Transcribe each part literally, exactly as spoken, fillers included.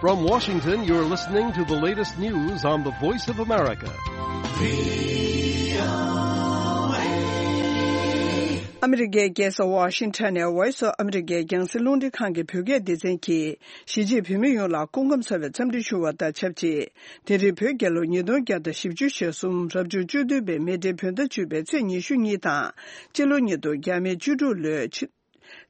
From Washington, you're listening to the latest news on the Voice of America. ཨ་མི་རི་ཀའི་རྒྱལ་ས་ཝ་ཤིང་ཊོན་ནས་Voice of America རྒྱང་སྲིང་རླུང་འཕྲིན་ཁང་གི་བོད་སྐད་སྡེ་ཚན་གྱིས་གཞིས་བྱེས་བོད་མི་ཡོངས་ལ་སྐུ་ཁམས་བཟང་བའི་འཚམས་འདྲི་ཞུ་བ་དང་ཆབས་ཅིག་དེ་རིང་བོད་རྒྱལ་ལོ་ཉིས་སྟོང་བརྒྱ་དང་བཞི་བཅུ་ཞེ་གསུམ་རབ་བྱུང་བཅུ་བདུན་པའི་མེ་སྤྲེལ་བོད་ཟླ་བཅུ་པའི་ཚེས་ཉི་ཤུ་གཉིས་དང་། སྤྱི་ལོ་ཉིས་སྟོང་བརྒྱ་མེད་བཅུ་དྲུག་ལོའི་ཕྱི་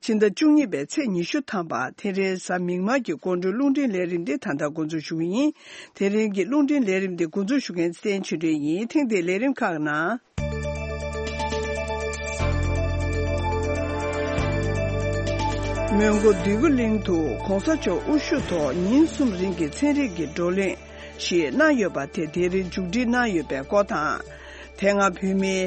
ཕྱི་ཟླ་བཅུ་གཉིས་པའི་ཚེས་ཉི་ཤུ་ཐམ་པ། དེ་རིང་གཟའ་མིག་དམར་གྱི་དགོང་དྲོའི་རླུང་འཕྲིན་ལས་རིམ་འདི་ད་ལྟ་འགོ་འཛུགས་ཞུ་གི་ཡིན། དེ་རིང་གི་རླུང་འཕྲིན་ལས་རིམ་འདི་འགོ་འཛུགས་ཞུ་མཁན་བསྟན་ཆོས་སྒྲོན་ཡིན། ཐེངས་འདིའི་ལས་རིམ་ཁག་ནང་། མོན་གྷོ་འདོད་རྒུ་གླིང་དུ་གོང་ས་མཆོག་དབུ་བཞུགས་ཐོག་ཉིན་གསུམ་རིང་གི་ཚན་རིག་གི་བགྲོ་གླེང་ཞིག་གནང་ཡོད་པ་དེ་དེ་རིང་མཇུག་སྒྲིལ་གནང་ཡོད་པའི་སྐོར་དང་། དེ་སྔ་བོད་མིའི་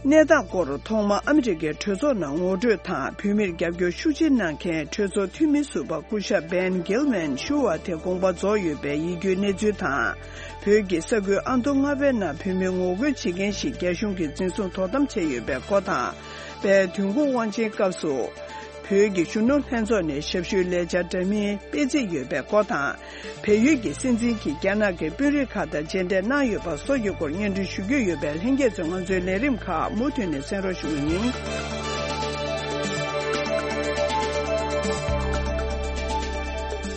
གནས་སྟངས་སྐོར་ཐོག་མར་ཨ་མི་རི་ཀའི་གྲོས་ཚོགས་ནང་ངོ་སྤྲོད་དང་། བོད་མིར་རྒྱབ་སྐྱོར་ཤུགས་ཆེ་གནང་མཁན་གྲོས་ཚོགས་འཐུས་མི་ཟུར་པ་སྐུ་ཞབས་Ben Gilman ཞུ་བ་དེ་དགོངས་པ་རྫོགས་ཡོད་པའི་ཡིད་སྐྱོའི་གནས་ཚུལ་དང་། བོད་ཀྱི་ས་ཁུལ་ཨ་མདོ་རྔ་པའི་ནང་བོད་མི་ངོ་རྒོལ་བྱེད་མཁན་ཞིག་རྒྱ་གཞུང་གིས་འཛིན་བཟུང་དོ་དམ་བྱས་ཡོད་པའི་སྐོར་དང་། དཔལ་དོན་གོང་དབང་ཆེན་སྐབས་སུ་བོད་ཀྱི་གཞོན་ནུ་ལྷན་ཚོགས་ནས་ཞབས་ཞུའི་ལས་འཆར་འདྲ་མིན་སྤེལ་རྩིས་ཡོད་པའི་སྐོར་དང་། བལ་ཡུལ་གྱི་སྲིད་འཛིན་གྱིས་རྒྱ་ནག་གི་དཔོན་རིགས་ཁག་དང་མཇལ་འཕྲད་གནང་ཡོད་པ་སོགས་ཀྱི་སྐོར་སྙན་སྒྲོན་ཞུ་རྒྱུ་ཡོད་པས། ལྷན་རྒྱས་ཚོས་ང་ཚོའི་ལས་རིམ་ཁག་མུ་མཐུད་ནས་གསན་རོགས་ཞུ་གི་ཡིན།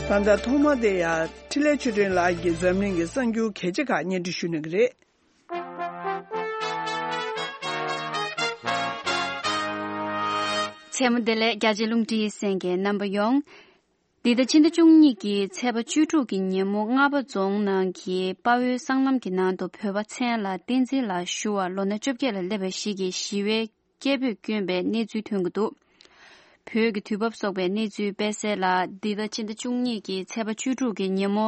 ད་ལྟ་ཐོག་མ་དེ་ཡང་འཕྲིན་ལས་ཆོས་སྒྲོན་ལགས་ཀྱིས་འཛམ་གླིང་གི་གསར་འགྱུར་གལ་ཆེ་ཁག་སྙན་སྒྲོན་ཞུ་གནང་གི་རེད། མཚན་མོ་བདེ་ལེགས། རྒྱ་ཆེ་རླུང་འཕྲིན་ཡིག་གསན་མཁན་རྣམ་པ་ཡོངས། འདི་ཟླ་ཕྱི་ཟླ་བཅུ་གཉིས་ཀྱི་ཚེས་པ་བཅུ་དྲུག་གི་ཉིན་མོ་རྔ་པ་རྫོང་ནང་གི་དཔའ་བོའི་སྲང་ལམ་གྱི་ནང་དུ་བོད་པ་མཚན་ལ་བསྟན་འཛིན་ལགས་ཞུ་བ་ལོ་ན་བཅོ་བརྒྱད་ལ་སླེབས་པ་ཞིག་གིས་ཞི་བའི་སྐད་འབོད་བསྐྱོན་པའི་གནས་ཚུལ་ཐོན་གྱི་འདུག་བོད་ཀྱི་དུས་བབ་སོགས་པའི་གནས་ཚུལ་སྤེལ་གསལ་ལ། འདི་ཟླ་ཕྱི་ཟླ་བཅུ་གཉིས་ཀྱི་ཚེས་པ་བཅུ་དྲུག་གི་ཉིན་མོ།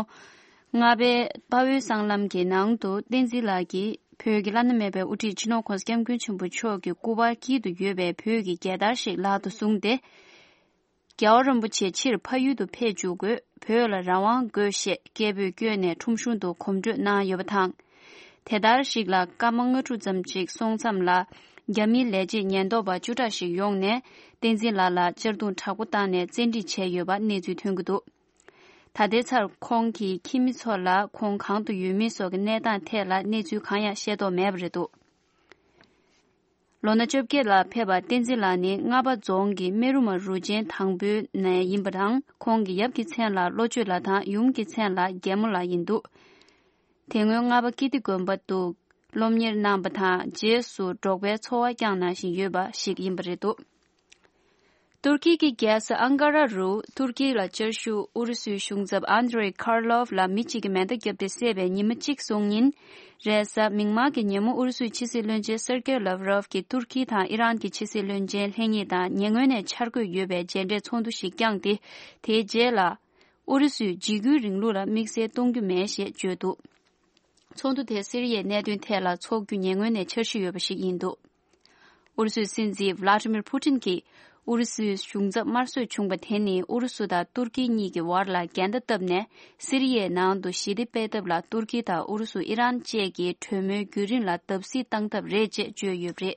རྔ་པའི་དཔའ་བོའི་སྲང་ལམ་གྱི་ནང་དུ་བསྟན་འཛིན་ལགས་ཀྱིས་བོད་ཀྱི་བླ་ན་མེད་པའི་དབུ་ཁྲིད་སྤྱི་ནོར་༸གོང་ས་༸སྐྱབས་མགོན་ཆེན་པོ་མཆོག་གི་སྐུ་པར་དཀྱིལ་དུ་ཡོད་པའི་བོད་ཀྱི་རྒྱལ་དར་ཞིག་ལག་ཏུ་བཟུང་སྟེ། རྒྱལ་བ་རིན་པོ་ཆེ་ཕྱིར་ཕ་ཡུལ་དུ་ཕེབས་བཅུག་དགོས། བོད་ལ་རང་དབང་དགོས་ཞེས་སྐད་འབོད་བསྐྱོན་ནས་ཁྲོམ་གཞུང་དུ་གོམ་བགྲོད་གནང་ཡོད་པ་དང་། དེ་ལྟར་ཞིག་ལ་སྐར་མ་ལྔ་དྲུག་ཙམ་ཅིག་སོང་མཚམས་ལ། རྒྱ་མིའི་ལས་བྱེད་ཉེན་རྟོག་པ་བཅུ་ཕྲག་ཞིག་ཡོང་ནས་བསྟན་འཛིན་ལགས་ལ་གཅར་རྡུང་དྲག་པོ་བཏང་ནས་བཙན་ཁྲིད་བྱས་ཡོད་པ་གནས་ཚུལ་ཐོན་གྱི་འདུག་ད་ལྟའི་ཆར་ཁོང་གི་ཁྱིམ་མི་ཚོ་ལ་ཁོང་གང་དུ་ཡོད་མིན་སོགས་ཀྱི་གནས་སྟངས་ཐད་ལ་གནས་ཚུལ་གང་ཡང་ཤེས་རྟོགས་མེད་པ་རེད་འདུག་ལོ་ན་བཅོ་བརྒྱད་ལ་ཕེབས་པ་བསྟན་འཛིན་ལགས་ནི་རྔ་པ་རྫོང་གི་སྨན་རུ་མ་རུ་ཆེན་དང་པོའི་ནས་ཡིན་པ་དང་། ཁོང་གི་ཡབ་ཀྱི་མཚན་ལ་བློ་ཆོས་ལགས་དང་ཡུམ་གྱི་མཚན་ལ་རྒྱལ་མོ་ལགས་ཡིན་འདུག་དེ་སྔོན་རྔ་པ་ཀིརྟི་དགོན་པ་དུ་སློབ་གཉེར་གནང་བ་དང་། རྗེས་སུ་འབྲོག་པའི་འཚོ་བ་བསྐྱངས་གནང་བཞིན་ཡོད་པ་ཞིག་ཡིན་པ་རེད་འདུག་ཏུར་ཀི་གི་རྒྱལ་ས་ཨང་ཀ་ར་རུ་ཏུར་ཀི་ལ་བཅའ་བཞུགས་ཨུ་རུ་སུའི་གཞུང་ཚབ་ཨན་དྲེ་ཁར་ལོབ་ལ་མི་གཅིག་གིས་མེ་མདའ་བརྒྱབ་སྟེ་བསད་པའི་ཉི་མ་གཅིག་སོང་ཉིན། རེས་གཟའ་མིག་དམར་གྱི་ཉིན་མོ་ཨུ་རུ་སུའི་ཕྱི་སྲིད་བློན་ཆེན་སེར་ཀེ་ལབ་རོབ་ཀྱིས་ཏུར་ཀི་དང་ཨི་རན་གྱི་ཕྱི་སྲིད་བློན་ཆེན་ལྷན་གཉིས་དང་ཉེ་སྔོན་ནས་འཆར་འགོད་ཡོད་པའི་མཇལ་འཕྲད་ཚོགས་འདུ་ཞིག་བསྐྱངས་ཏེ། དེའི་རྗེས་ལ། ཨུ་རུ་སུས་འཇིགས་སྐུལ་རིང་ལུགས་ལ་དམིགས་བསལ་གཏོང་རྒྱུ་མེད་ཞེས་བརྗོད་འདུག་ཚོགས་འདུ་དེས་སི་རི་ཡའི་གནད་དོན་ཐད་ལ་འཚོགས་རྒྱུ་ཉེ་སྔོན་ནས་འཆར་གཞི་ཡོད་པ་ཞིག་ཡིན་འདུག་ཨུ་རུ་སུའི་སྲིད་འཛིན་ཝླ་ཏི་མིར་ཕུ་ཏིན་གྱིས་ཨུ་རུ་སུའི་གཞུང་ཚབ་དམར་གསོད་བྱུང་བ་དེ་ནི་ཨུ་རུ་སུ་དང་ཏུར་ཀི་གཉིས་ཀྱི་བར་ལ་འགལ་ཟླ་བཏབ་ནས། སི་རི་ཡའི་ནང་དུ་ཞི་བདེ་སྤེལ་ཐབས་ལ་ཏུར་ཀི་དང་ཨུ་རུ་སུ། ཨི་རན་བཅས་ཀྱིས་གྲོས་མོལ་བརྒྱུད་རིམ་ལ་བརྡབ་གསིག་བཏང་ཐབས་རེད་ཅེས་བརྗོད་ཡོད་པ་རེད།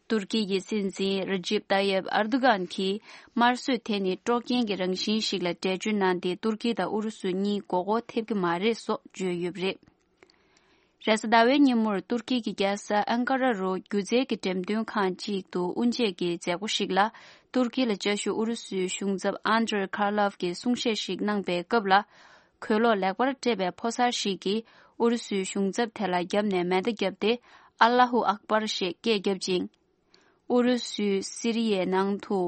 ཏུར་ཀི་ཡི་སྲིད་འཛིན་རི་ཇིབ་ཏཱ་ཡེབ་ཨར་དུ་གྷན་གྱིས་དམར་གསོད་དེ་ནི་དཀྲོག་རྐྱེན་གྱི་རང་བཞིན་ཞིག་ལ་འགྲེལ་བརྗོད་གནང་སྟེ། ཏུར་ཀི་དང་ཨུ་རུ་སུ་གཉིས་མགོ་སྐོར་ཐེབས་ཀྱི་མ་རེད་སོགས་བརྗོད་ཡོད་པ་རེད། རེས་གཟའ་ཟླ་བའི་ཉིན་མོར་ཏུར་ཀི་གི་རྒྱལ་ས་ཨན་ཀ་ར་རུ་སྒྱུ་རྩལ་གྱི་འགྲེམས་སྟོན་ཁང་ཅིག་ཏུ་དབུ་འབྱེད་ཀྱི་མཛད་སྒོ་ཞིག་ལ། ཏུར་ཀི་ལ་བཅའ་བཞུགས་ཨུ་རུ་སུའི་གཞུང་ཚབ་ཨན་དྲེ་ཁར་ལོབ་ཀྱིས་གསུང་བཤད་ཞིག་གནང་པའི་སྐབས་ལ། གོས་ལོག་ལེགས་པར་སྤྲས་པའི་ཕོ་གསར་ཞིག་གིས་ཨུ་རུ་སུའི་གཞུང་ཚབ་དེ་ལ་བརྒྱབ་ནས་མེ་མདའ་བརྒྱབ་སྟེ། ཨ་ལ་ཧུ་ཨག་པར་ཞེས་སྐད་བརྒྱབ་ཅིང་། ཨུ་རུ་སུས་སི་རི་ཡའི་ནང་དུ།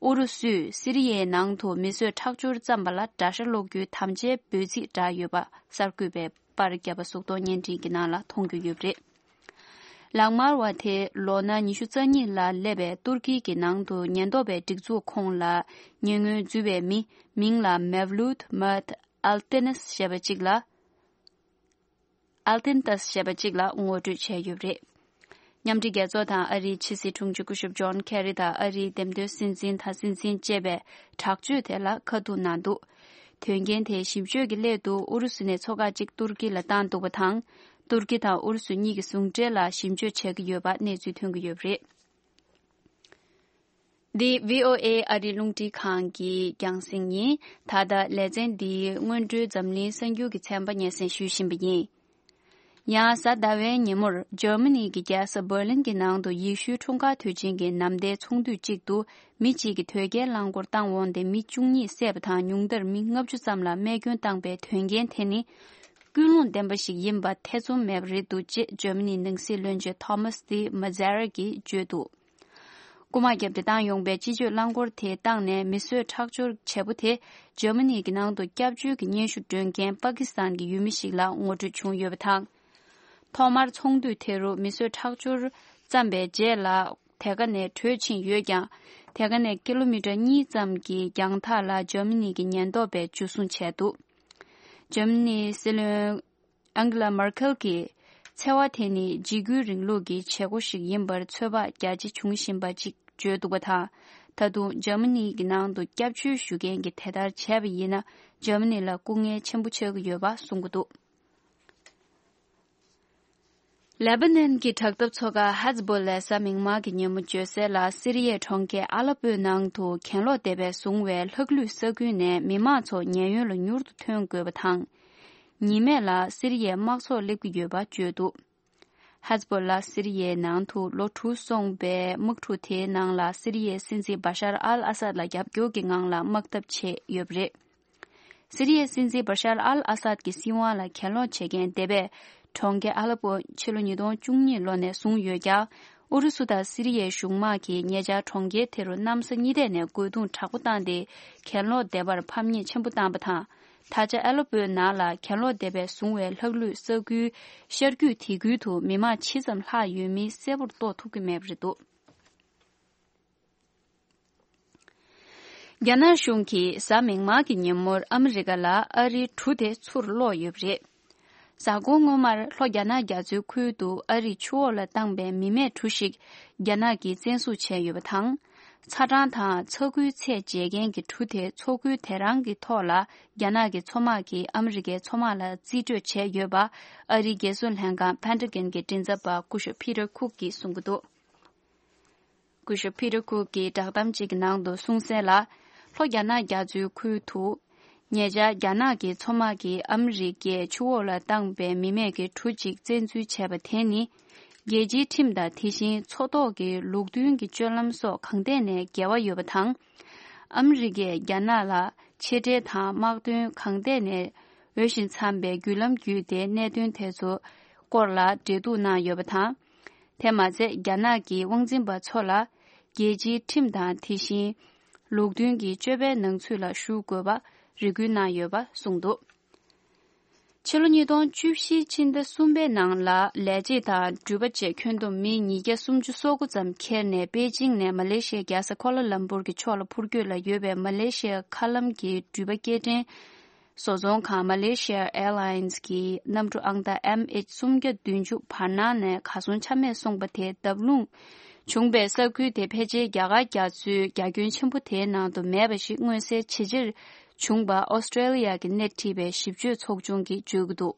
ཨུ་རུ་སུས་སི་རི་ཡའི་ནང་དུ་མི་གསོད་ཁྲག་སྦྱོར་བརྩམས་པ་ལ་དགྲ་ཤ་སློག་རྒྱུའི་དམ་བཅའི་འབོད་ཚིག་བསྒྲགས་ཡོད་པ་གསར་འགོད་པས་པར་བརྒྱབ་པ་གཟུགས་མཐོང་བརྙན་འཕྲིན་གྱི་ནང་ལ་མཐོང་རྒྱུ་ཡོད་པ་རེད། ལག་དམར་བ་དེ་ལོ་ན་ཉི་ཤུ་རྩ་གཉིས་ལ་སླེབས་པའི་ཏུར་ཀི་གི་ནང་དུ་ཉེན་རྟོག་པའི་སྒྲིག་འཛུགས་ཁོངས་ལ་ཉེ་སྔོན་འཛུལ་བའི་མི། མིང་ལ་མེབ་ལུད་མད་ཨལ་ཏེ་ནེས་ཞེས་པ་གཅིག་ལ། ཨལ་ཏིན་ཏཱས་ཞེས་པ་གཅིག་ལ་ངོ་སྤྲོད་བྱས་ཡོད་པ་རེད། མཉམ་འབྲེལ་རྒྱལ་ཚོགས་དང་ཨ་རིའི་ཕྱི་སྲིད་དྲུང་ཆེ་སྐུ་ཞབས་ཇོན་ཁེ་རི་དང་ཨ་རིའི་འདེམས་ཐོན་སྲིད་འཛིན་དང་སྲིད་འཛིན་བཅས་པས་དྲག་སྤྱོད་དེ་ལ་ཁ་ཐུག་གནང་འདུག་དོན་རྐྱེན་དེའི་ཞིབ་དཔྱོད་ཀྱི་སླད་དུ་ཨུ་རུ་སུ་ནས་མཚོ་འགག་གཅིག་ཏུར་ཀི་ལ་བཏང་འདུག་པ་དང་། ཏུར་ཀི་དང་ཨུ་རུ་སུ་གཉིས་ཀྱི་ཟུང་འབྲེལ་ལ་ཞིབ་དཔྱོད་བྱེད་ཀྱི་ཡོད་པ་གནས་ཚུལ་ཐོན་གྱི་ཡོད་པ་རེད། འདི་བྷི་ཨོ་ཨེ་ཨ་རིའི་རླུང་འཕྲིན་ཁང་གི་རྒྱང་སྲིང་ཡིན། ད་ལྟ་ལེ་ཚན་འདིའི་སྔོན་འགྲོའི་འཛམ་གླིང་གསར་འགྱུར་གྱི་ཚན་པ་སྙན་སེང་ཞུ་བཞིན་པ་ཡིན། ཡང་གཟའ་ཟླ་བའི་ཉིན་མོར་འཇར་མ་ནི་གི་རྒྱལ་ས་འབར་ལིན་གྱི་ནང་དུ་ཡེ་ཤུའི་འཁྲུངས་སྐར་དུས་ཆེན་གྱི་ནམ་ཟླའི་ཚོགས་འདུ་གཅིག་ཏུ་མི་གཅིག་གིས་དོས་སྐྱེལ་རླངས་འཁོར་བཏང་འོང་སྟེ་མི་བཅུ་གཉིས་བསད་པ་དང་ཉུང་མཐར་མི་ལྔ་བཅུ་ཙམ་ལ་རྨས་སྐྱོན་བཏང་པའི་དོན་རྐྱེན་དེ་ནི་ཀུན་སློང་ལྡན་པ་ཞིག་ཡིན་པ་ཐེ་ཚོམ་མེད་པ་རེད་འདུག་ཅེས་འཇར་མ་ནིའི་ནང་སྲིད་བློན་ཆེན་ཐོ་མཱས་དི་མ་ཛེ་ར་གིས་བརྗོད་འདུག་རྐུ་མ་བརྒྱབ་སྟེ་བཏང་ཡོང་པའི་སྤྱི་སྤྱོད་རླངས་འཁོར་དེ་བཏང་ནས་མི་གསོད་ཁྲག་སྦྱོར་བྱེད་པོ་དེ་འཇར་མ་ནི་གི་ནང་དུ་སྐྱབས་བཅོལ་གྱི་སྙན་ཞུ་སྒྲོན་མཁན་པ་ཀི་སི་ཐན་གྱི་ཡུལ་མི་ཞིག་ལ་ངོ་སྤྲོད་བྱུང་ཡོད་པ་དང་། ཐོག་མར་ཚོགས་འདུ་དེ་རུ་མི་གསོད་ཁྲག་སྦྱོར་བརྩམས་པའི་རྗེས་ལ་དེ་ག་ནས་བྲོས་ཕྱིན་ཡོད་ཀྱང་། དེ་ག་ནས་ཀི་ལོ་མི་ཊར་གཉིས་ཙམ་གྱི་རྒྱང་ཐག་ལ་འཇར་མ་ནི་གི་ཉེན་རྟོག་པས་འཇུ་བཟུང་བྱས་འདུག་འཇར་མ་ནིའི་སྲིད་བློན། ཨང་གེ་ལ་མར་ཁེལ་གྱིས། འཚེ་བ་དེ་ནི་འཇིགས་སྐུལ་རིང་ལུགས་ཀྱི་བྱེད་སྒོ་ཞིག་ཡིན་པར་ཚོད་དཔག་རྒྱ་ཆེ་བྱུང་བཞིན་པ་ཅིག་བརྗོད་འདུག་པ་དང་། ད་དུང་འཇར་མ་ནི་གི་ནང་དུ་སྐྱབས་བཅོལ་ཞུ་མཁན་གྱིས་དེ་ལྟར་བྱས་པ་ཡིན་ན་འཇར་མ་ནི་ལ་སྐུ་ངལ་ཆེན་པོ་ཆགས་ཀྱི་ཡོད་པ་གསུང་གི་འདུག་ལེ་པ་ནན་གྱི་དྲག་འཐབ་ཚོ་ཁག་ཧེ་ཛ་བོ་ལས་གཟའ་མིག་དམར་གྱི་ཉིན་མོ་བརྗོད་གསལ་ལ་སི་རི་ཡའི་གྲོང་ཁྱེར་ཨ་ལ་པོའི་ནང་དུ་གྱེན་ལོག་སྡེ་པས་བཟུང་བའི་ལྷག་ལུས་ས་ཁུལ་ནས་མི་མང་ཚོ་ཉེན་གཡོལ་ལ་མྱུར་དུ་ཐོན་དགོས་པ་དང་། ཉི་མས་ལ་སི་རི་ཡའི་དམག་ཚོགས་སླེབས་ཀྱི་ཡོད་པ་བརྗོད་འདུག་ཧེ་ཛ་བོ་ལ་སི་རི་ཡའི་ནང་དུ་ལོ་དྲུག་སོང་པའི་དམག་འཁྲུག་དེའི་ནང་ལ་སི་རི་ཡའི་སྲིད་འཛིན་བ་ཤར་ཨལ་ཨ་སད་ལ་རྒྱབ་སྐྱོར་གྱི་ངང་ལ་དམག་འཐབ་བྱས་ཡོད་པ་རེད། སི་རི་ཡའི་སྲིད་འཛིན་བ་ཤར་ཨལ་ཨ་སད་ཀྱི་སྲིད་དབང་ལ་གྱེན་ལོག་བྱེད་མཁན་སྡེ་པས་གྲོང་ཁྱེར་ཨ་ལ་པོ་ཕྱི་ལོ་ཉིས་སྟོང་བཅུ་གཉིས་ལོ་ནས་བཟུང་ཡོད་ཀྱང་། ཨུ་རུ་སུ་དང་སི་རི་ཡའི་གཞུང་དམག་གིས་ཉེ་ཆར་གྲོང་ཁྱེར་དེ་རུ་གནམ་ས་གཉིས་ཐད་ནས་རྒོལ་རྡུང་དྲག་པོ་བཏང་སྟེ་གྱེན་ལོག་སྡེ་པར་ཕམ་ཉེས་ཆེན་པོ་བཏང་པ་དང་། ད་ཆ་ཨ་ལ་པོའི་ནང་ལ་གྱེན་ལོག་སྡེ་པས་བཟུང་བའི་ལྷག་ལུས་ས་ཁུལ་ཤར་རྒྱུད་དེ་ཁུལ་དུ་མི་མང་ཇི་ཙམ་ལྷག་ཡོད་མིན་གསལ་པོར་རྟོགས་ཐུབ་ཀྱི་མེད་པ་རེད་འདུག་རྒྱ་ནག་གཞུང་གིས་གཟའ་མིག་དམར་གྱི་ཉིན་མོར་ཨ་མི་རི་ཀ་ལ་ཨ་རིའི་གྲུ་དེ་ཚུར་སློག་ཡོད་པ་རེད། གཟའ་འཁོར་སྔོན་མར་ལྷོ་རྒྱ་ནག་རྒྱ་མཚོའི་ཁུལ་དུ་ཨ་རིས་ཆུ་འོག་ལ་བཏང་པའི་མི་མེད་གྲུ་ཞིག་རྒྱ་ནག་གིས་བཙན་བཟུང་བྱས་ཡོད་པ་དང་། ཚ་གྲང་དང་ཚ་ཁུལ་ཚད་འཇལ་མཁན་གྱི་གྲུ་དེ་མཚོ་ཁུལ་དེ་རང་གི་ཐོག་ལ་རྒྱ་ནག་གི་མཚོ་དམག་གིས་ཨ་མི་རི་ཀའི་མཚོ་དམག་ལ་རྩིས་སྤྲོད་བྱས་ཡོད་པ་ཨ་རིའི་རྒྱལ་སྲུང་ལྷན་ཁང་Pentagon གྱི་མགྲིན་ཚབ་པ་སྐུ་ཞབས་Peter Cook གིས་གསུང་གི་འདུག་སྐུ་ཞབས་Peter Cook གིས་བསྒྲགས་གཏམ་གཅིག་གི་ནང་དུ་གསུངས་གསལ་ལ། ལྷོ་རྒྱ་ནག་རྒྱ་མཚོའི་ཁུལ་དུ། ཉེ་ཆར་རྒྱ་ནག་གི་མཚོ་དམག་གིས་ཨ་མི་རི་ཀའི་ཆུ་འོག་ལ་བཏང་པའི་མི་མེད་ཀྱི་གྲུ་གཅིག་བཙན་འཛུལ་བྱས་པ་དེ་ནི། རྒྱལ་སྤྱིའི་ཁྲིམས་དང་དེ་བཞིན་མཚོ་ཐོག་གི་ལུགས་མཐུན་གྱི་སྤྱོད་ལམ་སོགས་གང་ཐད་ནས་འགལ་བ་ཡོད་པ་དང་། ཨ་མི་རི་ཀས་རྒྱ་ནག་ལ་ཆེ་གྲས་དང་དམག་དོན་གང་ཐད་ནས་འོས་ཤིང་འཚམས་པའི་བརྒྱུད་ལམ་བརྒྱུད་དེ་གནད་དོན་དེ་ཚོ་སྐོར་ལ་འབྲེལ་གཏུག་གནང་ཡོད་པ་དང་། དེ་མ་ཚད་རྒྱ་ནག་གི་དབང་འཛིན་པ་ཚོ་ལ་རྒྱལ་སྤྱིའི་ཁྲིམས་དང་དེ་བཞིན་ལུགས་མཐུན་གྱི་སྤྱོད་པའི་ནང་ཚུད་ལ་ཞུགས་དགོས་པ་རེ་སྐུལ་གནང་ཡོད་པ་གསུངས་འདུག་ཕྱི་ལོ་ཉིས་སྟོང་བཅུ་བཞི་ཕྱི་ཟླ་གསུམ་པའི་ནང་ལ་ལས་བྱེད་དང་འགྲུལ་པ་བཅས་ཁྱོན་བསྡོམས་མི་ཉིས་བརྒྱ་སུམ་ཅུ་སོ་དགུ་ཙམ་འཁྱེར་ནས་པེ་ཅིང་ནས་མ་ལེ་ཤི་ཡའི་རྒྱལ་ས་ཀོ་ལ་ལམ་པུར་གྱི་ཕྱོགས་ལ་འཕུར་སྐྱོད་ལ་ཡོད་པའི་མ་ལེ་ཤི་ཡའི་མཁའ་ལམ་གྱི་འགྲུལ་པ་སྐྱེལ་འདྲེན་བཟོ་ཚོང་ཁང་Malaysia Airlines གི་གནམ་གྲུ་ཨང་རྟགས་M H སུམ་བརྒྱ་བདུན་ཅུ་བར་སྣང་ནས་གར་སོང་ཆ་མེད་སོང་པ་དེ་བརྡབ་ལྷུང་བྱུང་པའི་ས་ཁུལ་དེ་ཕལ་ཆེར་རྒྱ་གར་རྒྱ་མཚོའི་རྒྱ་ཁྱོན་ཆེན་པོ་དེའི་ནང་དུ་མེད་པ་ཞིག་མངོན་གསལ་ཇེ་ཆེར་བྱུང་པ་ཨོ་སི་ཀྲེ་ལི་ཡ་གི་སྣེ་ཁྲིད་པའི་ཞིབ་དཔྱོད་ཚོགས་ཆུང་གིས་བརྗོད་ཀྱི་འདུག་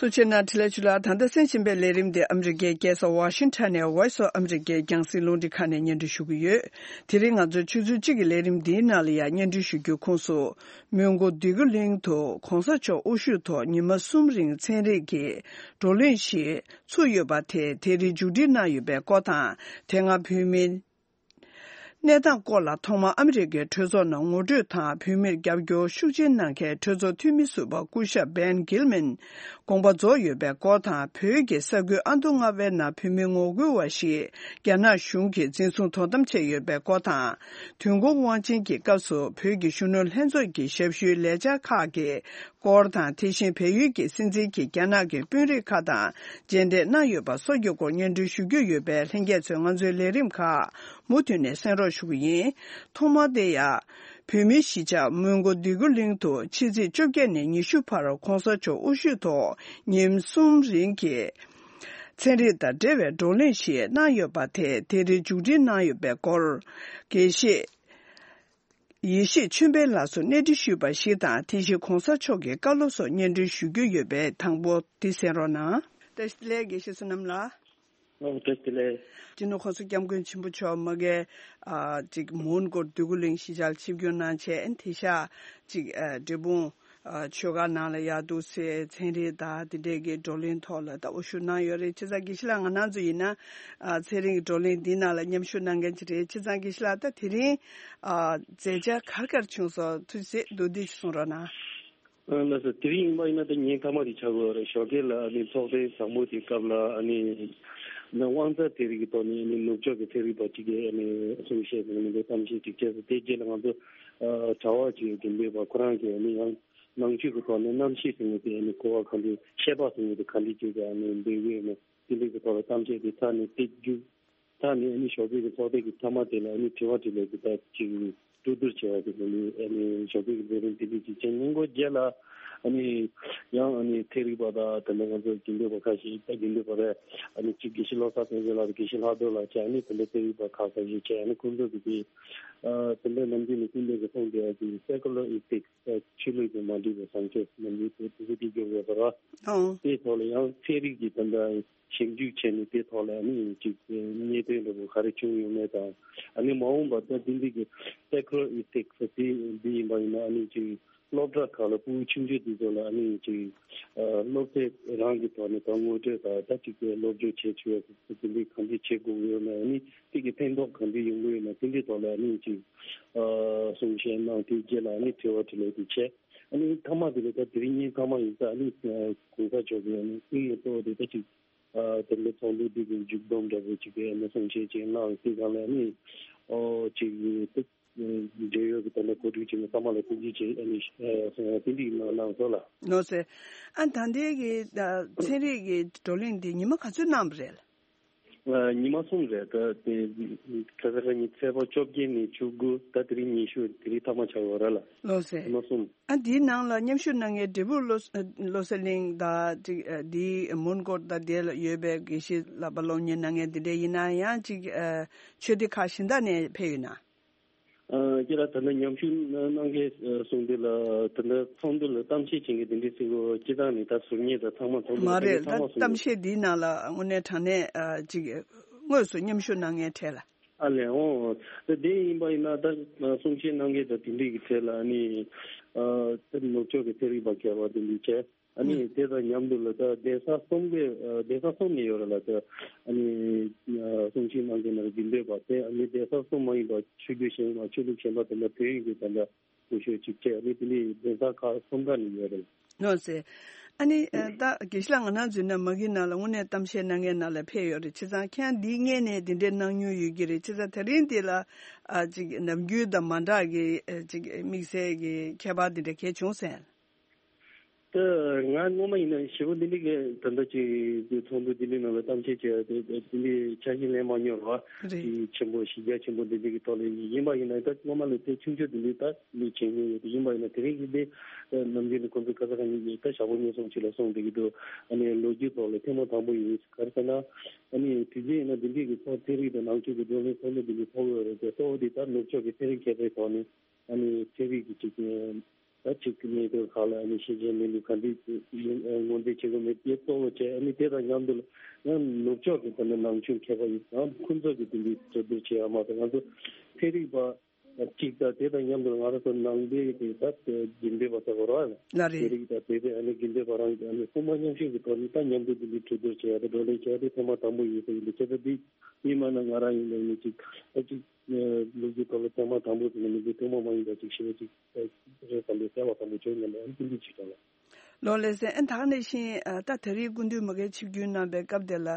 ཐུགས་རྗེ་གནང་། འཕྲིན་ལས་ཆུ་ལགས། ད་ལྟ་གསན་བཞིན་པའི་ལས་རིམ་འདི་ཨ་མི་རི་ཀའི་རྒྱལ་ས་ཝ་ཤིང་ཊོན་ནས་Voice of America རྒྱང་སྲིང་རླུང་འཕྲིན་ཁང་ནས་སྙན་སྒྲོན་ཞུ་གི་ཡོད། དེ་རིང་ང་ཚོའི་ཆུ་ཚོད་གཅིག་གི་ལས་རིམ་འདིའི་ནང་ལ་ཡང་སྙན་སྒྲོན་ཞུ་རྒྱུའི་ཁོངས་སུ། མོན་གྷོ་འདོད་རྒུ་གླིང་དུ་གོང་ས་མཆོག་དབུ་བཞུགས་ཐོག་ཉི་མ་གསུམ་རིང་ཚན་རིག་གི་བགྲོ་གླེང་ཞིག་ཚུགས་ཡོད་པ་དེ་དེ་རིང་མཇུག་སྒྲིལ་གནང་ཡོད་པའི་སྐོར་དང་། དེ་སྔ་བོད་མིའི་གནས་སྟངས་སྐོར་ལ་ཐོག་མར་ཨ་མི་རི་ཀའི་གྲོས་ཚོགས་ནང་ངོ་སྤྲོད་དང་བོད་མིར་རྒྱབ་སྐྱོར་ཤུགས་ཆེན་གནང་མཁན་གྲོས་ཚོགས་འཐུས་མི་ཟུར་པ་སྐུ་ཞབས་བན་གྷིལ་མན་དགོངས་པ་རྫོགས་ཡོད་པའི་སྐོར་དང་། བོད་ཀྱི་ས་ཁུལ་ཨ་མདོ་རྔ་བའི་ནང་བོད་མི་ངོ་རྒོལ་བ་ཞིག་རྒྱ་ནག་གཞུང་གིས་འཛིན་བཟུང་དོ་དམ་བྱས་ཡོད་པའི་སྐོར་དང་། དུས་འཁོར་དབང་ཆེན་གྱི་སྐབས་སུ་བོད་ཀྱི་གཞོན་ནུ་ལྷན་ཚོགས་ཀྱི་ཞབས་ཞུའི་ལས་འཆར་ཁག་གི་སྐོར་དང་། དེ་བཞིན་བལ་ཡུལ་གྱི་སྲིད་འཛིན་གྱིས་རྒྱ་ནག་གི་དཔོན་རིགས་ཁག་དང་མཇལ་འཕྲད་གནང་ཡོད་པ་སོགས་ཀྱི་སྐོར་སྙན་སྒྲོན་ཞུ་རྒྱུ་ཡོད་པས། ལྷན་རྒྱས་ཚོས་ང་ཚོའི་ལས་རིམ་ཁག་མུ་མཐུད་ནས་གསན་རོགས་ཞུ་གི་ཡིན། ཐོག་མར་དེ་ཡང་། བོད་མིའི་གཞིས་ཆགས་མོན་གྷོ་འདོད་རྒུ་གླིང་དུ་ཕྱི་ཚེས་བཅོ་བརྒྱད་ནས་ཉི་ཤུ་བར་གོང་ས་མཆོག་དབུ་བཞུགས་ཐོག་ཉིན་གསུམ་རིང་གི་ཚན་རིག་དང་འབྲེལ་བའི་བགྲོ་གླེང་ཞིག་གནང་ཡོད་པ་དེ་དེ་རིང་མཇུག་སྒྲིལ་གནང་ཡོད་པའི་སྐོར། དགེ་བཤེས་ཡེ་ཤེས་ཆོས་འཕེལ་ལགས་སུ་གནས་འདྲི་ཞུས་པ་ཞིག་དང་། དེ་བཞིན་གོང་ས་མཆོག་གི་བཀའ་སློབ་སོགས་སྙན་སྒྲོན་ཞུ་རྒྱུ་ཡོད་པས། དང་པོ་འདི་གསན་རོགས་གནང་། བཀྲ་ཤིས་བདེ་ལེགས་དགེ་བཤེས་བསོད་ནམས་ལགས། ཨོ་བཀྲ་ཤིས་བདེ་ལེགས། སྤྱི་ནོར་༸གོང་ས་༸སྐྱབས་མགོན་ཆེན་པོ་མཆོག་མ་གི་ཨ་ཅིག་མོན་གྷོར་འདོད་རྒུ་གླིང་གཞིས་ཆགས་ལ་ཆིབས་བསྒྱུར་གནང་བྱས། ཨ་ནི་དེ་ཤ་ཅིག་ཨ་འབྲས་སྤུངས་ཨ་ཆོས་སྒར་ནང་ལ་ཡར་འདུག་སེ་ཚན་རིག་དང་དེ་འདྲས་ཀྱི་བགྲོ་གླེང་ཐོག་ལ་ད་དབུ་བཞུགས་གནང་ཡོད་རེད། བྱས་ཙང་དགེ་བཤེས་ལགས་ང་རང་ཚོ་ཡིན་ན་ཨ་ཚན་རིག་གི་བགྲོ་གླེང་འདི་ནང་ལ་མཉམ་ཞུགས་གནང་མཁན་ཅིག་རེད། བྱས་ཙང་དགེ་བཤེས་ལགས་ད་དེ་རིང་ཨ་མཛད་འཆར་ག་རེ་ག་རེ་བྱུང་སོང་། ཐུགས་རྗེ་ཆེ། མདོར་བསྡུས་ཤིག་གསུང་རོགས་གནང་། ཨ་ལགས་སོ། དེ་རིང་ཡིན་པ་ཡིན་ན་ད་ཉིན་མཐའ་མ་དེ་ཆགས་ཀྱི་ཡོད་རེད། ཞོགས་ཀས་ལ་ཨ་ནི་ཚོགས་ཐེངས་དང་པོ་དེའི་སྐབས་ལ་ཨ་ནི་ན་དབང་རྩ་ཚན་རིག་གི་ཐོག་ནས་ཨ་ནི་ནུབ་ཕྱོགས་ཀྱི་ཚན་རིག་པ་གཅིག་གིས་ཨ་ནི་གསུང་བཤད་དང་ཨ་ནི་གཏམ་བཤད་ཅིག་བྱས་སོང་། དེའི་རྗེས་ལ་ང་ཚོ་ཨ་གྲྭ་བ་གཅིག་དགེ་འདུན་པ་ཁོ་རང་གིས་ཨ་ནི་ཡང་ནང་ཆོས་ཀྱི་ཐོག་ནས་རྣམ་ཤེས་ཟེར་མཁན་དེ་ཨ་ནི་གོ་བ་ག་འདྲ། ཤེས་པ་ཟེར་མཁན་དེ་ག་འདྲ་བྱས་ཀྱང་ཨ་ནི་འདོད་ཀྱི་ཡོད་མེད་དེ་འདྲའི་གི་ཐོག་ལ་གཏམ་བཤད་དེ་ཚར་ནས་དེ་མཇུག་ད་ནི་ཨ་ནི་ཞོགས་ཀས་ཀྱི་ཚོགས་ཐེངས་ཀྱི་མཐའ་མ་དེ་ལ་ཨ་ནི་དྲི་བ་དྲིས་ལན་དེ་དག་ཅིག་གྲོས་བསྡུར་བྱས་པ་དེ་ལ་ནི་ཨ་ནི་ཞོགས་ཀས་ཀྱི་ལས་རིམ་དེ་འདྲ་ཅིག་བྱས། ཉིན་གུང་རྗེས་ལ་ཨ་ནི་ཡང་ཨ་ནི་ཚན་རིག་པ་དང་དེ་འདྲ་ང་ཚོ་དགེ་འདུན་པ་ཁ་ཤས་ད་དགེ་འདུན་པ་རེད། ཨ་ནི་གཅིག་དགེ་བཤེས་བློ་བཟང་བསྟན་འཛིན་ལགས་དང་དགེ་བཤེས་ལྷག་རྡོར་ལགས་བྱས། ཨ་ནི་དེ་འདྲ་ཚན་རིག་པ་ཁ་ཤས་ཤིག་བྱས། ཨ་ནི་ཁོང་ཚོ་གིས་དེ་ཨ་དེ་འདྲ་ནམ་རྒྱུན་ནས་ཀུན་གླེང་གི་ཐོག་འདི་ཨ་ཅིག་སེ་ཀུ་ལར་ཨི་ཐིག་སི། ཆོས་ལུགས་ཀྱིས་མ་འགྲིག་པའི་བཟང་སྤྱོད་ནམ་རྒྱུན་དེ་དེ་ཚོ་དེ་བརྗོད་ཡོད་པ་རེད། ཨང་། དེའི་ཐོག་ལ་ཡང་ཚན་རིག་གི་དེ་འདྲ་ཞིབ་འཇུག་བྱས་ནས་དེའི་ཐོག་ལ་ཨ་ནི་ཅིག་གནད་དོན་འདྲ་པོ་ག་རེ་བྱུང་ཡོད་མེད་དང་། ཨ་ནི་མ་འོངས་པར་ད་འདི་འདི་གི་སེ་ཀུ་ལར་ཨི་ཐིག་སི་དེ་འདི་ཡིན་པ་ཡིན་ན་ཨ་ནི་ཅིག་སློབ་གྲྭ་ཁག་ལ་ཕྲུ་གུ་ཆུང་ཆུང་དེ་ཚོ་ལ་ཨ་ནི་ཅིག་ཨ་སློབ་དེབ་རང་གི་ཐོག་ནས་ད་ངོ་སྤྲོད་དང་ད་ཅིག་སློབ་སྦྱོང་བྱེད་ཆོག་ཡ་དེ་འདི་ག་འདྲ་བྱེད་དགོས་ཡོད་མེད། ཨ་ནི་དེ་གི་ཕན་ཐོགས་ག་འདྲ་ཡོང་གི་ཡོད་མེད་དེ་འདྲའི་ཐོག་ལ་ཨ་ནི་ཅིག་ཨ་གསུང་བཤད་གནང་། དེའི་རྗེས་ལ་ཨ་ནི་དྲི་བ་དྲིས་ལན་དེ་བྱས། ཨ་ནི་མཐའ་མ་དེ་ལ་ད་དེ་རིང་ཉིན་མཐའ་མ་ཡིན་ཙང་ཨ་ནི་ཨ་གོང་ས་མཆོག་གིས་ཨ་ནི་སྐུ་ངལ་གཙོ་བོ་དེ་ད་ཅིག་ཨ་དེ་འདྲ་ཚོགས་འདུ་འདི་གི་མཇུག་བསྡོམས་འདྲ་པོ་ཅིག་གི་ཨ་ནི་གསུང་བཤད་ཅིག་གནང་། དེ་སྒང་ལ་ཨ་ནི་ཨོ་ཅིག་ཨ་འབྲེལ་ཡོད་ཀྱི་ད་ལྟ་གོ་སྒྲིག་བྱས་ནས་ཚང་མ་ལ་ཐུགས་རྗེ་ཆེ་ཨ་ནི་ཨ་དེ་འདྲ་གནང་གནང་སོང་ལགས། ལགས་སེ། ཨ་ད་ལྟའི་གི་ཨ་ཚན་རིག་གི་བགྲོ་གླེང་འདི་ཉི་མ་ག་ཚོད་གནང་བ་རེད། ཨ་ཉི་མ་གསུམ་རེད། ད་དེ་ཁ་ས་ཁ་ཉིན་ཚེས་པ་བཅོ་བརྒྱད་ནས་བཅུ་དགུ། ད་དེ་རིང་ཉི་ཤུ། དེ་རིང་མཐའ་མ་ཆགས་ཡོད་རེད་ལགས། ལགས་སེ། ཉི་མ་གསུམ། ཨ་འདིའི་ནང་ལ་མཉམ་ཞུགས་གནང་མཁན་འབྲས་སྤུངས་བློ་བློ་གསལ་གླིང་དང་ཅིག་ཨ་འདིའི་མོན་གྷོ་དང་དེ་ལ་ཡོད་པའི་དགེ་བཤེས་ལགས་པ་སློབ་གཉེར་གནང་མཁན་དེ་འདྲ་ཡིན་ན་ཡང་ཅིག་ཨ་ཆོས་སྡེ་ཁག་གཞན་དག་ནས་ཕེབས་ཡོད་ན། ཨ་ཁྱེད་རང་ད་ལྟ་མཉམ་ཞུགས་གནང་མཁན་གསུང་དུས་ལ་ད་ལྟ་ཚོགས་འདུ་ལ་གཏམ་བཤད་བྱེད་མཁན་དེ་འདྲའི་ཚིག་གོ་སྤྱི་བཏང་ནས་ད་ཟུར་ཉན་དང་ཚང་མ་ཚོགས་འདུ་མ་ལ་རེད། ད་ཚང་མ་ཚོགས་གཏམ་འདུ་བཤད་འདིའི་ནང་ལ་དངོས་གནས་དྲང་གནས་ཨ་ཅིག་དངོས་སུ་མཉམ་ཞུགས་གནང་མཁན་གྲས་ལ། ཨ་ལས་འོང་། ད་དེ་ཡིན་པ་ཡིན་ན་ད་གསུང་བཤད་གནང་མཁན་དང་དེ་འདྲའི་གི་གྲས་ལ་ཨ་ནི་ཨ་ད་ནུབ་ཕྱོགས་ཀྱི་ཚན་རིག་པ་མཁས་པ་དེ་འདྲའི་བྱས། ཨ་ནི་དེ་དང་མཉམ་དུ་ལ་ད་གདན་ས་གསུམ་གི་ཨ་གདན་ས་གསུམ་ནས་ཡོད་རེད་ལ། ད་ཨ་ནི་ཨ་གསུང་བཤད་གནང་མཁན་ནང་དགེ་འདུན་པ་དེ། ཨ་ནི་གདན་ས་གསུམ་མ་ཡིན་པ་ཆོས་བརྒྱུད་གཞན་པ་ཆོས་ལུགས་གཞན་པ་དེ་འདྲ་བོད་ཡིག་གི་དེ་འདྲ་སྐུ་ཞབས་གཅིག་བྱས། ཨ་ནི་དེ་ནས་གདན་ས་ཁག་གསུམ་ཀ་ནས་ཡོད་རེད། ལགས་སེ། ཨ་ནི་ཨ་ད་དགེ་བཤེས་ལགས་ང་རང་ཚོའི་ནང་མ་གི་ནང་ལ་དངོས་གནས་གཏམ་བཤད་གནང་མཁན་ནང་ལ་ཕེབས་ཡོད་རེད། བྱས་ཙང་ཁྱེད་རང་འདིའི་སྔོན་ནས་འདི་འདྲའི་གནང་མྱོང་ཡོད་ཀྱི་རེད། བྱས་ཙང་དེ་རིང་འདི་ལ་ཨ་ཅིག་ནམ་རྒྱུན་དང་མ་འདྲ་གི་ཨ་ཅིག་དམིགས་བསལ་གྱི་ཁྱད་པར་འདི་འདྲ་གས་བྱུང་སོང་། ད་ང་སྔོན་མ་ཡིན་ན་ཞེ་པོ་འདི་འདྲའི་གི་ད་ལྟ་ཅིག་ཚོགས་འདུ་འདི་འདྲའི་ནང་ལ་གཏམ་བཤད་བྱས་ཏེ་འདི་འདྲའི་ཆ་ཤས་ལེན་མ་མྱོང་ར། རེད། ཅིག་ཆེན་པོ་གཞི་རྒྱ་ཆེན་པོ་འདི་འདྲའི་གི་ཐོག་ལ་ཡིན་པ་ཡིན་ན། ད་སྔོན་མ་ལ་དེ་ཆུང་ཆུང་འདི་འདྲའི་ད་མི་བྱེད་མྱོང་ཡོད་དེ། ཡིན་པ་ཡིན་ན་དེ་རིང་གི་འདི་ནམ་རྒྱུན་ནས་ཁོང་ཚོ་ཁ་ས་ཁ་ཉིན་གྱི་ད་ཞག་པོ་ཉིན་གསུམ་ཅིག་ལ་སོང་བསྡད་ཀྱི་འདུག་ཨ་ནི་ལོ་རྒྱུས་ཐོག་ལ་ཐེངས་མ་དང་པོ་ཡིན། ག་རེ་ཟེར་ན་ཨ་ནི་དུས་རྒྱུན་ཡིན་ན་འདི་འདྲའི་གི་ཚོགས་ཚན་རིག་དང་ནང་ཆོས་ཀྱི་བགྲོ་གླེང་ཚོགས་འདུ་འདི་འདྲའི་ཚོགས་ཡོད་རེད་དེ། གཙོ་བོ་འདི་ད་ནུབ་ཕྱོགས་ཀྱི་ཚན་རིག་མཁས་པའི་ཐོག་ནས་ཨ་ནི་ཚན་རིག་གི་ཅིག་ད་ཅིག་གནད་དོན་ཁག་ལ་ཨ་ནི་ཤེས་བྱའི་གནས་ལུགས་ག་འདྲ་ངོས་འཛིན་བྱེད་དགོས་མེད་དེ་གཙོ་བོ་བྱས། ཨ་ནི་དེ་དང་མཉམ་དུ་ཡང་ནུབ་ཕྱོགས་ཀྱི་ད་ནི་ནང་ཆོས་མཁས་པ་ཡིན་ཙང་ཁོང་ཚོ་གིས་དེ་འདྲའི་གྲོས་བསྡུར་བྱེད་ཡ་མ་གཏོགས། ང་ཚོ་ཚན་རིག་པ་གཅིག་དང་དེ་དང་མཉམ་དུ་ང་རང་ཚོ་ནང་པའི་གི་ད་དགེ་འདུན་པ་ཚོ་ར་ལ་རེད། དེ་རིགས་ད་དེ་དེ་ཨ་ནི་དགེ་འདུན་པ་རང་གི་ཨ་ནི་དབུ་མ་མཉམ་གཤིབ་ཀྱི་ཐོག་ནས་ད་མཉམ་དུ་དེ་འདྲའི་གྲོས་བསྡུར་བྱེད་ཡ་དང་བགྲོ་གླེང་བྱེད་ཡ་དེ་ཐེངས་མ་དང་པོ་ཡིན་ས་ཡིན་དུས། ཁྱེད་ཚོ་འདི་ཡིན་མ་ན་ང་རང་ཡིན་ན་ཡིན་ཅིག་ད་ཅིག་ལོ་རྒྱུས་ཐོག་ལ་ཐེངས་མ་དང་པོ་ཟེར་ན་མི་འདུག་ཐེངས་མ་མ་ཡིན་པ་ཅིག་ཞེ་པོ་ཅིག་རེད་བསམ་པའི་བསམ་པ་དང་པོ་བྱུང་། ཡིན་ན་ཨ་ནི་དེ་འདྲ་ཅིག་ཀྱང་ལ། ལགས་སེ། ཨ་ད་ག་ནང་བཞིན་ཨ་ད་ད་རེས་སྐུ་མདུན་མ་གིར་ཆིབས་བསྒྱུར་གནང་པའི་སྐབས་དེ་ལ་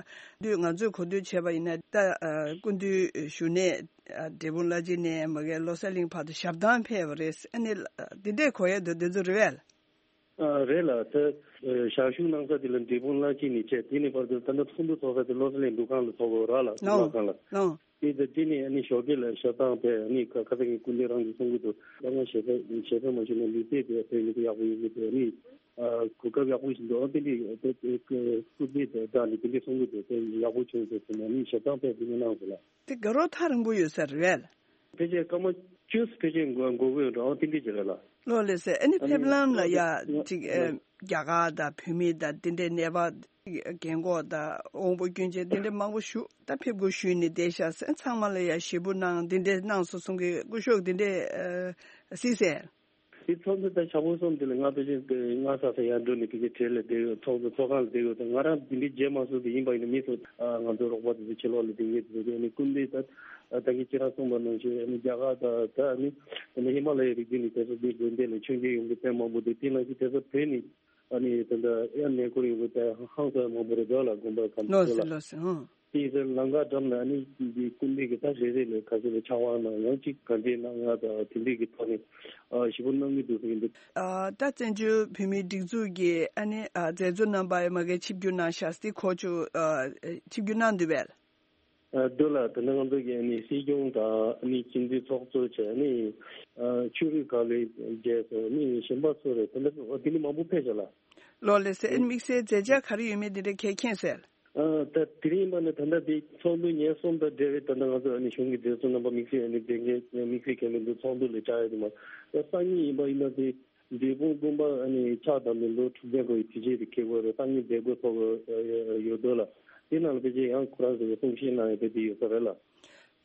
དུས་ང་ཚོས་གོ་ཐོས་བྱས་པ་ཡིན་ན། ད་ཨ་སྐུ་མདུན་བཞུགས་གནས་ཨ་འབྲས་སྤུངས་བླ་སྤྱི་ནས་མ་གིར་བློ་གསལ་གླིང་བར་དུ་ཞབས་བཏང་ཕེབས་པ་རེད། ཨ་ནི་ཨ་འདི་འདྲས་གོ་ཡ་འདུག་འདི་ཚོ་རེད་པས། ཨ་རེད་ལགས། ད་ཨ་ཞག་བཞུགས་གནང་ས་དེ་ལ་འབྲས་སྤུངས་བླ་སྤྱི་ནས་བྱས། དེ་ནས་བར་དུ་ད་ལྟ་ཚོགས་འདུ་ཚོགས་ས་དེ་བློ་གསལ་གླིང་འདུ་ཁང་ལ་ཚོགས་དགོས་ར་ལགས། འདུ་ཁང་ལ། ལགས། དེ་ད་དེ་ནས་ཨ་ནི་ཞོགས་ཀས་ལ་ཞབས་བཏང་ཕེབས། ཨ་ནི་ཁ་ཁ་ས་ངའི་སྐུ་མདུན་རང་གིས་གསུང་གི་འདུག་ད་ང་ཞལ་ས་ཞལ་ས་མ་ཞུས་ན་ལུས་རྩལ་དེ་ཕེབས་ཡོང་དུས་ཡག་པོ་ཡོང་གི་འདུག་ཨ་ནི་ཨ་གོ་སྐབས་ཡག་པོ་ཞིག་འདུག་ཨ་དེ་འདྲའི་དེ་དེ་སྐུ་མདུན་དང་སྦྲགས་ནས་དེ་འདྲའི་གསུང་གི་འདུག་དེ་ཡག་པོ་བྱུང་འདུག་ཟེར་ནས་ཨ་ནི་ཞབས་བཏང་ཕེབས་དེ་ནས་གནང་ཟེར་ལགས། དེ་དགའ་རབ་ཐག་རིང་པོ་ཡོད་ས་རེད་པས། ཕལ་ཆེར་སྐར་མ་བཅུ་ཕལ་ཆེར་འགོར་འགོར་གི་ཡོད་འགྲོ། ཨ་དེ་འདྲ་ཅིག་རེད་ལགས། ལོ་ལེ་སེ། ཨ་ནི་ཨ་ནི་ཕེབས་ལམ་ལ་ཡ་ང་ཅིག་ཨ་ང་རྒྱ་གར་དང་བོད་མི་དང་འདི་འདྲའི་ནད་པ་རྒན་གོག་དང་དབང་པོ་སྐྱོན་ཅན་འདི་འདྲའི་མང་པོ་བཞུགས། ད་ཕེབས་དགོས་ཞུས་ནས་བསྡད་ཤག་ཟེར། ཚང་མ་ལ་ཡ་ཞེ་པོ་གནང་འདི་འདྲའི་གནང་སོང་གསུང་གི། སྐུ་ཞབས་འདི་འདྲའི་ཨ་སྲིད་ཟེར། དེ་ཚོགས་འདུ་དང་ཞག་པོ་གསུམ་དེ་ལ་ང་ཕལ་ཆེར་དེ་ང་ས་ས་ཡར་འགྲོ་ནས་ཕལ་ཆེར་གྲལ་ལ་བསྡད་ཡོད། ཚོགས་འདུ་ཚོགས་ཁང་ལ་བསྡད་ཡོད། ད་ང་རང་དེ་འདྲའི་མཇལ་མ་སོང་དེ་ཡིན་པ་ཡིན་ན་མི་ཚོ་ཨ་ང་ཚོའི་རོགས་པ་དེ་ཚོ་ཕྱི་ལོགས་ལ་བསྡད་མཁན་དེ་ཚོ་དེ་ནི་སྐུ་མདུན་ད་ད་གིན་ཁྱེད་རང་གསུངས་པ་ནང་བཞིན་ཨ་ནི་རྒྱ་གར་དང་ད་ཨ་ནི་ཨ་ནི་ཧི་མ་ལ་ཡའི་རི་རྒྱུད་ནས་དེ་ཚོ་དེ་དགོན་སྡེ་ལ་མཆོད་མཇལ་ཡོང་གི་དཔེ་མང་པོ་འདུག་དེ་ནང་བཞིན་དེ་ཚོ་བོད་ནས་ཨ་ནི་ད་ལྟ་ཨེ་ནས་ཁོར་ཡོང་གི་དཔེ་ཧང་སང་མང་པོ་རེད་འདུག་ལ། དགོན་པ་གང་ལོ་ཚོ་ལ། སེ་ལོ་སེ་ཧང་། དེ་ཡིན་ཙང་ལམ་ཁ་འགྲམ་ལ་ཨ་ནི་འདི་སྐུ་མདུན་གྱི་ད་རེ་རེ་ལས་ཁ་ཤས་ལ་ཕྱག་དབང་གནང་ཡང་གཅིག་ག་འདྲའི་གནང་ཡག་དང་དེ་འདྲའི་གི་ཐོག་ནས་ཨ་ཞེ་པོ་གནང་གི་འདུག་ཟེར་གྱི་འདུག་ཨ་ད་བཙན་བྱོལ་བོད་མིའི་སྒྲིག་འཛུགས་ཀྱི་ཨ་ནི་ཨ་མཛད་གཙོ་རྣམ་པ་མ་གིར་ཆིབས་བསྒྱུར་གནང་ཤག་སྟེ་ཁོ་ཚོ་ཨ་ཆིབས་བསྒྱུར་གནང་འདུག་པས། ཨ་འདུག་ལ། དེ་ནས་ང་ཚོ་གི་ཨ་ནི་སྲིད་སྐྱོང་དང་ཨ་ནི་སྤྱི་འཐུས་ཚོགས་གཙོ་བཅས་ཨ་ནི་ཨ་ཆོས་རིག་བཀའ་བློན་བཅས་སོ་ཨ་ནི་གཞན་པ་ཚོ་རེད། དེ་འདྲ་དེ་ནི་མང་པོ་ཕེབས་ཤག་ལ། ལོ་ལེ་སེ། ཨ་ནི་དམིགས་བསལ་མཛད་འཆར་ག་རེ་ཡོད་མེད་དེ་འདྲ་གལ་མཁྱེན་གསལ། ཨ་ད་དེ་རིང་ཡིན་པ་ནི་ད་ལྟ་དེ་ཚོགས་འདུ་ཉེར་གསུམ་དང་འབྲེལ་བའི་ད་ལྟ་ང་ཚོ་ཨ་ནི་གཞུང་གི་མཛད་གཙོ་རྣམ་པ་དམིགས་བསལ་ཨ་ནི་མཛད་འགན་དམིགས་བསལ་གལ་མི་འདུག་ཚོགས་འདུ་ལ་བཅར་ཡ་དེ་མ་ད་སང་ཉིན་ཡིན་པ་ཡིན་ན་དེ་འབྲས་སྤུངས་དགོན་པ་ཨ་ནི་ཕྱག་དམ་པའི་ལོ་དྲུག་བརྒྱ་འཁོར་བའི་དུས་ཆེན་དེ་འཁེལ་དགོས་རེད། སང་ཉིན་མཛད་སྒོ་ཚོགས་དགོས་ཡོད་འདུག་ལ། དེ་ནང་ལ་ཕལ་ཆེར་ཡང་ཁོ་རང་ཚོ་གི་གསུང་བཤད་གནང་ཡ་དེ་དེ་ཡོད་ས་རེད་ལ།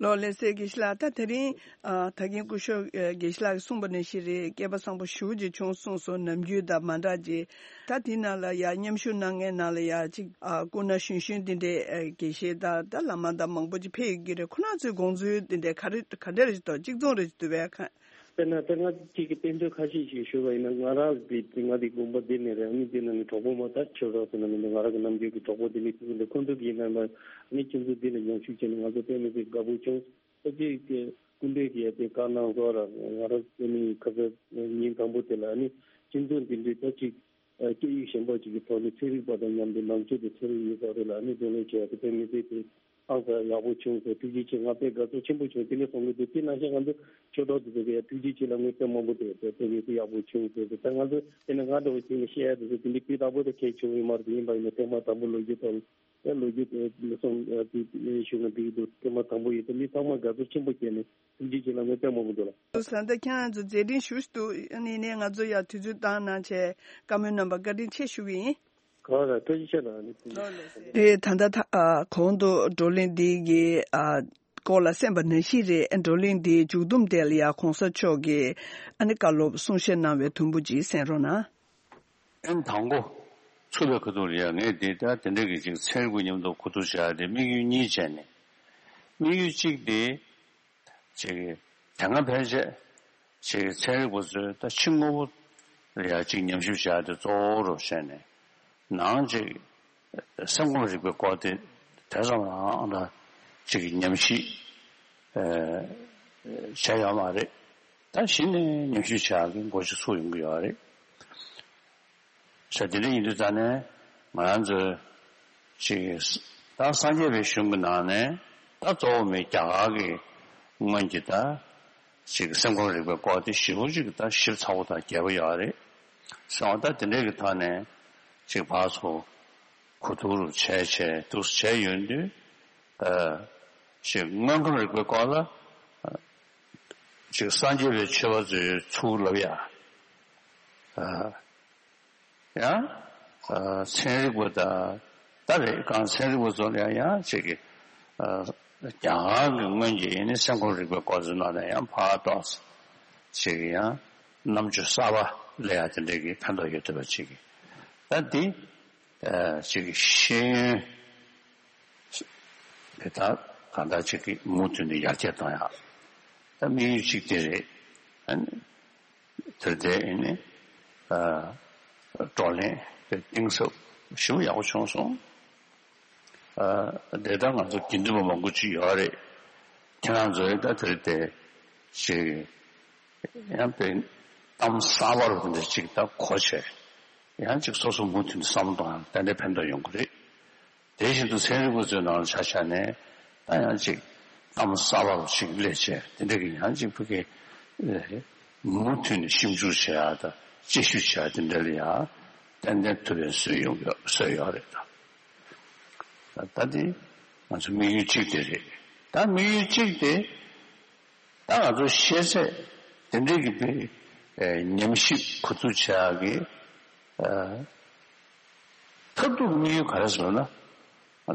ལོ་ལེ་སེ་དགེ་བཤེས་ལགས། ད་དེ་རིང་ཨ་ད་གིན་སྐུ་ཞབས་ཨ་དགེ་བཤེས་ལགས་ཀྱིས་གསུངས་པ་ནང་བཞིན་རེད། སྐལ་པ་བཟང་པོ་ཞེ་པོ་ཅིག་བྱུང་གསུངས་སོང་། ནམ་རྒྱུན་དང་མ་འདྲ་ཅིག་ད་དེ་ནང་ལ་ཡ་མཉམ་ཞུགས་གནང་མཁན་ནང་ལ་ཡ་ཅིག་ཨ་སྐུ་ན་གཞོན་གཞོན་དེ་འདྲའི་ཨ་དགེ་བཤེས་དང་ད་བླ་མ་དང་མང་པོ་ཅིག་ཕེབས་ཡོད་ཀྱི་རེད། ཁོ་རང་ཚོའི་དགོངས་ཚུལ་དེ་འདྲའི་ག་རེ་ག་འདྲ་རེད་འདུག་གཅིག་མཚུངས་རེད་འདུག་པས་ཁ། དཔེར་ན་ད་ང་གཅིག་གི་བསྟན་བཅོས་ཁ་ཤས་ཤིག་ཞུས་པ་ཡིན་ན། ང་རང་གི་ང་འདི་དགོན་པ་འདི་ནས་རེད། ཨ་ནི་འདི་ནང་གི་གྲོགས་པོ་མ་ད་ཆོས་གྲོགས་ཟེར་ན་མི་འདུག་ང་རང་གི་ནམ་རྒྱུན་གྱི་གྲོགས་པོ་འདི་ནས་ཁོ་ཚོ་འདི་ཁོ་ཚོ་གི་ཡིན་ན་ལ་ཨ་ནི་ཁྱེད་ཚོ་འདི་ལ་མཉམ་ཞུགས་བྱས་ནས་ང་ཚོ་དཔེ་མི་སྲིད་དགའ་པོ་བྱུང་། ཨ་ཅེ་སྐུ་མདུན་གྱིས་ཡ་དེ་བཀའ་གནང་སོགས་ར་ང་རང་ཨ་ནི་ཁ་ཚ་ཉིན་དང་པོ་དེ་ལ་ཨ་ནི་ཁྱེད་ཚོ་འདི་འདྲའི་ད་ཅིག་སྐད་ཡིག་གཞན་པ་ཅིག་གི་ཐོག་ནས་ཚན་རིག་པ་དང་མཉམ་དུ་ནང་ཆོས་དང་ཚན་རིག་ཡོད་ས་རེད་ལ། ཨ་ནི་བགྲོ་གླེང་བྱས་ཡ་དེ་དཔེ་མི་སྲིད་དེ། ཨང་ས་ཡག་པོ་བྱུང་སོང་། ཐུགས་རྗེ་ཆེ། ང་དཔེ་དགའ་ཚོར་ཆེན་པོ་བྱུང་། དེ་ནས་བཟུང་གི་འདུག་དེ་ནང་བཞིན་ང་ཚོ་ཆོས་གྲོགས་དེ་ཚོ་གི་ཡ་ཐུགས་རྗེ་ཆེ་ལ་ངོས་དཔེ་མང་པོ་འདུག་དེ་དེ་ནས་དེ་ཡག་པོ་བྱུང་ཟེར་ཏེ། ད་ང་ཚོ་དེ་ནས་ང་འདྲ་བོ་ཅིག་ནས་བཤད་ཡ་དེ་ཚོ་དེ་འདྲའི་སྤུས་དག་པོ་དེ་གལ་བྱུང་ཡོད་མ་རེད། ཡིན་པ་ཡིན་ན་ཐེངས་མ་དང་པོ་ལོ་རྒྱུས་ཐོག་ལ་ཡ་ལོ་རྒྱུས་དེ་སོང་དེ་ཞུ་ན་འགྲིག་གི་འདུག་ཐེངས་མ་དང་པོ་ཡིན་ཙང་མི་ཚང་མ་དགའ་ཚོར་ཆེན་པོ་བྱས་ནས་ཐུགས་རྗེ་ཆེ་ལ་ངོས་དཔེ་མང་པོ་འདུག་ལ། ད་ལྟ་ཁྱེད་རང་ཚོ་མཛད་འཕྲིན་ཞུ་འདུག་ཨ་ནི་ནས་ང་ཚོ་ཡ་དུས་ཚོད་བཏང་གནང་བྱས་བཀའ་མོལ་གནང་བར་བཀའ་དྲིན་ཆེ་ཞུ་གི་ཡིན། གང་ལ་ཐུགས་རྗེ་ཆེ་གནང་ནི། དེ་ད་ལྟ་ད་ཨ་གོང་དུ་བགྲོ་གླེང་འདི་གི་ཨ་སྐོར་ལ་གསན་པ་ནང་བཞིན་རེད། བགྲོ་གླེང་འདིའི་མཇུག་བསྡོམས་དེ་ལ་ཡ་གོང་ས་མཆོག་གིས་ཨ་ནི་བཀའ་སློབ་གསུང་བཤད་གནང་བའི་དུམ་བུ་ཅིག་གསན་རོགས་གནང་། ཨན་དང་པོ་ཚུགས་པའི་ཁ་ཐུག་ལ་ཡ་ངས་འདི་ལྟར་དེ་འདྲ་གི་ཅིག་ཚན་རིག་པ་མཉམ་དུ་གོ་བསྡུར་བྱ་ཡ་དེ་དམིགས་ཡུལ་གཉིས་བྱས་ནས། དམིགས་ཡུལ་གཅིག་དེ། ཅིག་དེ་སྔ་ཕལ་ཆེར་ཅིག་ཚན་རིག་པ་ཚོས་ད་ཕྱི་དངོས་པོ་ལ་ཡ་ཅིག་ཉམས་ཞིབ་བྱ་ཡ་དེ་གཙོ་བོ་རུ་བྱས་ནས་ནང་ཅིག་སེམས་ཁམས་རིག་པའི་སྐོར་དེ་དེ་ཙམ་རང་ལ་ཅིག་ཉམས་ཞིབ་བྱས་ཡོད་མ་རེད། ད་གཞི་ནས་ཉམས་ཞིབ་བྱ་ཡ་གི་འགོ་ཅིག་ཚུགས་ཡོང་གི་ཡོད་རེད། ས་དེ་འདྲ་ཡིན་དུས་ད་ནས་ང་རང་ཚོའི་ཅིག་ད་སངས་རྒྱས་པའི་གཞུང་གི་ནང་ནས་ད་གཙོ་བོ་མི་རྒྱ་གར་གྱི་སྔོན་གྱི་ད་ཅིག་སེམས་ཁམས་རིག་པའི་སྐོར་དེ་ཞེ་པོ་ཅིག་ད་ཞིབ་ཚགས་པོ་དང་རྒྱས་པོ་ཡོད་རེད། སོང་ད་དེ་འདྲ་གི་ཐོག་ནས་ཅིག་ཕར་ཚུར་གོ་བསྡུར་བྱས་བྱས་འདུག་བྱས་ཡོང་དུས་ཨ་ཅིག་དངོས་ཁམས་རིག་པའི་སྐོར་ལ་ཅིག་སངས་རྒྱས་པའི་ཆོས་པ་ཚོས་ཚུར་ལབ་ཡ། ཨ། ཡང་ཚན་རིག་པ་དང་ད་རེས་གང་ཚན་རིག་པ་ཚོ་ལ་ཡང་ཅིག་གི་རྒྱ་གར་གྱི་སྔོན་གྱི་ཡིན་ནི་སེམས་ཁམས་རིག་པའི་སྐོར་ཚོའི་ནང་ནས་ཡང་ཕར་ཏོག་ཙམ་ཅིག་གི་ཡང་རྣམ་དཔྱོད་གསར་པ་སླེབས་ཡ་དེ་འདྲའི་གི་ཕན་ཐོགས་ཡོད་ཐུབ་པ་ཅིག་གི་ད་འདི་ཅིག་གི་ཤེས་ཡོན་དེ་དག་གང་ལྟར་ཅིག་གི་མུ་མཐུད་ནས་ཡར་རྒྱས་གཏོང་ཡ་ད་དམིགས་ཡུལ་གཅིག་དེ་རེད། ཨ་ནི། དེར་བལྟས་ཨེ་ནི། ཨ། བགྲོ་གླེང་དེ་གཏིང་ཟབ་ཞེ་པོ་ཡག་པོ་བྱུང་སོང་། ཨ། དེ་ལྟར་ང་ཚོ་དགེ་འདུན་པ་མང་པོ་ཅིག་ཡོད་རེད། ཁྱེད་རང་ཚོས་ད་དེར་བལྟས་ཅིག་ཡང་དཔེ་གཏམ་གསར་པ་རུ་དེ་འདྲ་ཅིག་ད་གོ་བྱས། ཡང་ཅིག་སོ་སོ་མུ་མཐུད་ནས་བསམ་བློ་གཏོང་ཡང་ཏན་ཏན་ཕན་ཐོགས་ཡོང་གི་རེད། དེ་བཞིན་དུ་ཚན་རིག་པ་ཚོའི་ནང་ལ་ཆ་བཞག་ནས་ད་ཡང་ཅིག་གཏམ་གསར་པ་ཅིག་སླེབས་བྱས་དེ་འདྲ་གི་ཡང་ཅིག་ཕ་གི་ཨེ་མུ་མཐུད་ནས་ཞིབ་འཇུག་བྱེད་ཡ་དང་དཔྱད་ཞིབ་བྱེད་ཡ་དེ་འདྲ་ལ་ཡང་ཏན་ཏན་ཐུབ་པའི་བཟོས་ཡོང་གི་བཟོས་ཡོད་རེད་ད། ད་ད་དེ་ང་ཚོ་དམིགས་ཡུལ་གཅིག་དེ་རེད། ད་དམིགས་ཡུལ་གཅིག་དེ། ད་ང་ཚོ་ཤེས་ཚད་དེ་འདྲའི་གི་དཔེ་ ཨེ་ཉམས་ཞིབ་གོ་བསྡུར་བྱེད་ཡག་གི་ཨ་མཐར་ཐུག་དམིགས་ཡུལ་ག་རེ་ཟེར་ན། ང་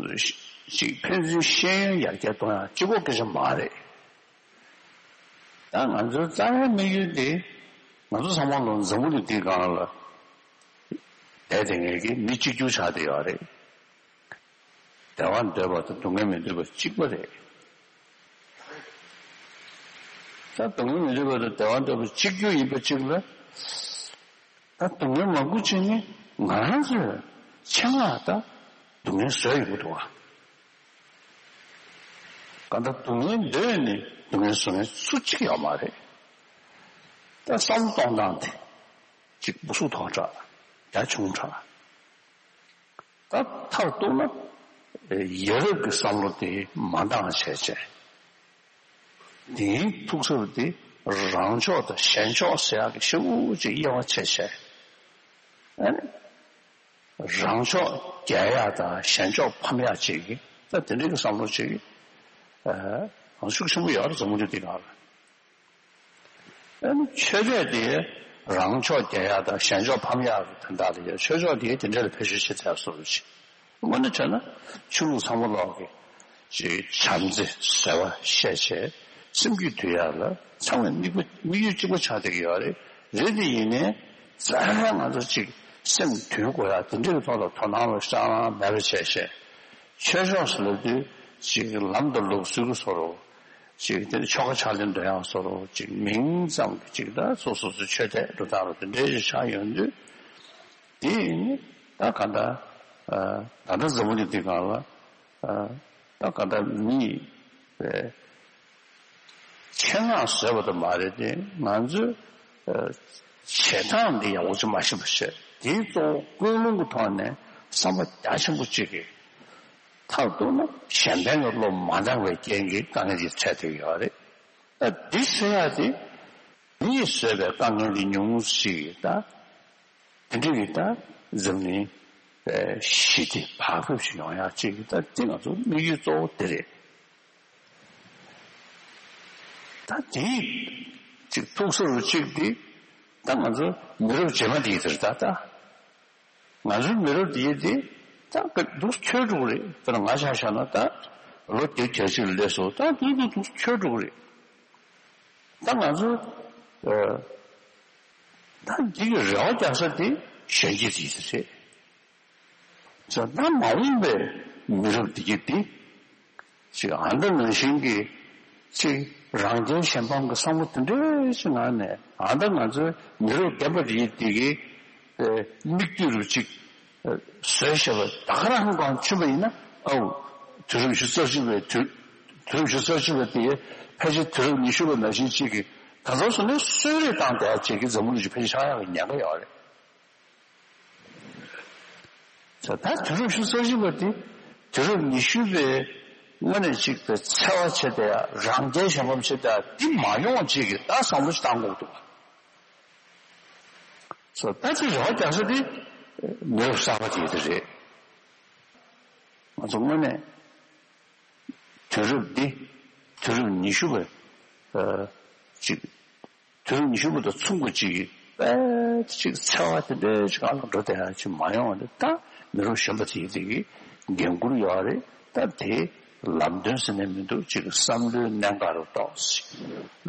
ཚོ་ཞིག་ཕན་ཚུན་ཤེས་ཡོན་ཡར་རྒྱས་གཏོང་ཡག་གཅིག་པོ་སྐད་ཆ་མ་རེད། ད་ང་ཚོའི་རྩ་བའི་དམིགས་ཡུལ་དེ། ང་ཚོ་ཚང་མ་ལོ་འཛམ་བུ་གླིང་འདིའི་སྒང་ལ་བསྡད་བསྡད་མཁན་གྱི་མི་གཅིག་གྱུར་ཆགས་བསྡད་ཡོད་རེད། བདེ་བ་འདོད་པ་དང་སྡུག་བསྔལ་མི་འདོད་པ་གཅིག་པ་རེད། ད་སྡུག་བསྔལ་མི་འདོད་པ་དང་བདེ་བ་འདོད་པ་གཅིག་གྱུར་ཡིན་པ་གཅིག་ལ། ད་སྡུག་བསྔལ་མང་པོ་ཅིག་ནི་ང་རང་ཚོས་ཆེད་མངགས་ད་སྡུག་བསྔལ་བཟོས་ཡོང་གི་འདུག་བ། གང་ལྟར་སྡུག་བསྔལ་འདོད་ནས་སྡུག་བསྔལ་བཟོ་མཁན་སུ་གཅིག་ཡོད་མ་རེད། ད་བསམ་བློ་གཏོང་སྟངས་དེ་གཅིག་སྤུ་གསུག་ཐོག་དྲགས། རྒྱ་ཆུང་དྲགས། ད་མཐར་གཏུགས་ན་ཡ་རབས་ཀྱི་བསམ་བློ་དེ་མ་འདང་བྱས་བྱས། དེའི་ཐུགས་སར་དེ་རང་ཕྱོགས་དང་གཞན་ཕྱོགས་ཟེར་ཡག་གི་ཤུགས་ཀྱིས་དབྱེ་བ་ཕྱེ་བྱས། ཨ་ནི་རང་ཕྱོགས་རྒྱལ་ཡག་དང་གཞན་ཕྱོགས་ཕམ་ཡག་ཅིག་གི་ད་དེ་འདྲའི་གི་བསམ་བློ་ཅིག་ཨ་ཤུགས་ཆེན་པོ་ཡོད་རེད། འཛམ་བུ་གླིང་འདི་སྒང་ལ། ཨ་ནི་ཆོས་དད་དེ་རང་ཕྱོགས་རྒྱལ་ཡག་དང་གཞན་ཕྱོགས་ཕམ་ཡག་གི་དོན་དག་ལ་ཡ། ཆོས་ཕྱོགས་དེ་དེ་འདྲ་ལ་བེད་སྤྱོད་བྱེད་ཐུབ་ཡག་བཟོ་འདྲ་ཅིག་དངོས་གནས་བྱས་ན་ཆོས་ལུགས་ཚང་མ་ལོག་གི་ཅིག་བྱམས་བརྩེ་བཟོད་པ་བཤད་བྱས་སེམས་རྒྱུད་འདུལ་ཡག་ལ་ཚང་མས་དམིགས་པ་དམིགས་ཡུལ་གཅིག་པ་ཆགས་བསྡད་ཀྱི་ཡོད་རེད། རེད་དེ་ཡིན་ནའི་རྩ་བའི་ང་ཚོ་ཅིག་སེམས་འདུལ་དགོས་ཡག་དེ་འདྲའི་ཐོག་ལ་དོ་སྣང་ལ་ཤར་མེད་པ་བྱས་བྱས། ཆོས་ཕྱོགས་སུ་ལབ་དུས་ཅིག་ལམ་དང་ལུགས་སྲོལ་གྱི་བཟོ་འདྲ། ཅིག་དེ་ནི་ཆོ་ག་ཕྱག་ལེན་འདོན་ཡག་བཟོ་འདྲ། ཅིག་མིང་ཙམ་གྱི་ཅིག་ད་སོ་སོ་སོའི་ཆོས་དད་འགྲོ་སྟངས་རུ་དེ་འདྲའི་ཞིག་ཆགས་ཡོང་དུས། དེ་ཡིན་ད་ག་ད་ད་ལྟ་འཛམ་བུ་གླིང་འདི་སྒང་ལ་ད་ག་ད་མི་ཆེད་མངགས་བཟོས་པ་དང་མ་རེད་དེ། ང་ཚོས་བྱེད་སྟངས་འདི་ཡག་པོ་ཅིག་མ་ཤེས་པ་བྱས། དེའི་གཙོ་བོ་ཀུན་སློང་གི་ཐོག་ནས་བསམ་པ་རྒྱ་ཆེན་པོ་གཅིག་གིས། མཐར་གཏུགས་ན་གཞན་ཕན་ལ་བློ་མ་འདང་བའི་རྐྱེན་གྱིས་དཀའ་ངལ་ཅིག་འཕྲད་བསྡད་ཡོད་རེད། ད་འདི་སེལ་ཡག་དེ་མིས་བཟོས་པའི་དཀའ་ངལ་འདི་ཉུང་ངུ་ཞིག་ད་དེ་འདྲ་གི་ད་འཛམ་གླིང་ཞི་བདེ་བག་ཕེབས་ཤིག་ཡོང་ཡག་ཅིག་ད་འདི་ང་ཚོ་དམིགས་ཡུལ་གཙོ་བོ་དེ་རེད། ད་དེའི་ཅིག་ཐུགས་སུ་རུ་གཅིག་འདི་ད་ང་ཚོ་མི་རབས་རྗེས་མ་འདི་ཡི་དེར་ད་ད། ང་ཚོའི་མི་རབས་འདིའི་དེ་ད་སྐབས་འདུག་འཁྱོལ་འགྲོ་གི་རེད། དཔེར་ན་ང་ཆ་བཞག་ན་ད་ལོ་བརྒྱད་ཅུ་གྱ་གཅིག་ལ་སླེབས་སོང་། ད་འདུག་འདུག་འདུག་འཁྱོལ་འགྲོ་གི་རེད། ད་ང་ཚོ་ཨ་ད་འདི་གི་རེ་བ་རྒྱག་ས་དེ་གཞོན་སྐྱེས་དེ་རེད། ད་ད་མ་འོངས་པའི་མི་རབས་འདི་གི་དེ། ཅིག་ཨ་མདའ་ནང་བཞིན་གྱི་ཅིག་རང་རྒྱལ་གཞན་ཕམ་གྱི་བསམ་བློ་དེ་འདྲའི་ཅིག་ངང་ནས། ཨ་མདའ་ང་ཚོའི་མི་རབས་རྒན་པ་རེད་དེ་གི་ཨེ་མིག་ལྟོས་རུ་ཅིག་ཨེ་བཟོས་བཞག་པ་ད་ག་རང་ཧང་གང་ཆུད་པ་ཡིན་ན། ཨའུ་དུས་རབས་ཉི་ཤུ་རྩ་གཅིག་པའི་དུས་དུས་རབས་ཉི་ཤུ་རྩ་གཅིག་པ་དེ་ཕལ་ཆེར་དུས་རབས་ཉི་ཤུ་པ་ནང་བཞིན་ཅིག་གི་ད་ག་སོ་ནས་གསོལ་རས་བཏང་བསྡད་ཅིག་གི་འཛམ་བུ་གླིང་ཅིག་ཕལ་ཆེར་ཆགས་ཡག་གི་ཉེན་ཁ་ཡོད་རེད། ད་ད་དུས་རབས་ཉི་ཤུ་རྩ་གཅིག་པ་དེ་དུས་རབས་ཉི་ཤུ་པའི་དངོས་གནས་ཅིག་པའི་འཚེ་བ་བྱེད་བསྡད་ཡ། རང་རྒྱལ་གཞན་ཕམ་བྱེད་བསྡད་ཡ་འདི་མ་ཡོང་བ་ཅིག་གི་ད་བསམ་བློ་ཞིག་བཏང་དགོས་འདུག་བ། སོ་ད་ཅིག་རེ་བ་རྒྱག་ས་དེ་མི་རབས་གསར་པ་དེ་དེ་རེད། ང་ཚོ་དངོས་གནས་དུས་རབས་འདི་དུས་རབས་ཉི་ཤུ་པའི་ཨ་ཅིག་དུས་རབས་ཉི་ཤུ་པ་དང་མཚུངས་པ་ཅིག་གི་དཔེ་ཅིག་འཚེ་བ་དེ་འདྲའི་ཅིག་ཨ་ལ་འགྲོ་བསྡད་ཡ་ཅིག་མ་ཡོང་བ་དེ། ད་མི་རབས་གཞོན་པ་དེ་དེ་གི་འགན་འཁུར་ཡོད་རེད། ད་དེ་ལམ་སྟོན་ཟེར་ནས་མི་འདུག་ཅིག་བསམ་བློའི་གནད་འགག་རུ་གཏོགས་ཤིག་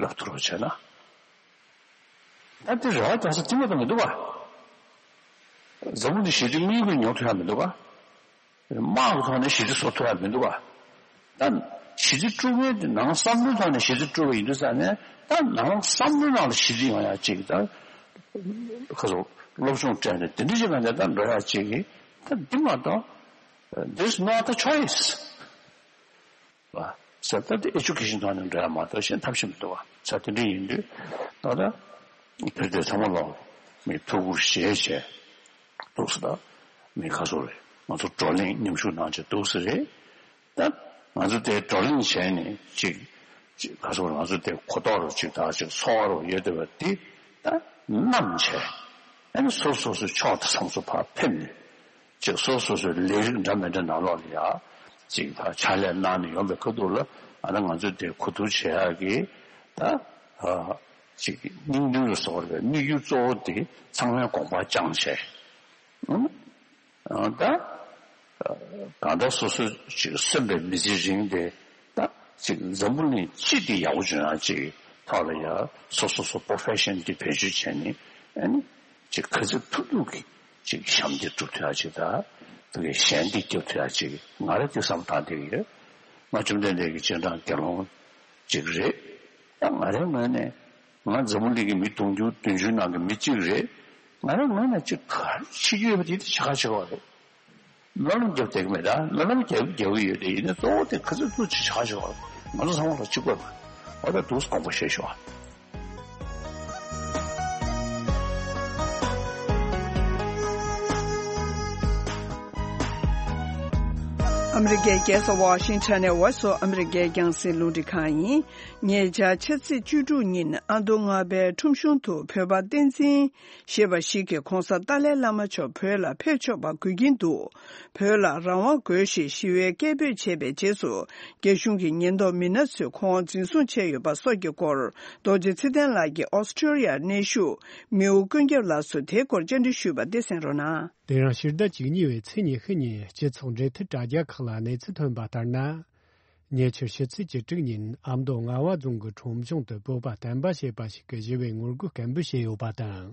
ལབ་ཐུབ་རོགས་བྱས་ན། ད་དེ་རེ་བ་རྒྱག་ས་དེ་མ་གཏོགས་མི་འདུག་ག་འཛམ་བུ་གླིང་ཞི་བདེ་དངོས་ཀྱི་མྱོང་ཐུབ་ཡ་མི་འདུག་ག་དམག་གི་ཐོག་ནས་ཞི་བདེ་བཟོ་ཐུབ་ཡ་མི་འདུག་ག་ད་ཞི་བདེ་དཀྲུག་མཁན་དེ་ནང་བསམ་བློའི་ཐོག་ནས་ཞི་བདེ་དཀྲུག་པ་ཡིན་དུས་ཙང་ནས། ད་ནང་བསམ་བློའི་ནང་ལ་ཞི་བདེ་ཡོང་ཡ་ཅིག་ད་ཁ་སོ་སློབ་སྦྱོང་སྤྲད་ནས་དེ་འདྲ་ཅིག་ག་ནས་ད་འགྲོ་ཡ་ཅིག་གི་ད་འདི་མ་གཏོགས། There's no other choice. བ། ཟེར་ད་དེ་ཨེ་ཇུ་ཀེ་ཤན་ཐོག་ནས་འགྲོ་ཡ་མ་གཏོགས་གཞན་ཐབས་ཤེས་མི་འདུག་བ། ཟེར་དེ་འདྲ་ཡིན་དུས་ད་ལྟ་བོད་དེ་ཚང་མ་ལོག་མི་ཐུགས་ཁུར་བཞེས་བྱས་འདུག་ཟེར། ད་མི་ཁ་སོ་རེད། ང་ཚོ་བགྲོ་གླེང་མཉམ་ཞུགས་གནང་བྱས་འདུག་ཟེར་རེད། ད་ང་ཚོ་དེ་བགྲོ་གླེང་བྱས་ནས་ཅིག་ཅིག་ཁ་སོ་རེད། ང་ཚོ་དེ་གོ་རྟོགས་རུ་ཅིག་ད་ཅིག་ཚོར་བ་རུ་ཡོད་བསྡད་པ་འདི་ད་བསྣམས་བྱས། ཨ་ནི་སོ་སོ་སོའི་ཕྱོགས་དང་མཚམས་སུ་ཕར་ཕེབས་ནས། ཅིག་སོ་སོ་སོའི་ལས་རིགས་འདྲ་མི་འདྲ་ནང་ལོགས་ལ་ཡ་ཅིག་ད་ཕྱག་ལས་གནང་ནས་ཡོང་པའི་ཁ་ཐུག་ལ། ཨ་ནི་ང་ཚོས་དེ་གོ་བསྡུར་བྱེད་ཡག་གི་ད་ཨ་ ཅིག་སྙིང་དོན་ལ་སོགས་པའི་དམིགས་ཡུལ་གཙོ་བོ་དེ་ཚང་མའི་དགོངས་པ་བཅངས་བྱས། ཨང་། ཨང་། ད་གང་ལྟར་སོ་སོ་ཅིག་གསོན་པའི་མི་ཚེ་རིང་དེ་ད་ཅིག་འཛམ་བུ་གླིང་སྤྱི་དེ་ཡག་པོ་བྱུང་ཡག་ཅིག་ཐོག་ལ་ཡ་སོ་སོ་སོ་པོ་རོ་ཕེ་ཤན་དེ་བེད་སྤྱོད་བྱས་ནས་ཨ་ནི་ཅིག་ག་ཚོད་ཐུབ་ཐུབ་ཀྱིས་ཅིག་ཞབས་འདེགས་སྒྲུབ་ཐུབ་ཡག་ཅིག་ད་དེ་གའི་ཞལ་འདེགས་རྒྱབ་ཐུབ་ཡག་ཅིག་ང་རང་དེ་བསམ་བཏང་བསྡད་ཀྱི་ཡོད། ང་བཅོམ་ལྡན་འདས་ཀྱི་སྤྱན་དྲངས་དགེ་སློང་ཅིག་རེད། ད་ང་རའི་ངོས་ནས་ང་འཛམ་བུ་གླིང་གི་མི་དུང་ཕྱུར་བདུན་ཅུ་ནང་གི་མི་གཅིག་རེད། ང་རའི་ངོས་ནས་ཅིག་ག་རེ་བྱེད་རྒྱུ་ཡོད་པ་དེ་དེ་བྱེད་ག་བྱེད་པ་རེད། སྨོན་ལམ་རྒྱབ་བསྡད་ཀྱི་མེད། ད་སྨོན་ལམ་རྒྱབ་རྒྱབ་ཀྱི་ཡོད་དེ་ཡིན་ན་གཙོ་བོ་དེ་ག་ཚོད་ཐུབ་ཅིག་བྱེད་ག་བྱེད་པ་རེད། ང་ཚོ་ཚང་མ་ལ་གཅིག་པ་རེད། འོ་ད་འདུག་སེ་དགོངས་པ་བཞེས་ཤོག་ཨ། ཨ་མི་རི་ཀའི་རྒྱལ་ས་ཝ་ཤིང་ཊོན་ནས་Voice of America་རྒྱང་སྲིང་རླུང་འཕྲིན་ཁང་ཡིན། ཉེ་ཆར་ཕྱི་ཚེས་བཅུ་དྲུག་ཉིན་ཨ་མདོ་རྔ་པའི་ཁྲོམ་གཞུང་དུ་བོད་པ་བསྟན་འཛིན་ཞེས་པ་ཞིག་གིས་གོང་ས་ཏཱ་ལའི་བླ་མ་མཆོག་བོད་ལ་ཕེབས་ཆོག་པ་དགོས་ཀྱིན་འདུག་བོད་ལ་རང་དབང་དགོས་ཞེས་ཞི་བའི་སྐད་འབོད་བྱས་པའི་རྗེས་སུ། རྒྱ་གཞུང་གི་ཉེན་རྟོག་མི་སྣ་ཚོས་ཁོང་འཛིན་བཟུང་བྱས་ཡོད་པ་སོགས་ཀྱི་སྐོར། རྡོ་རྗེ་ཚེ་བརྟན་ལགས་ཀྱིས་ཨོ་སི་ཀྲོ་ལི་ཡར་གནས་བཞུགས་མིའུ་ཀུན་ཁྱབ་ལགས་སུ་དེའི་སྐོར་བཅར་འདྲི་ཞུས་པ་དེ་གསན་རོགས་གནང་། དེ་རིང་ཕྱི་ཟླ་བཅུ་གཉིས་པའི་ཚེས་ཉི་ཤུ་ཉིན་སྤྱི་ཚོགས་འབྲེལ་མཐུད་དྲ་རྒྱ་ཁག་ལ་གནས་ཚུལ་ཐོན་པ་ལྟར་ན། ཉེ་ཆར་ཕྱི་ཚེས་བཅུ་དྲུག་ཉིན་ཨ་མདོ་རྔ་བ་རྫོང་གི་ཁྲོམ་གཞུང་དུ་བོད་པ་བསྟན་པ་ཞེས་པ་ཞིག་གིས་ཞི་བའི་ངོ་རྒོལ་སྐད་འབོད་བྱས་ཡོད་པ་དང་།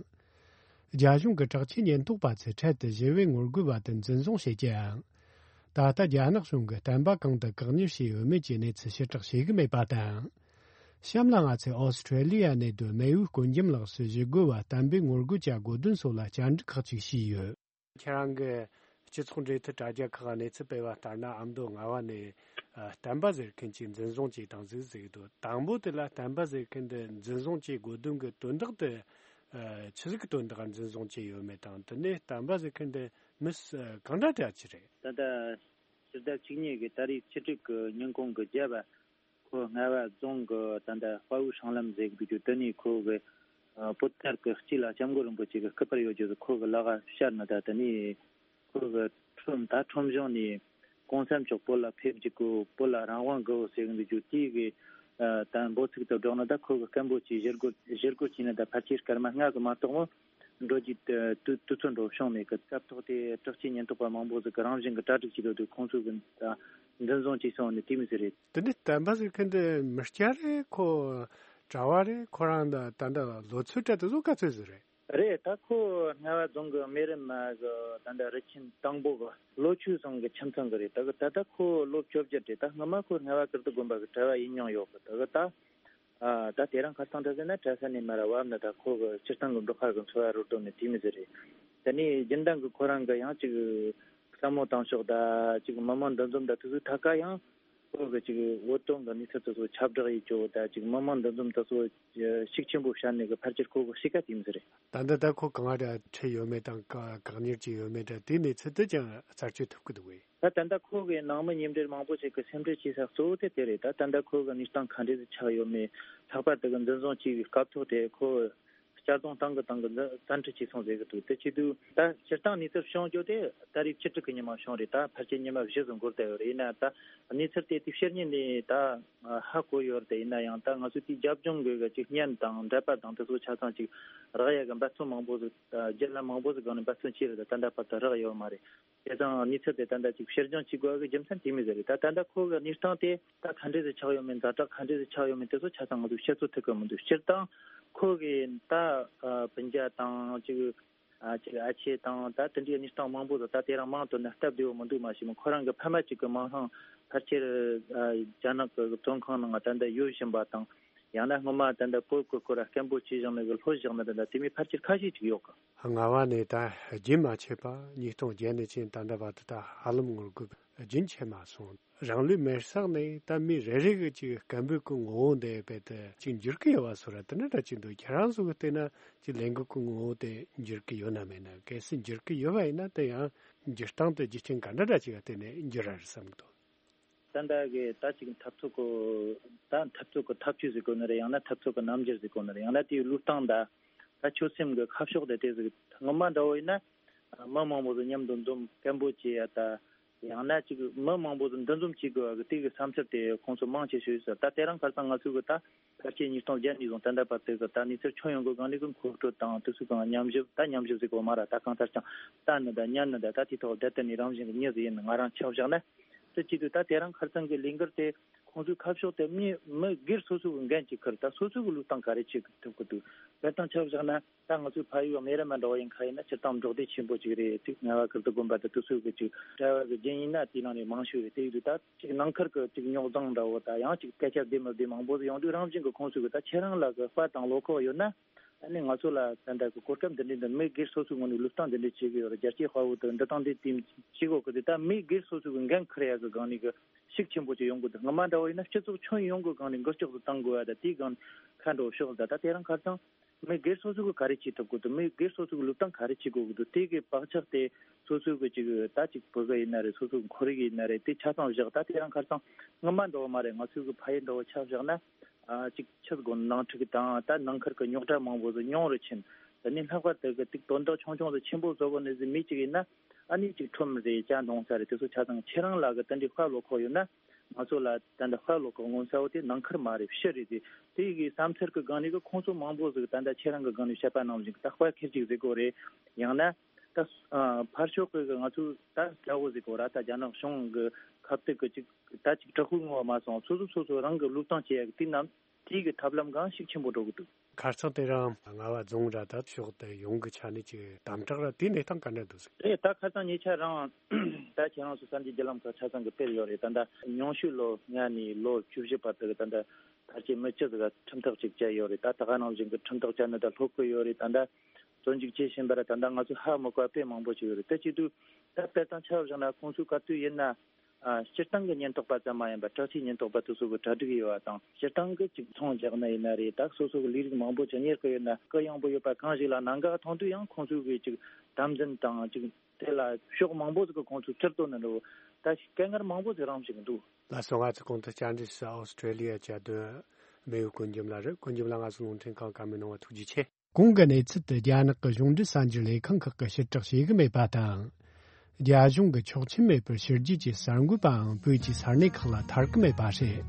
རྒྱ་གཞུང་གི་དྲག་ཆས་ཉེན་རྟོག་པ་ཚོས་འཕྲལ་དུ་ཞི་བའི་ངོ་རྒོལ་བ་དེ་འཛིན་བཟུང་བྱེད་ཀྱང་། ད་ལྟ་རྒྱ་ནག་གཞུང་གིས་བསྟན་པ་གང་དུ་བཀག་ཉར་བྱས་ཡོད་མེད་ཀྱི་གནས་ཚུལ་ཕྱིར་བསྒྲགས་བྱེད་ཀྱི་མེད་པ་དང་། གཤམ་ལ་ང་ཚོས་ཨོ་སི་ཀྲོ་ལི་ཡ་ནས་སྡོད་མེས་དབོན་དཀོན་རྒྱམ་ལགས་སུ་ཞི་རྒོལ་བ་བསྟན་པའི་ངོ་རྒོལ་བྱ་དགོས་དོན་སོགས་ལ་བཅར་འདྲི་ཁག་ཅིག་བྱས་ཡོད། ཁྱེད་རང་གི་སྤྱི་ཚོགས་འབྲེལ་མཐུད་དྲ་རྒྱ་ཁག་གནས་ཚུལ་སྤེལ་བ་ལྟར་ན། ཨ་མདོ་རྔ་བ་ནས་ཨ་བསྟན་པ་ཟེར་མཁན་ཅིག་འཛིན་བཟུང་བྱས་བཏང་ཟིག་ཟེར་གི་འདུག་དང་པོ་དེ་ལ་བསྟན་པ་ཟེར་མཁན་འདི་འཛིན་བཟུང་བྱེད་དགོས་དོན་གྱི་དོན་དག་དེ་ཨ་ཆི་ཟིག་གི་དོན་དག་འཛིན་བཟུང་བྱས་ཡོད་མེད་དང་། དེ་ནས་བསྟན་པ་ཟེར་མཁན་འདི་མི་སུ་གང་འདྲ་འདྲ་ཅིག་རེད། ད་ལྟ་ཕྱི་ཟླ་བཅུ་གཉིས་ཀྱི་ཏ་རིག་བཅུ་དྲུག་གི་ཉིན་གུང་གི་བརྒྱད་པ། ཁོ་རྔ་བ་རྫོང་གི་ད་ལྟ་དཔའ་བོའི་སྲང་ལམ་ཟེར་གི་འདུག་རྒྱུ་དེ་ནས་ཁོ་གི་ཨ་པོ་ཏར་གི་དཀྱིལ་ལ་སྐྱབས་མགོན་རིན་པོ་ཆེ་གི་སྐུ་པར་ཡོད་རྒྱུ་ཁོ་གི་ལག་ག་ཤར་ནས། ད་དེ་ནས་ཁོ་གི་ཁྲོམ་ད་ཁྲོམ་གཞུང་ནས་གོང་ས་མཆོག་བོད་ལ་ཕེབས་རྒྱུ་གི་བོད་ལ་རང་དབང་དགོས་ཟེར་གི་འདུག་རྒྱུ་དེ་གི་ཨ་ད་འབོད་ཚིག་ཏུ་སྒྲོག་ནས། ད་ཁོ་གི་སྐད་འབོད་ཀྱི་ཞུ་སྒོ་ཞུ་སྒོ་བྱས་ནས་ད་ཕལ་ཆེར་སྐར་མ་ལྔ་གི་མ་གཏོགས་མོ། འགྲོ་རྒྱུ་དུས་དུས་ཚོད་འགྲོ་བྱུང་མེད་གི། སྐབས་ཐོག་དེ་དྲག་ཆས་ཉེན་རྟོག་པ་མང་པོ་ཟིག་གི་རང་བཞིན་གི་གྲ་སྒྲིག་བྱས་ཡོད་དུས། ཁོང་ཚོ་གི་ད་འཛིན་བཟུང་བྱས་སོང་ནི་དེ་མི་ཟིག་རེད། དེ་ནི་བསྟན་པ་ཟེར་མཁན་དེ་མི་སྐྱ་རེད། ཁོ་གྲྭ་བ་རེད། ཁོ་རང་ད་ད་ད་ལོ་ཚོད་དྲ་དེ་ཚོ་ག་ཚོད་ཟིག་རེད། རེད། ད་ཁོ་རྔ་བ་རྫོང་གི་སྨན་རམས་མ་གི་ད་ད་རུ་ཆེན་དང་པོ་གི་ལོ་ཆུང་ཚང་གི་ཁྱིམ་ཚང་གི་རེད། ད་གི་ད་ད་ཁོ་ལོ་བཅོ་བརྒྱད་རེད། ད་སྔ་མ་ཁོ་རྔ་བ་ཀིརྟི་དགོན་པ་གི་གྲྭ་བ་ཡིན་མྱོང་ཡོད་གི། ད་གི་ད། ཨ་ད་དེ་རིང་ཁ་སང་འདྲ་ཟེར་ན་གྲྭ་ས་ནས་མར་བབས་ནས། ད་ཁོ་གི་སྤྱིར་བཏང་གི་འབྲོག་ཁ་གི་འཚོ་བ་རོལ་དོན་ནི་དེ་མི་ཟེར་རེད། དེ་ནས་རྒྱུན་ལྡན་གི་ཁོ་རང་གི་ཡང་ཅིག་བསམ་བློ་བཏང་ཕྱོགས་ད་ཅིག་མི་མང་འདུ་འཛོམས་ད་དེ་ཚོའི་ཐད་ཀ་ཡང་ཁོ་གི་ཅིག་བོད་དོན་གི་གནས་ཚུལ་དེ་ཚོ་ཁྱབ་བསྒྲགས་ཡེད་ཕྱོགས་ད་ཅིག་མི་མང་འདུ་འཛོམས་དེ་ཚོ་ཤུགས་ཆེན་པོ་བྱས་ནས་གི་ཕལ་ཆེར་ཁོ་གི་གཤིས་ཀ་དེ་མི་ཟེར་རེད། ད་ལྟ་ད་ཁོ་གང་ང་འདྲ་ཁྲིད་ཡོད་མེད་དང་བཀག་བཀག་ཉར་བྱས་ཡོད་མེད་འདྲ་དེའི་གནས་ཚུལ་དེ་ཀྱང་རྩད་གཅོད་ཐུབ་ཀྱི་འདུག་གས། ད་ད་ལྟ་ཁོ་གི་ནང་མི་མཉམ་འབྲེལ་མང་པོ་ཞིག་གི་སེམས་ཁྲལ་བྱེད་ས་གཙོ་བོ་དེ་དེ་རེད། ད་ད་ལྟ་ཁོ་གི་གནས་སྟངས་ག་འདྲ་ཟིག་ཆགས་ཡོད་མེད། ལྷག་པར་དུ་གི་འཛིན་བཟུང་བྱས་པའི་སྐབས་ཐོག་དེ་ཁོ་གཅར་རྡུང་བཏང་གི་བཏང་གི་འཛིན་བཙན་ཁྲིད་བྱས་སོང་ཟེར་གི་འདུག་དེ་བྱེད་དུས་ད་སྤྱིར་བཏང་གནས་ཚུལ་བྱུང་རྒྱུ་དེ་ཏ་རིག་བཅུ་དྲུག་གི་ཉི་མ་བྱུང་རེད། ད་ཕལ་ཆེར་ཉི་མ་བཞི་ཙམ་འགོར་བསྡད་ཡོད་རེད། ཡིན་ན་ད་གནས་ཚུལ་དེ་དེ་ཕྱི་ཉིན་ནས་ད་ཧ་གོ་ཡོད་རེད། ཡིན་ན་ཡང་ད་ང་ཚོས་དེའི་རྒྱབ་ལྗོངས་གི་ཅིག་བརྙན་དང་འགྲེལ་པ་དང་དེ་ཚོ་ཆ་ཚང་ཅིག་རག་ཡ་གི་འབད་བརྩོན་མང་པོ་ཟིག་ད་བརྒྱུད་ལམ་མང་པོ་ཟིག་སྒང་ནས་འབད་བརྩོན་བྱས་རེད། ད་ད་ལྟ་བར་དུ་རག་ཡོད་མ་རེད། དེ་དང་གནས་ཚུལ་དེ་ད་ལྟ་ཅིག་ཕྱིར་འགྱངས་བྱེད་དགོས་པའི་རྒྱུ་མཚན་དེ་མོ་ཟིག་རེད། ད་ད་ལྟ་ཁོ་གི་གནས་སྟངས་དེ་ད་ག་འདྲ་ཟིག་ཆགས་ཡོད་མེད། ཛ་དྲག་ག་འདྲ་ཟིག་ཆགས་ཡོད་མེད་དེ་ཚོ་ཆ་ཚང་ང་ཚོས་བཤད་ཚོད་ཐིག་གི་མི་འདུག་སྤྱིར་བཏང་ཁོ་གི་ད་སྤུན་ཀྱག་དང་ཅིག་ཨ་ཅིག་ཨ་ཅེ་དང་ད་དེ་འདྲའི་གནས་སྟངས་མང་པོ་ཟིག་ད་དེ་རིང་མང་དུ་ན་སྟབས་བདེ་བོ་མི་འདུག་མ་གཞི་མོ་ཁོ་རང་གི་ཕ་མ་གཅིག་གི་མིང་ལྷང་ཕལ་ཆེར་རྒྱ་ནག་གི་བཙོན་ཁང་ནང་ད་ལྟ་ཡོད་བཞིན་པ་དང་། ཡང་ན་སྔོན་མ་ད་ལྟ་བོད་གི་སྐོར་སྐད་འབོད་བྱས་བཞག་ནས་གི་ལྷོད་བཞག་ནས་ད་ལྟ་དེ་མོ་ཕལ་ཆེར་ཁ་ཤས་ཅིག་ཡོད་གི། རྔ་བ་ནས་ད་རྒྱུན་མ་ཆད་པ་ཉིས་སྟོང་བརྒྱད་ནས་ཕྱིན་ད་ལྟ་བར་དུ་ད་ཧ་ལམ་ངོ་རྒོལ་རྒྱུན་ཆད་མ་སོང་། རང་ལུས་མེར་བསྲེགས་ནས་ད་མི་རེ་རེ་གི་ཅིག་སྐད་འབོད་ཀྱི་ངོ་བོ་འདི་རྦད་དེ་ཅིག་འགྱུར་གི་ཡོད་པ་བཟོ་འདྲ་དེ་འདྲ་འདྲ་ཅིག་འདུག་ཁྱེད་རང་ཚོ་གི་བལྟས་ན་ཅིག་ལས་འགུལ་གྱི་ངོ་བོ་དེ་འགྱུར་གི་ཡོད་ན་མེད་ན། གལ་སྲིད་འགྱུར་གི་ཡོད་པ་ཡིན་ན་དེ་ཡང་འགྱུར་སྟངས་དེ་རྒྱུ་རྐྱེན་ག་འདྲ་འདྲ་ཅིག་ག་བལྟས་ནས་འགྱུར་ར་རེད་བསམ་གི་འདུག་ད་ལྟ་གི་ད་ཅིག་འཐབ་རྩོད་ཀྱི་ད་འཐབ་རྩོད་ཀྱི་ཐབས་ཇུས་ཟེར་དགོས་ནི་རེད། ཡང་ན་འཐབ་རྩོད་ཀྱི་རྣམ་འགྱུར་ཟེར་དགོས་ནི་རེད། ཡང་ན་དེའི་བློས་བཏང་ད་ད་ཆོད་སེམས་ཀྱི་ཁ་ཕྱོགས་དེ་དེ་ཟིག་སྔོན་མ་འདྲ་བོ་ཡིན་ན་མི་མང་པོ་ཟིག་མཉམ་དུ་འཛོམས་སྐད་འབོད་བྱེད་ཡ་ད། ཡང་ན་ཅིག་མི་མང་པོ་ཟིག་འདུ་འཛོམས་བྱེད་དགོས་པ་གི་དེ་གི་བསམ་འཆར་དེ་ཁོང་ཚོ་མང་ཆེ་ཤོས་ཡོད་ས། ད་དེ་རིང་ཁ་སང་ང་ཚོ་གི་ད་ཕལ་ཆེར་ཉིས་སྟོང་བརྒྱད་ནས་བཟུང་ད་ལྟ་བར་དུ་གི་ད་གནས་ཚུལ་ཁྱོན་ཡོངས་གི་སྒང་ནས་གི་མཁོ་སྤྲོད་དང་དེ་ཚོ་གང་མཉམ་ཞིབ་ད་མཉམ་ཞིབ་ཟིག་གོ་མ་ར། ད་གང་ལྟར་ཀྱང་ལྟ་ནི་ད་ཉན་ནི་ད་ད་དེ་ཐོག་བསྡད་དེ་ནས་རང་བཞིན་གི་མྱི་ཟིག་ཡིན་ནི་ང་རང་ཆ་བཞག་ན། དེ་བྱེད་དུས་ད་དེ་རིང་ཁ་སང་གི་ལས་འགུལ་དེ་ཁོང་ཚོའི་ཁ་ཕྱོགས་དེ་མི་མི་སྒེར་སོ་སོ་གི་འགན་གཅིག་ཁུར། ད་སོ་སོ་གི་ལུས་སྟེང་ག་རེ་བྱེད་ཐུབ་གི་འདུག་དཔེར་ན་ཆ་བཞག་ན། ད་ང་ཚོའི་ཕ་ཡུལ་གནས་རིམ་འདྲ་བོ་ཡིན་ཁ་ཡིན་ན་སྤྱིར་བཏང་འབྲོག་སྡེ་ཆེན་པོ་ཅིག་རེད། དེ་ངལ་བ་ཁུར་དུ་དགོན་པ་དང་དེ་ཚོའི་གི་ཅིག་གྲྭ་བ་གི་རྒྱན་ཡིན་ན་དེའི་ནང་ནས་མང་ཤོས་རེད། དེ་ཡིན་དུས་ད་ཅིག་ནང་ཁུལ་གི་ཅིག་རྙོག་གདངས་འདྲ་བོ་ད་ཡང་ཅིག་སྐད་ཆ་བདེ་མི་བདེ་མང་པོ་ཡོང་དུས་རང་བཞིན་གི་ཁོང་ཚོའི་གི་ད་ཁྱེད་རང་ལ་གི་དཔའ་དང་བློ་ཁོག་ཡོད་ན། ཨ་ནི་ང་ཚོ་ལ་ད་ལྟ་གི་གོ་སྐབས་འདི་འདྲའི་འདི་མི་སྒེར་སོ་སོའི་ངོས་ནས་བློས་བཏང་འདི་འདྲའི་བྱེད་གི་ཡོད་རེད། རྒྱལ་གཅེས་དཔའ་བོ་དང་འབྲི་སྟངས་འདི་དེ་བྱེད་དགོས་གི། དེ་ད་མི་སྒེར་སོ་སོའི་གི་འགན་འཁུར་ཡ་གི་སྒང་ནས་གི་ཤུགས་ཆེན་པོ་ཅིག་ཡོང་གི་འདུག་སྔོན་མ་འདྲ་བོ་ཡིན་ན་སྤྱི་ཚོགས་ཁྱོན་ཡོངས་གི་སྒང་ནས་འགུལ་སྐྱོད་དུ་གཏང་དགོས་ཡ་ད་དེའི་སྒང་ཁ་འགྲོ་ཕྱོགས་ད་ད་དེ་རིང་ཁ་སང་མི་སྒེར་སོ་སོ་གི་ག་རེ་བྱེད་ཐུབ་དགོས་འདུག་མི་སྒེར་སོ་སོ་གི་ལུས་སྟེང་ག་རེ་བྱེད་དགོས་གི་འདུག་དེ་གི་བག་ཆགས་དེ་སོ་སོ་གི་ཅིག་ད་ཅིག་བུ་ག་ཡིན་ན་རེད། སོ་སོ་གི་ཁོར་ཡུག་ཡིན་ན་རེད། དེ་ཆ་ཚང་བཞག་ད་དེ་རིང་ཁ་སང་སྔོན་མ་འདྲ་བོ་མ་རེད། ང་ཚོའི་གི་ཕ་ཡུལ་འདྲ་བོ་ཆ་བཞག་ན། ཨ་ཅིག་ཆི་དགོས་ནང་འཁྲུག་དང་ད་ནང་ཁུལ་གྱི་རྙོག་དྲ་མང་པོ་ཟིག་ཉུང་རུ་ཕྱིན། དེ་ནས་ལྷག་པར་དུ་གི་ཏིག་དོན་དག་ཆུང་ཆུང་ཟིག་ཆེན་པོ་བཟོ་གོ་ནི་ཟིག་མི་གཅིག་ཡིན་ན། ཨ་ནི་ཅིག་ཁྲོམ་རེད་ཅ་འདོང་ས་རེད། དེ་ཚོ་ཆ་ཚང་ཁྱེད་རང་ལ་གི་དེ་འདྲའི་དཔའ་བློ་ཁོག་ཡོད་ན། ང་ཚོ་ལ་ད་འདི་དཔའ་བློ་ཁོག་མངོན་གསལ་བོ་དེ་ནང་ཁུལ་མ་རེད་ཕྱི་རེད། དེ་དེ་གི་བསམ་ཚུལ་གི་སྒང་ནས་གི་ཁོང་ཚོ་མང་པོ་ཟིག་ད་ལྟ་ཁྱེད་རང་གི་སྒང་ནས་བཤད་པ་ནང་བཞིན་གི་ད་དཔའ་ཁེར་གཅིག་ཟིག་གོ་རེད། ཡང་ན་ད་ཨ་ཕར་ཕྱོགས་གི་ང་ཚོ་ད་དགྲ་བོ་ཟིག་གོ་ར་ད་རྒྱ་ནག་གཞུང་གི་ཁ་གཏད་གི་ཅིག་ད་ཅིག་དྲག་པོའི་ངོ་བ་མ་སོང་། སོ་སོ་སོ་སོ་རང་གི་ལུགས་དང་བཅས་ཡ་གི་དེ་རྣམས་དེའི་གི་ཐབས་ལམ་གང་ཤུགས་ཆེན་པོ་འགྲོ་གི་འདུག་ཁ་རྩང་དེ་རང་རྔ་བ་རྫོང་ར་ད་ཕྱོགས་དེ་ཡོང་གི་ཆ་ནས་ཅིག་དམ་དྲག་ར་དེ་གནས་སྟངས་ག་འདྲ་འདུག་ཟེར། རེད། ད་ཁ་རྩང་ཉེ་ཆར་རང་ད་ཁྱེད་རང་ཚོ་གསར་འགྱུར་བརྒྱུད་ལམ་ཁག་ཆ་ཚང་གི་སྤེལ་ཡོད་རེད། ད་ལྟ་ཉུང་ཤོས་ལོ་ལྔ་ནས་ལོ་བཅུ་བཞི་བར་དུ་གི་ད་ལྟ་ཕལ་ཆེར་མི་བཅུ་ཟིག་ག་ཁྲིམས་ཐག་ཅིག་བཅད་ཡོད་རེད། ད་ད་ག་ནང་བཞིན་གི་ཁྲིམས་ཐག་བཅད་ནི་ད་ལྷོད་གི་ཡོད་རེད། ད་ལྟ་བཙོན་འཇུག་བྱེད་བཞིན་པ་ར་ད་ལྟ་ང་ཚོ་ཧ་མི་གོ་བ་དཔེ་མང་པོ་ཅིག་ཡོད་རེད། དེ་བྱེད་དུས་ད་དཔེ་དང་ཆ་བཞག་ན་ཁོང་ཚོའི་ག་དུས་ཡིན་ན། ཨ་སྤྱིར་བཏང་གི་ཉེན་རྟོག་པ་ཙམ་མ་ཡིན་པར་དྲག་ཆས་ཉེན་རྟོག་པ་དེ་ཚོ་གི་གྲ་སྒྲིག་ཡོད་པ་དང་། སྤྱིར་བཏང་གི་ཅིག་ཚོང་རྒྱག་ན་ཡིན་ན་རེད། ད་སོ་སོ་གི་ལས་རིགས་མང་པོ་ཅིག་གཉེར་གི་ཡོད་ན་གུ་ཡངས་པོ་ཡོད་པ་གང་ཞིག་ལ་གནད་འགག་མཐོང་དུས་ཡང་ཁོང་ཚོ་གི་ཅིག་དམ་འཛིན་དང་ཅིག་དེ་ལ་ཕྱོགས་མང་པོ་ཟིག་གི་ཁོང་ཚོ་ཁྲིད་གཏོང་ནི་འགྲོ། ད་ཞིག་དཀའ་ངལ་མང་པོ་ཟིག་རང་བཞིན་འདུག་ལགས་སོ། ང་ཚོ་གོང་དུ་བཅར་འདྲི་ཞུ་ཨོ་སི་ཀྲེ་ལི་ཡ་བཅའ་སྡོད་མེའུ་ཀུན་འཇམ་ལགས་རེད། ཀུན་འཇམ་ལགས་ང་ཚོ་རླུང་འཕྲིན་ཁང་བཀའ་མོལ་གནང་བ་ཐུགས་རྗེ་ཆེ། གོང་གི་གནས་ཚུལ་དེ་རྒྱ་ནག་གི་གཞུང་འབྲེལ་གསར་འགྱུར་ལས་ཁང་ཁག་གིས་ཕྱིར་བསྒྲགས་བྱེད་ཀྱི་མེད་པ་དང་། རྒྱ་གཞུང་གིས་ཆོག་མཆན་མེད་པར་ཕྱི་རྒྱལ་གྱི་གསར་འགོད་པའང་བོད་ཀྱི་ས་གནས་ཁག་ལ་ཐར་གྱི་མེད་པ་རེད།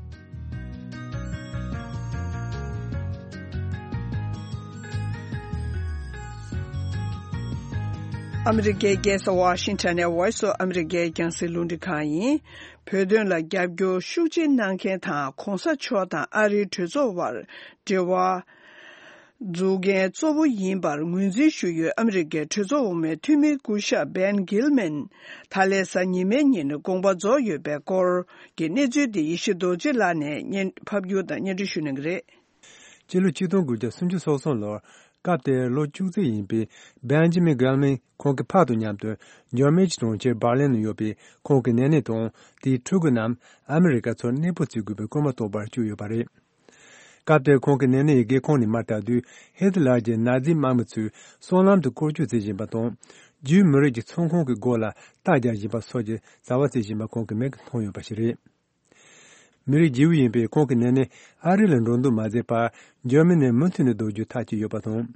ཨ་མི་རི་ཀའི་རྒྱལ་ས་ཝ་ཤིང་ཊོན་ནས་Voice of America རྒྱང་སྲིང་རླུང་འཕྲིན་ཁང་ཡིན། བོད་དོན་ལ་རྒྱབ་སྐྱོར་ཤུགས་ཆེ་གནང་མཁན་དང་གོང་ས་མཆོག་དང་ཨ་རིའི་གྲོས་ཚོགས་དབར་འབྲེལ་བ་འཛུགས་མཁན་གཙོ་བོ་ཡིན་པར་ངོས་འཛིན་ཞུས་ཡོད། ཨ་མི་རི་ཀའི་གྲོས་ཚོགས་འོག་མའི་འཐུས་མི་སྐུ་ཞབས་བན་གྷིལ་མན་ད་ལན་གཟའ་ཉི་མའི་ཉིན་དགོངས་པ་རྫོགས་ཡོད་པའི་སྐོར་གྱི་གནས་ཚུལ་དེ་ཡེ་ཤེས་རྡོ་རྗེ་ལགས་ནས་སྙན་ཕབ་སྒྱུར་དང་སྙན་སྒྲོན་ཞུ་གནང་གི་རེད། སྤྱི་ལོ་ཆིག་སྟོང་དགུ་བརྒྱ་སུམ་ཅུ་སོ་གསུམ་ལོར་སྐབས་དེར་ལོ་བཅུ་གཅིག་ཡིན་པའི་བན་ཇི་མིན་གྷིལ་མན་ཁོང་གི་ཕ་དང་མཉམ་དུ་འཇར་མན་གྱི་གྲོང་ཁྱེར་འབར་ལིན་ནང་ཡོད་པའི་ཁོང་གི་ནེ་ནེ་དང་དེའི་ཕྲུ་གུ་རྣམས་ཨ་མི་རི་ཀ་ཚོར་གནས་སྤོ་བྱེད་དགོས་པའི་སྐུལ་མ་གཏོང་བར་བཅུག་ཡོད་པ་རེད། སྐབས་དེར་ཁོང་གི་ནེ་ནེ་ཡི་སྒེའུ་ཁུང་ནས་མར་ལྟ་དུས་ཧི་ཏི་ལར་གྱི་ནཱ་ཛི་དམག་མི་ཚོས་སྲང་ལམ་དུ་སྐོར་སྐྱོད་བྱེད་བཞིན་པ་དང་། ཇུའི་མི་རིགས་ཀྱི་ཚོང་ཁང་གི་སྒོ་ལ་རྟ་རྒྱག་བཞིན་པ་སོགས་ཀྱི་བྱ་བ་བྱེད་བཞིན་པ་ཁོང་གི་མིག་གིས་མཐོང་ཡོད་པ་ཞིག་རེད། མི་རིགས་རྗེ་བོ་ཡིན་པའི་ཁོང་གི་ནེ་ནེ་ཨ་རི་ལ་འགྲོ་འདུག་མ་མཛད་པར་འཇར་མ་ནིར་མུ་མཐུད་ནས་སྡོད་རྒྱུ་ཐག་བཅད་ཡོད་པ་དང་།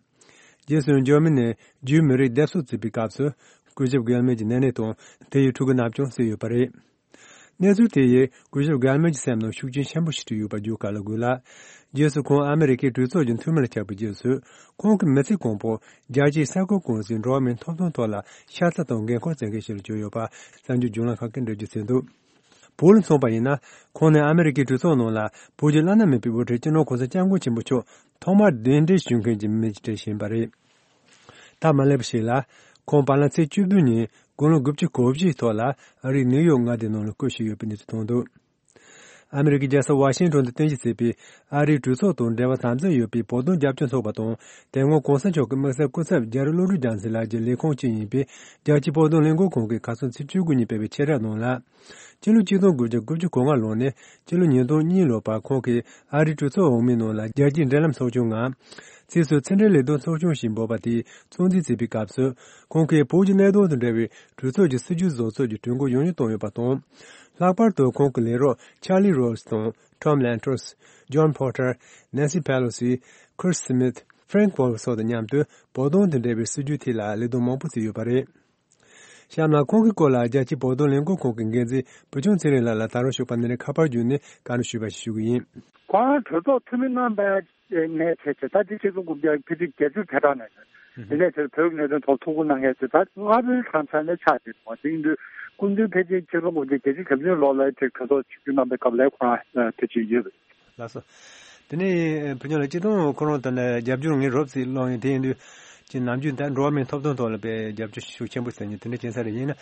རྗེས་སུ་འཇར་མ་ནིར་ཇུའི་མི་རིགས་བསྡད་གསོ་བྱེད་པའི་སྐབས་སུ་སྐུ་ཞབས་གྷིལ་མན་གྱི་ནེ་ནེ་དང་དེ་ཡི་ཕྲུ་གུ་རྣམས་ཀྱང་བསད་ཡོད་པ་རེད། གནས་ཚུལ་དེ་ཡིས་སྐུ་ཞབས་གྷིལ་མན་གྱི་སེམས་ནང་ཤུགས་རྐྱེན་ཆེན་པོ་ཞིག་བསྐྲུན་ཡོད་པ་བརྗོད་ག་ལ་དགོས་ལ། རྗེས་སུ་ཁོང་ཨ་མི་རི་ཀའི་གྲོས་ཚོགས་ཀྱི་འཐུས་མི་ལ་ཆགས་པའི་རྗེས་སུ་ཁོང་གི་མི་ཚེ་གང་པོ་རྒྱལ་སྤྱིའི་གསར་འགོད་ཀུང་སིའི་འགྲོ་བ་མིའི་ཐོབ་ཐང་ཐོག་ལ་ཤ་ཚ་དང་འགན་ཁུར་བྱེད་མཁན་ཞིག་ལ་གྱུར་ཡོད་པ་གསར་འགྱུར་བརྒྱུད་ལམ་ཁག་གིས་འགྲེལ་བརྗོད་བྱས་འདུག་བོད་ལ་མཚོན་པ་ཡིན་ན། ཁོང་ནི་ཨ་མི་རི་ཀའི་གྲོས་ཚོགས་ནང་ལ་བོད་ཀྱི་བླ་ན་མེད་པའི་དབུ་ཁྲིད་སྤྱི་ནོར་གོང་ས་སྐྱབས་མགོན་ཆེན་པོ་མཆོག་ཐོག་མར་གདན་འདྲེན་ཞུ་མཁན་གྱི་མི་གཅིག་ཡིན་པ་རེད། ད་མ་སླེབས་པ་ཞིག་ལ། ཁོང་བར་ལམ་ཚེས་བཅུ་བདུན་ཉིན་དགུང་ལོ་དགུ་བཅུ་གོ་བཞི་ཡི་ཐོག་ལ་ཨ་རིའི་ནིའུ་ཡོག་མངའ་སྡེ་ནང་ལ་སྐུ་གཤེགས་ཡོད་པའི་གནས་ཚུལ་ཐོན་འདུག་ཨ་མི་རི་ཀའི་རྒྱལ་ས་ཝ་ཤིང་ཊོན་དུ་རྟེན་གཞི་བྱས་པའི་ཨ་རིའི་གྲོས་ཚོགས་དང་འབྲེལ་བ་དམ་ཟབ་ཡོད་པའི་བོད་དོན་རྒྱབ་སྐྱོར་ཚོགས་པ་དང་། དེ་སྔོན་གོང་ས་མཆོག་གི་དམིགས་བསལ་སྐུ་ཚབ་རྒྱ་རི་བློ་གྲོས་རྒྱལ་མཚན་ལགས་ཀྱི་ལས་ཁུངས་ཀྱིས་ཡིན་པའི་རྒྱལ་སྤྱིའི་བོད་དོན་ལས་འགུལ་ཁང་གིས་ཁ་སང་ཚེས་བཅུ་དགུ་ཉིན་སྤེལ་བའི་ཆེད་ར་ནང་ལ། སྤྱི་ལོ་ཆིག་སྟོང་དགུ་བརྒྱ་དགུ་བཅུ་གོ་ལྔ་ལོ་ནས་སྤྱི་ལོ་ཉིས་སྟོང་གཉིས་ལོ་བར་ཁོང་གིས་ཨ་རིའི་གྲོས་ཚོགས་འོག་མའི་ནང་ལ་རྒྱལ་སྤྱིའི་འབྲེལ་ལམ་ཚོགས་ཆུང་ངམ། ཕྱིས་སུ་ཕྱི་འབྲེལ་ལས་དོན་ཚོགས་ཆུང་ཞེས་འབོད་པ་དེའི་གཙོ་འཛིན་བྱེད་པའི་སྐབས་སུ། ཁོང་གིས་བོད་ཀྱི་གནད་དོན་དང་འབྲེལ་བའི་གྲོས་ཚོགས་ཀྱི་སྲིད་ཇུས་བཟོ་ཚུལ་གྱི་གྲོས་འགོ་ཡང་ཡང་བཏོན་ཡོད་པ་དང་། ལྷག་པར་དུ་ཁོང་གི་ལས་རོགས་ཆར་ལི་རོ་སི་དང་ཊོམ་ལན་ཊོ་སི། ཇོན་པོ་ཊར། ནན་སི་པེ་ལོ་སི། ཁིར་སི་མིཐ། ཕྲེང་པོལ་སོགས་དང་མཉམ་དུ་བོད་དོན་དང་འབྲེལ་བའི་སྲིད་ཇུས་ཐད་ལ་ལས་དོན་མང་པོ་བྱས་ཡོད་པ་རེད། གཤམ་ལ་ཁོང་གི་སྐོར་ལ་རྒྱལ་སྤྱིའི་བོད་དོན་ལས་འགུལ་ཁང་གི་འགན་འཛིན་བུ་ཆུང་ཚེ་རིང་ལགས་ལ་ད་རུང་ཞུགས་པ་འདི་ནས་ཁ་པར་བརྒྱུད་ནས་བཀའ་འདྲི་ཞུས་པ་ཞིག་ཞུ་གི་ཡིན། ཁོང་གྲོས་ཚོགས་འཐུས་མི་རྣམ་པའི་ནས་བྱས་བྱས་ད་ལྟའི་ཆིག་སྟོང་དགུ་བརྒྱ་ཕལ་ཆེར་བརྒྱད་ཅུ་གྱ་གྲངས་ནས་དེ་ནས་དེར་བོད་ཀྱི་གནད་དོན་ཐོག་ཐུགས་ཁུར་གནང་མཁན་དེ་ད་ལྔ་པོའི་གྲངས་ཚད་ནས་ཆགས་བསྡད་འདུག་དེ་ཡིན་དུས་སྐུ་མདུན་ཕལ་ཆེར་ཆིག་སྟོང་དགུ་བརྒྱ་བརྒྱད་ཅུ་གྱ་བདུན་ལོ་ལ་ཅིག་གྲོས་ཚོགས་ཆིབས་བསྒྱུར་གནང་པའི་སྐབས་ལ་ཁོ་རང་ཕལ་ཆེར་ཡོད་པ་རེད། ལགས་སོ། དེ་ནས་བུ་ཆུང་ལགས་སྤྱི་བཏང་ཁོ་རང་དང་ནས་རྒྱབ་སྐྱོར་ངས་རོབ་ཙམ་སློང་ཡིན། དེ་ཡིན་དུས་ཅིག་ནམ་རྒྱུན་ད་འགྲོ་བ་མིའི་ཐོབ་ཐང་ཐོག་ལ་དཔེ་རྒྱབ་སྐྱོར་ཤུགས་ཆེན་པོ་ཟེར་མཁན་དེ་འདྲ་བྱེད་ས་རེད། ཡིན་ན་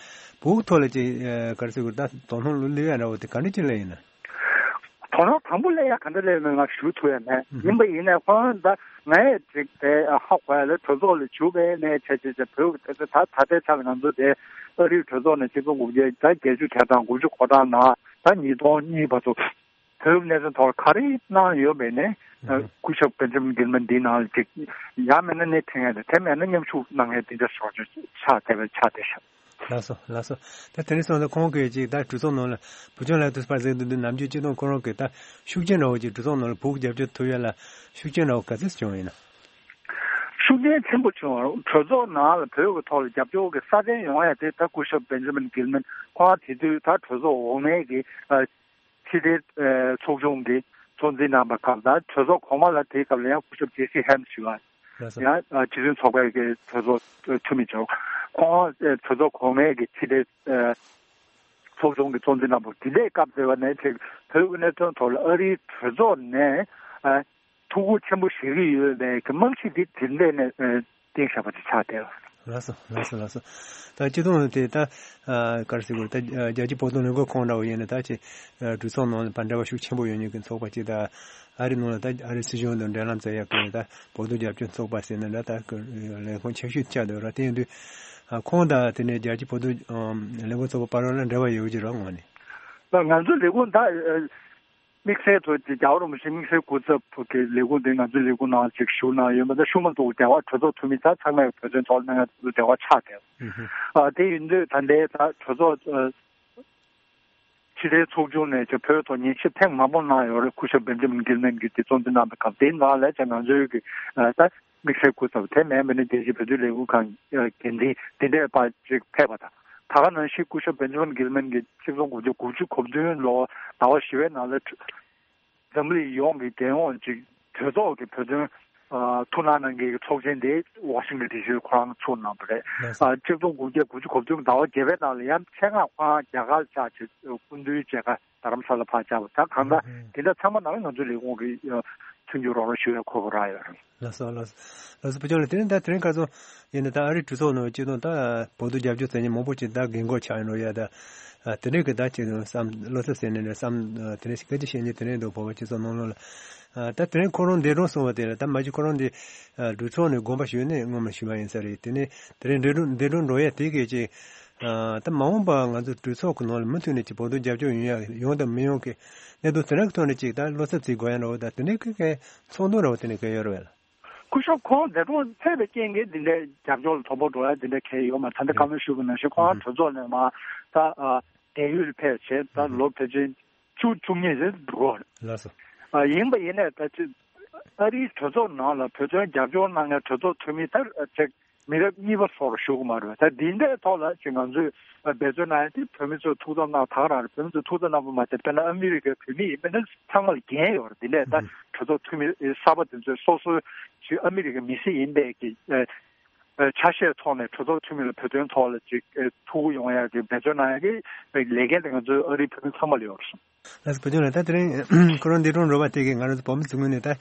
བོད་ཐོག་ལ་ཅིག་ག་རེ་ཟེར་དགོས་རེད། ད་དོ་སྣང་ལོ་སླེབས་ཡ་འདྲ་བོ་དེ་ག་འདྲ་ཅིག་སླེབས་ཡིན་ན། དོ་སྣང་དང་པོ་སླེབས་ཡ་ག་འདྲ་སླེབས་མེད་ང་ཞུ་ཐུབ་ཡ་མེད། ཡིན་པ་ཡིན་ནའི་ཁོང་ད་ངས་ཅིག་དེ་ཧ་གོ་ཡ་ལ་གྲོས་ཚོགས་ལ་ཞུགས་པའི་ནས་བྱས་བྱས་བྱས་བོད་ཀྱི་དེ་ཚོ་ད་ད་ལྟའི་ཆ་ལ་ང་ཚོ་དེ་ཨ་རིའི་གྲོས་ཚོགས་ནས་ཆིག་སྟོང་དགུ་བརྒྱ་ད་བརྒྱད་ཅུ་གྱ་གྲངས་དགུ་བཅུ་གོ་གྲངས་ནང་ད་ཉིས་སྟོང་གཉིས་བར་དུ་བོད་ཀྱི་གནད་དོན་ཐོག་ག་རེ་གནང་ཡོད་མེད་ནས་སྐུ་ཞབས་བེན་ཇི་མིན་གིལ་མན་འདིའི་ནང་ལ་ཅིག་ཡང་མིན་ན་སྣེ་ཁྲིད་མཁན་དང་དེ་མེད་ན་མཉམ་ཞུགས་གནང་མཁན་དེ་འདྲ་ཞོག་ཆོག་ཆགས་བསྡད་པའི་ཆ་དེ་ཤག་ལགས་སོ། ལགས་སོ། ད་དེ་རིང་སོང་ཙང་ཁོང་གིས་ཅིག་ད་གྲོས་ཚོགས་ནང་ལ་བུ་ཆུང་ལགས་དུས་པར་ཟེར་དུས་འདི་ནམ་རྒྱུན་སྤྱི་བཏང་ཁོ་རང་གིས་ད་ཤུགས་རྐྱེན་འདྲ་བོ་ཅིག་གྲོས་ཚོགས་ནང་ལ་བོད་ཀྱི་རྒྱབ་སྐྱོར་ཐོབ་ཡ་ལ་ཤུགས་རྐྱེན་འདྲ་བོ་ག་ཚོད་བྱུང་ཡིན་ན། ཤུགས་རྐྱེན་ཆེན་པོ་བྱུང་བ་གྲོས་ཚོགས་ནང་ལ་བོད་ཀྱི་ཐོག་ལ་རྒྱབ་སྐྱོར་གྱི་སྲ་བརྟན་ཡོང་ཡ་དེ་ད་སྐུ་ཞབས་བེན་ཇི་མིན་གིལ་མན་ཁོང་དེ་དུས་ད་གྲོས་ཚོགས་འོག་མའི་གི་ཕྱི་དྲིལ་ཚོགས་ཆུང་གི་གཙོ་འཛིན་གནང་པ་སྐབས་དང་གྲོས་ཚོགས་གོང་མ་ལ་དེའི་སྐབས་ལ་ཡང་སྐུ་ཞབས་ཇེ་སི་ཧེམ་ཞུ་བ་ལགས་སོ། ཡང་སྤྱི་མཐུན་ཚོགས་པའི་གི་གྲོས་ཚོགས་འཐུས་མི་ཚོ་ཁོང་གྲོས་ཚོགས་གོང་མའི་གི་ཕྱི་དྲིལ་ཚོགས་ཆུང་གི་གཙོ་འཛིན་གནང་པ་དེ་འདྲའི་སྐབས་དེ་བ་ནས་ཅིག་བོད་ཀྱི་གནད་དོན་ཐོག་ལ་ཨ་རིའི་གྲོས་ཚོགས་ནས་ཐུགས་ཁུར་ཆེན་པོ་བཞེས་ཀྱི་ཡོད་པའི་གི་རྨང་གཞི་འདི་དེ་འདྲ་ནས་བཏིང་བཞག་པ་དེ་ཆགས་བསྡད་ཡོད། ལགས་སོ། ལགས་སོ། ལགས་སོ། ད་སྤྱི་བཏང་དེ་ད་ག་རེ་ཟེར་དགོས་རེད། ད་རྒྱལ་སྤྱིའི་བོད་དོན་ལས་འགུལ་ཁང་འདྲ་བོ་ཡིན་ན་ད་ཅིག་གྲོས་ཚོགས་ནང་ལ་ཕར་འབྲེལ་བ་ཤུགས་ཆེན་པོ་ཡོད་མཁན་གྱི་ཚོགས་པ་ཅིག་ད་ཨ་རི་ནང་ལ་ད་ཨ་རི་སྲིད་གཞུང་དང་འབྲེལ་ལམ་བཙལ་ཡག་གི་ད་བོད་དོན་རྒྱབ་སྐྱོར་ཚོགས་པ་ཟེར་ན་འདྲ་ད་ལས་ཁུངས་ཆེ་ཤོས་ཆགས་འདུག་ར། དེ་ཡིན་དུས་ཁོང་དང་དེ་ནས་རྒྱལ་སྤྱིའི་བོད་དོན་ལས་འགུལ་ཚོགས་པ་བར་ལ་འབྲེལ་བ་ཡོད་ཀྱི་རེད་ངོ་ནས། ང་ཚོའི་ལས་ཁུངས་ད། དམིགས་བསལ་ཐོག་ཅིག་རྒྱལ་བ་རིན་པོ་ཆེ་དམིགས་བསལ་སྐུ་ཚབ་ཐོག་གི་ལས་ཁུངས་དེ་ང་ཚོའི་ལས་ཁུངས་ནང་ཅིག་བཞུགས་གནང་ཡོད་མ་གཏོགས་ཤུགས་མ་ཐུག་རྒྱལ་བ་གྲོས་ཚོགས་འཐུས་མི་ཚང་མས་བོད་དོན་ཐོག་གནང་ཡ་འདི་འབྲེལ་བ་ཆགས་བསྡད། ཨ་དེ་ཡིན་དུས་ད་ལྟའི་ད་གྲོས་ཚོགས་ཕྱི་དྲིལ་ཚོགས་ཆུང་ནས་ཅིག་བོད་ཐོག་ཉན་ཞིབ་ཐེངས་མང་པོ་གནང་ཡོད་རེད། སྐུ་ཞབས་བེན་ཇི་མིན་གིལ་མན་གྱིས་དེ་གཙོ་འཛིན་གནང་པའི་སྐབས་དེའི་ནང་ལ་ཅིག་ང་ཚོའི་གི་ད། དམིགས་བསལ་སྐུ་ཚབ་དེ་མིན་པ་ནི་རྒྱལ་སྤྱིའི་བོད་དོན་ལས་འགུལ་ཁང་འགན་འཛིན་དེ་འདྲས་པ་ཅིག་ཕེབས་པ་དང་། ད་ག་ནང་བཞིན་སྐུ་ཞབས་བེན་ཇི་མིན་གིལ་མན་གྱིས་ཆིག་སྟོང་དགུ་བརྒྱ་དགུ་བཅུ་གོ་བདུན་ལོ་ཟླ་བ་བཞི་པའི་ནང་ལ་འཛམ་གླིང་ཡོངས་ཀྱི་རྒྱལ་ཡོངས་ཀྱི་གྲོས་ཚོགས་ཀྱི་བོད་དོན་ཐུགས་སྣང་གནང་མཁན་གྱི་ཚོགས་ཆེན་དེ་ཝ་ཤིང་ཊོན་ཌི་སི་ཁོ་རང་ཚུགས་གནང་བ་རེད། ཆིག་སྟོང་དགུ་བརྒྱ་དགུ་བཅུ་གོ་བདུན་ཟླ་བ་བརྒྱད་པའི་ནང་ལ་ཡང་ཆེད་མངགས་ཁོ་རང་རྒྱ་གར་ཆགས་བྱས་སྐུ་མདུན་མཇལ་ཁ་རྡ་རམ་ས་ལ་ཕར་བཅར་བ་ད་གང་ལྟར་དེ་འདྲ་ཚང་མ་ནང་ང་ཚོའི་ལས་ཁུངས་ཀྱི་མཐུན་འགྱུར་རོགས་རམ་ཞུ་བའི་ཁོ་བོ་རག་ཡོད་རེད། ལགས་སོ། ལགས་སོ། ལགས་སོ། བུ་ཆུང་ལགས་དེ་རིང་ད་དེ་རིང་ཁ་སང་ཡིན་ན་ད་ཨ་རིའི་གྲོས་ཚོགས་ནང་སྤྱི་བཏང་ད་བོད་དོན་རྒྱབ་སྐྱོར་མཛད་མཁན་མང་པོ་ཅིག་ད་རྒན་གོག་ཆགས་ཡོང་རོགས་ཡ་ད་དེ་འདྲའི་གི་ད་ཅིག་བསམ་བློ་འཚབ་ཟེར་ནས་བསམ་དེ་འདྲ་ཞིག་སྐད་ཆ་བཤད་མཁན་དེ་འདྲའི་འདུག་བོད་པ་སྤྱི་ཚོགས་ནང་ལོགས་ལ། ད་དེ་རིང་ཁོ་རང་འདས་གྲོངས་སོང་བ་དེ་ལ་ད་མ་གཞི་ཁོ་རང་འདི་གྲོས་ཚོགས་ནས་དགོངས་པ་ཞུས་ནས་སྔོན་མ་ཞུས་པ་ཡིན་ས་རེད། དེ་ནས་དེ་རིང་འདས་གྲོངས་འདས་གྲོངས་འགྲོ་ཡ་དེ་གས་ཅིག་ད་མ་འོངས་པ་ང་ཚོ་གྲོས་ཚོགས་ཀྱི་ནང་ལ་མུ་མཐུད་ནས་ཀྱི་བོད་དོན་རྒྱབ་སྐྱོར་ཡོང་ཡ་ཡོང་དང་མི་ཡོང་གི་གནད་དོན་དེ་འདྲ་གི་ཐོག་ནས་ཅིག་ད་བློ་འཚབ་བྱེད་དགོས་ཡ་འདྲ་བོ་ད་དེ་འདྲའི་གི་གི་ཚོགས་འདུ་འདྲ་བོ་དེ་འདྲ་གི་ཡོད་རེད་བས། སྐུ་ཞབས་ཁོང་འདས་གྲོངས་ཐེབས་པའི་རྐྱེན་གྱིས་འདི་འདྲའི་རྒྱབ་སྐྱོར་ལ་དོ་ཕོག་འགྲོ་ཡ་འདི་འདྲ་གལ་ཡོད་མ་རེད། ད་ལྟ་བཀའ་མོལ་ཞུས་པ་ནང་བཞིན་ཁོང་གྲོས་ཚོགས་ནས་མ་ད་བལ་ཡུལ་ཕེབས་བྱས་ད་ལོ་ཕལ་ཆེར་བཅུ་བཅུ་གཉིས་ཙམ་འགྲོ་གི་རེད། ལགས་སོ། ཡིན་པ་ཡིན་ནའི་ད་ཅི་ཨ་རིའི་གྲོས་ཚོགས་ནང་ལ་བོད་དོན་རྒྱབ་སྐྱོར་གནང་མཁན་གྲོས་ཚོགས་འཐུས་མི་ད་ཅིག་མི་རབས་གཉིས་པ་སོགས་ལ་ཞུ་གི་མ་རེད། ད་འདི་འདྲའི་ཐོག་ལ་ཅིག་ང་ཚོས་འབད་བརྩོན་གནང་ཡ་དེ་བོད་མི་ཚོས་ཐུགས་འཚབ་གནང་ད་ག་རང་རེད། བོད་མི་ཚོས་ཐུགས་འཚབ་གནང་པ་མ་ཟད་དཔེར་ན་ཨ་མི་རི་ཀའི་བོད་མི་ཡིན་པ་ནི་ཚང་མ་ལ་འགན་ཡོད་རེད། འདི་འདྲའི་ད་གྲོས་ཚོགས་འཐུས་མི་གསར་པ་དེ་ཚོས་སོ་སོའི་ཅིག་ཨ་མི་རི་ཀའི་མི་སེར་ཡིན་པའི་གི་ཆ་ཤས་ཐོག་ནས་གྲོས་ཚོགས་འཐུས་མི་ལ་བོད་དོན་ཐོག་ལ་ཅིག་ཐུགས་ཁུར་ཡོང་ཡ་གི་འབད་བརྩོན་གནང་ཡ་གི་ལས་འགན་དེ་ང་ཚོའི་ཨ་རིའི་བོད་མི་ཚང་མ་ལ་ཡོད་རེད་གསུངས། ལགས་སོ། བུ་ཆུང་ལགས་ད་དེ་རིང་ཁོ་རང་འདས་གྲོངས་འགྲོ་བ་དེ་གས་ང་རང་ཚོ་བོད་མི་ཚོའི་ངོས་ནས་ད་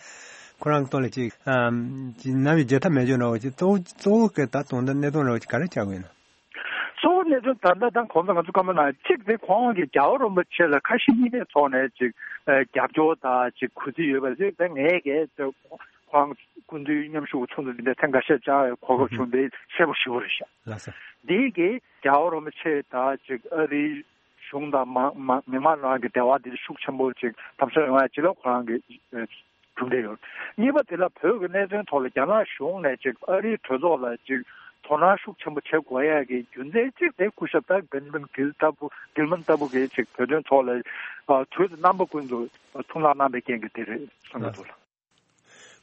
ཁོ་རང་གི་ཐོག་ལ་ཅིག་ནམ་ཡང་བརྗེད་ཐབས་མེད་ཅོག་འདྲ་བོ་ཅིག་གཙོ་བོ་གཙོ་བོ་གི་ད་དོན་དུ་གནད་དོན་འདྲ་བོ་ཅིག་ག་རེ་ཆགས་ཡོད་ན། གཙོ་བོ་གནད་དོན་ད་ལྟ་ད་གོང་དུ་ང་ཚོ་བཀའ་མོལ་གནང་གཅིག་དེ་ཁོང་གིས་རྒྱལ་བ་རིན་པོ་ཆེ་ལ་ཁ་ཞེ་གཉིས་མེད་ཐོག་ནས་ཅིག་རྒྱབ་སྐྱོར་དང་ཅིག་གུས་བརྩི་ཡོད་པ་ཞིག་ད་ངས་གས་ཁོང་སྐུ་མདུན་མཉམ་ཞུགས་ཚོགས་འདུ་འདི་འདྲ་ཐེངས་འགའ་ཤས་བཅར་གོ་སྐབས་བྱུང་དེ་གསལ་པོ་ཞེ་པོ་རེད་ཤག་ལགས་སོ། འདི་གིས་རྒྱལ་བ་རིན་པོ་ཆེ་དང་ཅིག་ཨ་རིའི་གཞུང་དང་མ་མ་མི་མང་ནང་གི་འབྲེལ་བ་འདི་ཤུགས་ཆེན་པོ་ཅིག་དམ་ཟབ་ཡོང་ཡ་ཅིག་ལ་ཁོ་རང་གི་གྲུབ་འབྲས་ཡོད། གཉིས་པ་དེ་ལ་བོད་ཀྱི་གནད་དོན་ཐོག་ལ་རྒྱ་ནག་གཞུང་ནས་ཅིག་ཨ་རིའི་གྲོས་ཚོགས་ལ་ཅིག་དོ་སྣང་ཤུགས་ཆེན་པོ་བྱེད་དགོས་ཡ་གི་རྒྱུ་མཚན་གཅིག་དེ་སྐུ་ཞབས་ད་བེན་ཇི་མིན་གིལ་ལྟ་བུ་གིལ་མན་ལྟ་བུ་གིས་ཅིག་བོད་དོན་ཐོག་ལ་དུས་དང་རྣམ་པ་ཀུན་ཏུ་ཐུགས་སྣང་གནང་པའི་རྐྱེན་གྱིས་དེ་རེད་བསམ་གྱི་འདུག་ལགས།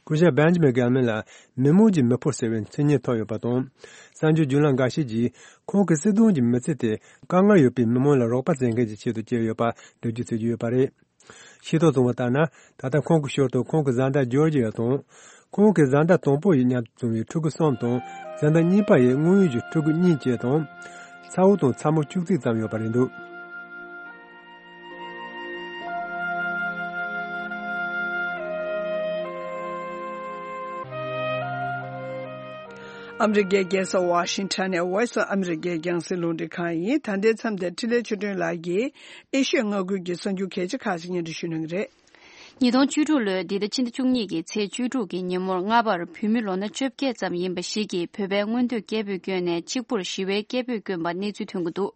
སྐུ་ཞབས་བེན་ཇི་མིན་གྷེལ་མན་ལ་མི་མང་གི་མི་ཕོ་ཟེར་བའི་མཚན་སྙན་ཐོབ་ཡོད་པ་དང་། གསར་འགྱུར་བརྒྱུད་ལམ་འགའ་ཤས་ཀྱིས་ཁོང་གི་སྲིད་དོན་གྱི་མི་ཚེ་དེ་དཀའ་ངལ་ཡོད་པའི་མི་མང་ལ་རོགས་པ་བྱེད་མཁན་གྱི་ཆེད་དུ་བསྐྱལ་ཡོད་པ་འགྲེལ་བརྗོད་བྱེད་ཀྱི་ཡོད་པ་རེད། ཤེས་རྟོགས་བྱུང་བ་ལྟར་ན། ད་ལྟ་ཁོང་གི་ཞོར་དུ་ཁོང་གི་བཟའ་ཟླ་ཇོར་ཇི་ཡ་དང་། ཁོང་གི་བཟའ་ཟླ་དང་པོ་ཡི་མཉམ་དུ་བྱུང་བའི་ཕྲུ་གུ་གསུམ་དང་། བཟའ་ཟླ་གཉིས་པ་ཡི་དངོས་ཡོད་ཀྱི་ཕྲུ་གུ་གཉིས་བཅས་དང་། ཚ་བོ་དང་ཚ་མོ་བཅུ་གཅིག་ཙམ་ཡོད་པ་རེད་འདུག། ཨ་མི་རི་ཀའི་རྒྱལ་ས་ཝ་ཤིང་ཊོན་ནས་Voice of America རྒྱང་སྲིང་རླུང་འཕྲིན་ཁང་ཡིན། ད་ལྟའི་མཚམས་དེར་འཕྲིན་ལས་ཆོས་སྒྲོན་ལགས་ཀྱིས་ཨེ་ཤི་ཡ་མངའ་ཁུལ་གྱི་གསར་འགྱུར་གལ་ཆེ་ཁག་ཅིག་སྙན་སྒྲོན་ཞུ་གནང་གི་རེད། ཉིས་སྟོང་བཅུ་དྲུག་ལོའི་འདི་ཟླ་ཕྱི་ཟླ་བཅུ་གཉིས་ཀྱི་ཚེས་བཅུ་དྲུག་གི་ཉིན་མོར་སྔ་བར་བོད་མི་ལོ་ན་བཅོ་བརྒྱད་ཙམ་ཡིན་པ་ཞིག་གིས་བོད་པའི་མངོན་འདོད་སྐད་འབོད་བསྐྱོན་ནས་གཅིག་པུར་ཞི་བའི་སྐད་འབོད་བསྐྱོན་པ་གནས་ཚུལ་ཐོན་གྱི་འདུག།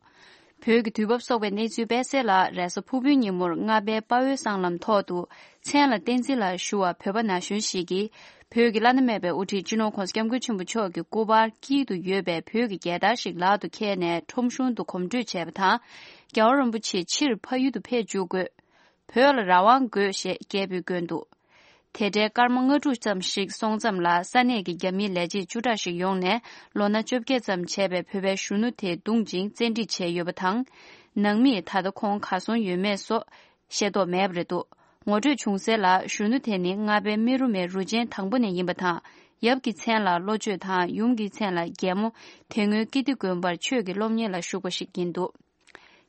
བོད་ཀྱི་དུས་བབ་སོགས་པའི་གནས་ཚུལ་སྤེལ་གསལ་ལ། རེས་གཟའ་ཕུར་བུའི་ཉིན་མོར་རྔ་པའི་དཔའ་བོའི་སྲང་ལམ་ཐོག་ཏུ་མཚན་ལ་བསྟན་འཛིན་ལ་ཞུ་བ་བོད་པ་ན་གཞོན་ཞིག་གིས་བོད་ཀྱི་བླ་ན་མེད་པའི་དབུ་ཁྲིད་སྤྱི་ནོར་༸གོང་ས་༸སྐྱབས་མགོན་ཆེན་པོ་མཆོག་གི་སྐུ་པར་དཀྱིལ་དུ་ཡོད་པའི་བོད་ཀྱི་རྒྱལ་དར་ཞིག་ལག་ཏུ་འཁྱེར་ནས་ཁྲོམ་གཞུང་དུ་གོམ་བགྲོད་བྱས་པ་དང་། རྒྱལ་བ་རིན་པོ་ཆེ་ཕྱིར་ཕ་ཡུལ་དུ་ཕེབས་འཇུག་དགོས། བོད་ལ་རང་དབང་དགོས་ཞེས་སྐད་འབོད་བསྐྱོན་འདུག། དེ་འདྲའི་སྐར་མ་ལྔ་དྲུག་ཙམ་ཞིག་སོང་ཙམ་ལ། ས་གནས་ཀྱི་རྒྱ་མིའི་ལས་བྱེད་བཅུ་ཕྲག་ཞིག་ཡོང་ནས། ལོ་ན་བཅོ་བརྒྱད་ཙམ་བྱས་པའི་བོད་པའི་གཞོན་ནུ་དེ་བརྡུངས་ཤིང་བཙན་ཁྲིད་བྱས་ཡོད་པ་དང་། ནང་མིས་ད་ལྟ་ཁོང་གར་སོང་ཡོད་མེད་སོགས་ཤེས་རྟོགས་མེད་པ་རེད་འདུག། ངོ་སྤྲོད་བྱུང་གསལ་ལ། གཞོན་ནུ་དེ་ནི་རྔ་པའི་རྨེ་རུ་མའི་རུ་ཆེན་དང་པོ་ནས་ཡིན་པ་དང་། ཡབ་ཀྱི་མཚན་ལ་བློ་ཆོས་དང་། ཡུམ་གྱི་མཚན་ལ་རྒྱལ་མོ། དེ་སྔོན་ཀིརྟི་དགོན་པར་ཆོས་ཀྱི་སློབ་གཉེར་ལ་ཞུགས་པ་ཞིག་ཡིན་འདུག།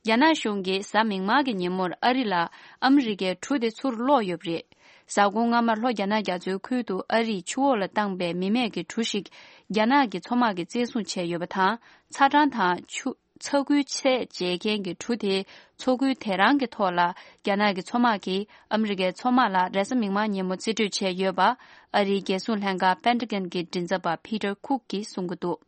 རྒྱ་ནག་གཞུང་གིས་གཟའ་མིག་དམར་གྱི་ཉིན་མོར་ཨ་རི་ལ་ཨ་མི་རི་ཀའི་གྲུ་དེ་ཚུར་སློག་ཡོད་པ་རེད། གཟའ་འཁོར་སྔ་མར་ལྷོ་རྒྱ་ནག་རྒྱ་མཚོའི་ཁུལ་དུ་ཨ་རིས་ཆུ་འོག་ལ་བཏང་པའི་མི་མེད་ཀྱི་གྲུ་ཞིག་རྒྱ་ནག་གི་མཚོ་དམག་གིས་བཙན་བཟུང་བྱས་ཡོད་པ་དང་། ཚ་གྲང་དང་ཆུ། ཚ་ཁུལ་ཚད་འཇལ་མཁན་གྱི་གྲུ་དེའི་མཚོ་ཁུལ་དེ་རང་གི་ཐོག་ལ། རྒྱ་ནག་གི་མཚོ་དམག་གིས་ཨ་མི་རི་ཀའི་མཚོ་དམག་ལ་རེས་གཟའ་མིག་དམར་ཉིན་མོ་རྩིས་སྤྲོད་བྱས་ཡོད་པ། ཨ་རིའི་རྒྱལ་སྲུང་ལྷན་ཁང་པེན་ཏ་གན་གྱི་མགྲིན་ཚབ་པ་ཕི་ཏར་ཁུག་གིས་གསུང་གི་འདུག།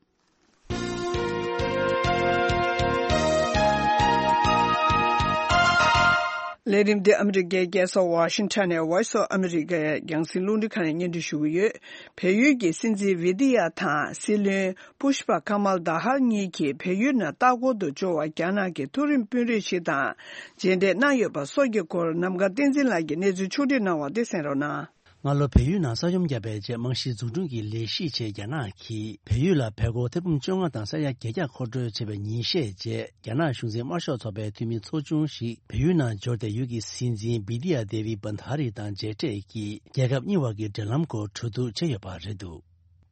ལས་རིམ་འདི་ཨ་མི་རི་ཀའི་རྒྱལ་ས་ཝ་ཤིང་ཊོན་ནས་Voice of America ཡི་རྒྱང་སྲིང་རླུང་འཕྲིན་ཁང་ནས་སྙན་སྒྲོན་ཞུ་གི་ཡོད། བལ་ཡུལ་གྱི་སྲིད་འཛིན་བི་དི་ཡ་དང་སྲིད་བློན་པུཤ་པ་ཁ་མལ་དཱ་ཧལ་གཉིས་ཀྱིས་བལ་ཡུལ་ནང་ལྟ་སྐོར་དུ་འབྱོར་བར་རྒྱ་ནག་གི་མཐོ་རིམ་དཔོན་རིགས་ཤིག་དང་མཇལ་འཕྲད་གནང་ཡོད་པ་སོགས་ཀྱི་སྐོར་ནམ་མཁའ་བསྟན་འཛིན་ལགས་ཀྱིས་གནས་ཚུལ་ཕྱོགས་སྒྲིག་གནང་བ་དེ་གསན་རོགས་གནང་། སྔ་ལོ་བལ་ཡུལ་ནང་ས་ཡོམ་བརྒྱབ་པའི་རྗེས་རྨང་གཞི་འཛུགས་སྐྲུན་གྱི་ལས་གཞིའི་ཆེད་རྒྱ་ནག་གིས་བལ་ཡུལ་ལ་བལ་སྒོར་ཐེར་འབུམ་བཅོ་ལྔ་དང་ས་ཡ་བརྒྱད་བརྒྱ་མཁོ་སྤྲོད་བྱས་པའི་ཉིན་ཤས་རྗེས། རྒྱ་ནག་གཞུང་འཛིན་དམར་ཤོག་ཚོགས་པའི་འཐུས་མི་ཚོགས་ཆུང་ཞིག་བལ་ཡུལ་ནང་འབྱོར་ཏེ། ཡུལ་གྱི་སྲིད་འཛིན་བི་དི་ཡ་དེ་བི་བྷན་དྷ་རི་དང་མཇལ་འཕྲད་ཀྱིས། རྒྱལ་ཁབ་གཉིས་བར་གྱི་འབྲེལ་ལམ་སྐོར་གྲོས་བསྡུར་བྱས་ཡོད་པ་རེད་འདུག།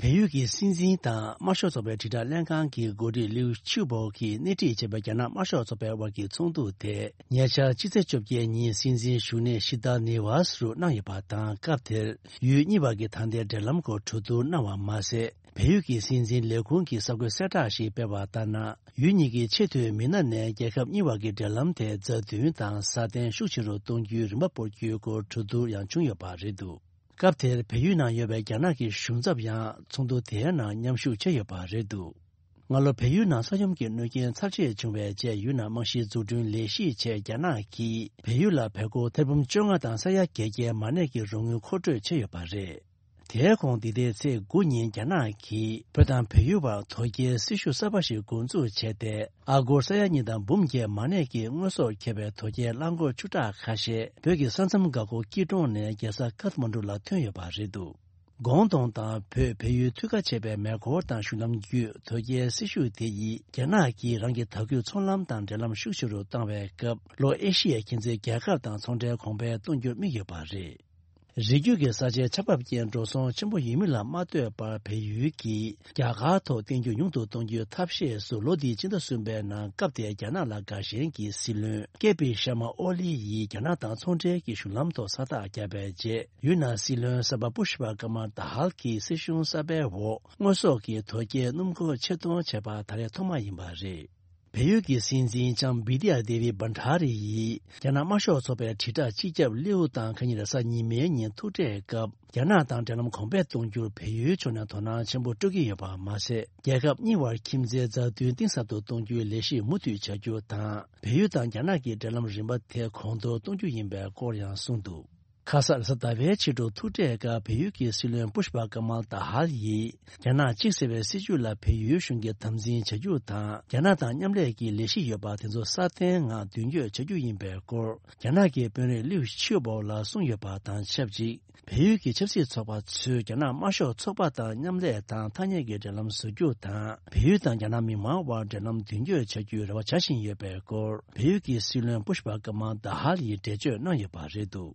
བལ་ཡུལ་གྱི་སྲིད་འཛིན་དང་དམར་ཤོག་ཚོགས་པའི་དྲིལ་བསྒྲགས་ལྷན་ཁང་གི་འགོ་ཁྲིད་ལིའུ་ཆིའུ་པོ་གིས་སྣེ་ཁྲིད་བྱས་པའི་རྒྱ་ནག་དམར་ཤོག་ཚོགས་པའི་དབར་གྱི་ཚོགས་འདུ་དེ། ཉེ་ཆར་ཕྱི་ཚེས་བཅོ་བརྒྱད་ཉིན་སྲིད་འཛིན་བཞུགས་གནས་ཤི་ད་ནི་ཝཱ་སི་རུ་གནང་ཡོད་པ་དང་། སྐབས་དེར་ཡུལ་གཉིས་བར་གྱི་ད་ལྟའི་འབྲེལ་ལམ་སྐོར་གྲོས་བསྡུར་གནང་བ་མ་ཟད། བལ་ཡུལ་གྱི་སྲིད་འཛིན་ལས་ཁུངས་ཀྱིས་གསར་འགོད་གསལ་བསྒྲགས་ཤིག་སྤེལ་བ་ལྟར་ན། ཡུལ་གཉིས་ཀྱི་ཆེས་མཐོའི་མི་སྣ་ནས་རྒྱལ་ཁབ་གཉིས་བར་གྱི་འབྲེལ་ལམ་དེ་རྩ་འཛིན་དང་སྲ་བརྟན་ཤུགས་ཆེ་རུ་གཏོང་རྒྱུའི་རིམ་པ་སྤོར་རྒྱུའི་སྐོར་གྲོས་བསྡུར་ཡང་བྱུང་ཡོད་པ་རེད་འདུག། སྐབས་དེར་བལ་ཡུལ་ནང་ཡོད་པའི་རྒྱ་ནག་གི་གཞུང་ཚབ་ཡང་ཚོགས་འདུ་དེའི་ནང་མཉམ་ཞུགས་བྱས་ཡོད་པ་རེད་འདུག། སྔ་ལོ་བལ་ཡུལ་ནང་ས་ཡོམ་གྱི་གནོད་རྐྱེན་ཚབས་ཆེ་བྱུང་བའི་རྗེས། ཡུལ་ནང་རྨང་གཞིའི་འཛུགས་སྐྲུན་ལས་གཞིའི་ཆེད་རྒྱ་ནག་གིས་བལ་ཡུལ་ལ་བལ་སྒོར་ཐེར་འབུམ་བཅོ་ལྔ་དང་ས་ཡ་བརྒྱད་བརྒྱའི་མ་གནས་ཀྱི་རོགས་དངུལ་མཁོ་སྤྲོད་བྱས་ཡོད་པ་རེད། དེའི་གོང་འདི་ཟླའི་ཚེས་དགུ་ཉིན་རྒྱ་ནག་གིས་བོད་དང་བལ་ཡུལ་བར་དོས་སྐྱེལ་སྲི་ཞུ་གསར་པ་ཞིག་འགོ་འཛུགས་བྱས་ཏེ། ཨ་སྒོར་ས་ཡ་གཉིས་དང་འབུམ་བརྒྱད་མ་གནས་ཀྱི་དངོས་ཟོག་འཁྱེར་བའི་དོས་སྐྱེལ་རླངས་འཁོར་བཅུ་ཕྲག་ཁ་ཤས་བོད་ཀྱི་ས་མཚམས་འགག་སྒོ་སྐྱིད་གྲོང་ནས་རྒྱལ་ས་ཀཐ་མན་ཌུ་ལ་ཐོན་ཡོད་པ་རེད་འདུག། ཀོང་ཏུང་དང་བོད་བལ་ཡུལ་མཐུད་ཁ་ཆེ་བའི་མེ་འཁོར་དང་གཞུང་ལམ་བརྒྱུད་དོས་སྐྱེལ་སྲི་ཞུ་དེ་ཡིས་རྒྱ་ནག་གིས་རང་གི་དྭགས་བརྒྱུད་ཚོང་ལམ་དང་འབྲེལ་ལམ་ཤུགས་ཆེ་རུ་བཏང་བའི་སྐབས། ལྷོ་ཨེ་ཤི་ཡའི་ཁྱིམ་མཚེས་རྒྱལ་ཁབ་དང་ཚོང་འབྲེལ་གོང་འཕེལ་གཏོང་རྒྱུར་དམིགས་ཡོད་པ་རེད། རི་རྒྱུད་ཀྱི་ས་ཆའི་ཆར་འབབ་རྐྱེན་འགྲོ་སོང་ཆེན་པོ་ཡོད་མིན་ལ་མ་ལྟོས་པར། བལ་ཡུལ་གྱིས་རྒྱ་གར་ཐོག་བརྟེན་རྒྱུ་ཉུང་དུ་གཏོང་རྒྱུའི་ཐབས་ཤེས་སུ། ལོ་འདིའི་ཕྱི་ཟླ་གསུམ་པའི་ནང་སྐབས་དེའི་རྒྱ་ནག་ལ་དགའ་ཞེན་གྱི་སྲིད་བློན་ཀེ་པི་ཤར་མ་ཨོ་ལི་ཡིས་རྒྱ་ནག་དང་ཚོང་འབྲེལ་གྱི་གཞུང་ལམ་ཐོག་ས་རྟགས་བརྒྱབ་པའི་རྗེས། ཡུལ་ནང་སྲིད་བློན་གསར་པ་པུཤ་པ་ཀ་མལ་དཱ་ཧལ་གྱི་སྲིད་གཞུང་གསར་པའི་འོག་དངོས་ཟོག་གི་དོས་སྐྱེལ་སྣུམ་འཁོར་ཆེད་གཏོང་བྱས་པ་ད་རེས་ཐོག་མ་ཡིན་པ་རེད། བལ་ཡུལ་གྱི་སྲིད་འཛིན་ལྕམ་བི་དི་ཡ་དེ་བི་བྷན་དྷ་རི་ཡིས་རྒྱ་ནག་དམར་ཤོག་ཚོགས་པའི་དྲིལ་བསྒྲགས་སྤྱི་ཁྱབ་ལིའུ་དང་ཁ་ཉིན་རེས་གཟའ་ཉི་མའི་ཉིན་ཐུག་འཕྲད་སྐབས། རྒྱ་ནག་དང་འབྲེལ་ལམ་གོང་འཕེལ་གཏོང་རྒྱུར་བལ་ཡུལ་ཕྱོགས་ནས་དོ་སྣང་ཆེན་པོ་སྤྲོད་ཀྱི་ཡོད་པ་མ་ཟད། རྒྱལ་ཁབ་གཉིས་བར་ཁྱིམ་མཚེས་མཛའ་མཐུན་གཏིང་ཟབ་ཏུ་གཏོང་རྒྱུའི་ལས་གཞི་མུ་མཐུད་བྱ་རྒྱུ་དང་། བལ་ཡུལ་དང་རྒྱ་ནག་གི་འབྲེལ་ལམ་རིམ་པ་དེ་གོང་མཐོར་གཏོང་རྒྱུ་ཡིན་པའི་སྐོར་ཡང་གསུངས་འདུག། ཁ་སང་རེས་གཟའ་ཟླ་བའི་ཕྱི་དྲོ་ཐུག་འཕྲད་སྐབས་བལ་ཡུལ་གྱི་སྲིད་བློན་པུཤ་པ་ཀ་མལ་ཏཱ་ཧལ་ཡིས། རྒྱ་ནག་གཅིག་ཟེར་བའི་སྲིད་བྱུས་ལ་བལ་ཡུལ་གཞུང་གིས་དམ་འཛིན་བྱ་རྒྱུ་དང་། རྒྱ་ནག་དང་མཉམ་ལས་ཀྱི་ལས་གཞི་ཡོད་པ་དེ་ཚོ་སྲ་བརྟན་ངང་མདུན་སྐྱོད་བྱ་རྒྱུ་ཡིན་པའི་སྐོར། རྒྱ་ནག་གི་དཔོན་རིགས་ལིའུ་ཆིའུ་པོ་ལ་གསུངས་ཡོད་པ་དང་ཆབས་ཅིག་བལ་ཡུལ་གྱི་ཆབ་སྲིད་ཚོགས་པ་ཚོས་རྒྱ་ནག་དམར་ཤོག་ཚོགས་པ་དང་མཉམ་ལས་དང་ཐག་ཉེ་གི་འབྲེལ་ལམ་བཟོ་རྒྱུ་དང་། བལ་ཡུལ་དང་རྒྱ་ནག་མི་མང་དབར་འབྲེལ་ལམ་མདུན་སྐྱོད་བྱ་རྒྱུའི་རེ་བ་བྱ་བཞིན་ཡོད་པའི་སྐོར། བལ་ཡུལ་གྱི་སྲིད་བློན་པུཤ་པ་ཀ་མལ་ཏཱ་ཧལ་ཡིས་འགྲེལ་བརྗོད་གནང་ཡོད་པ་རེད་འདུག་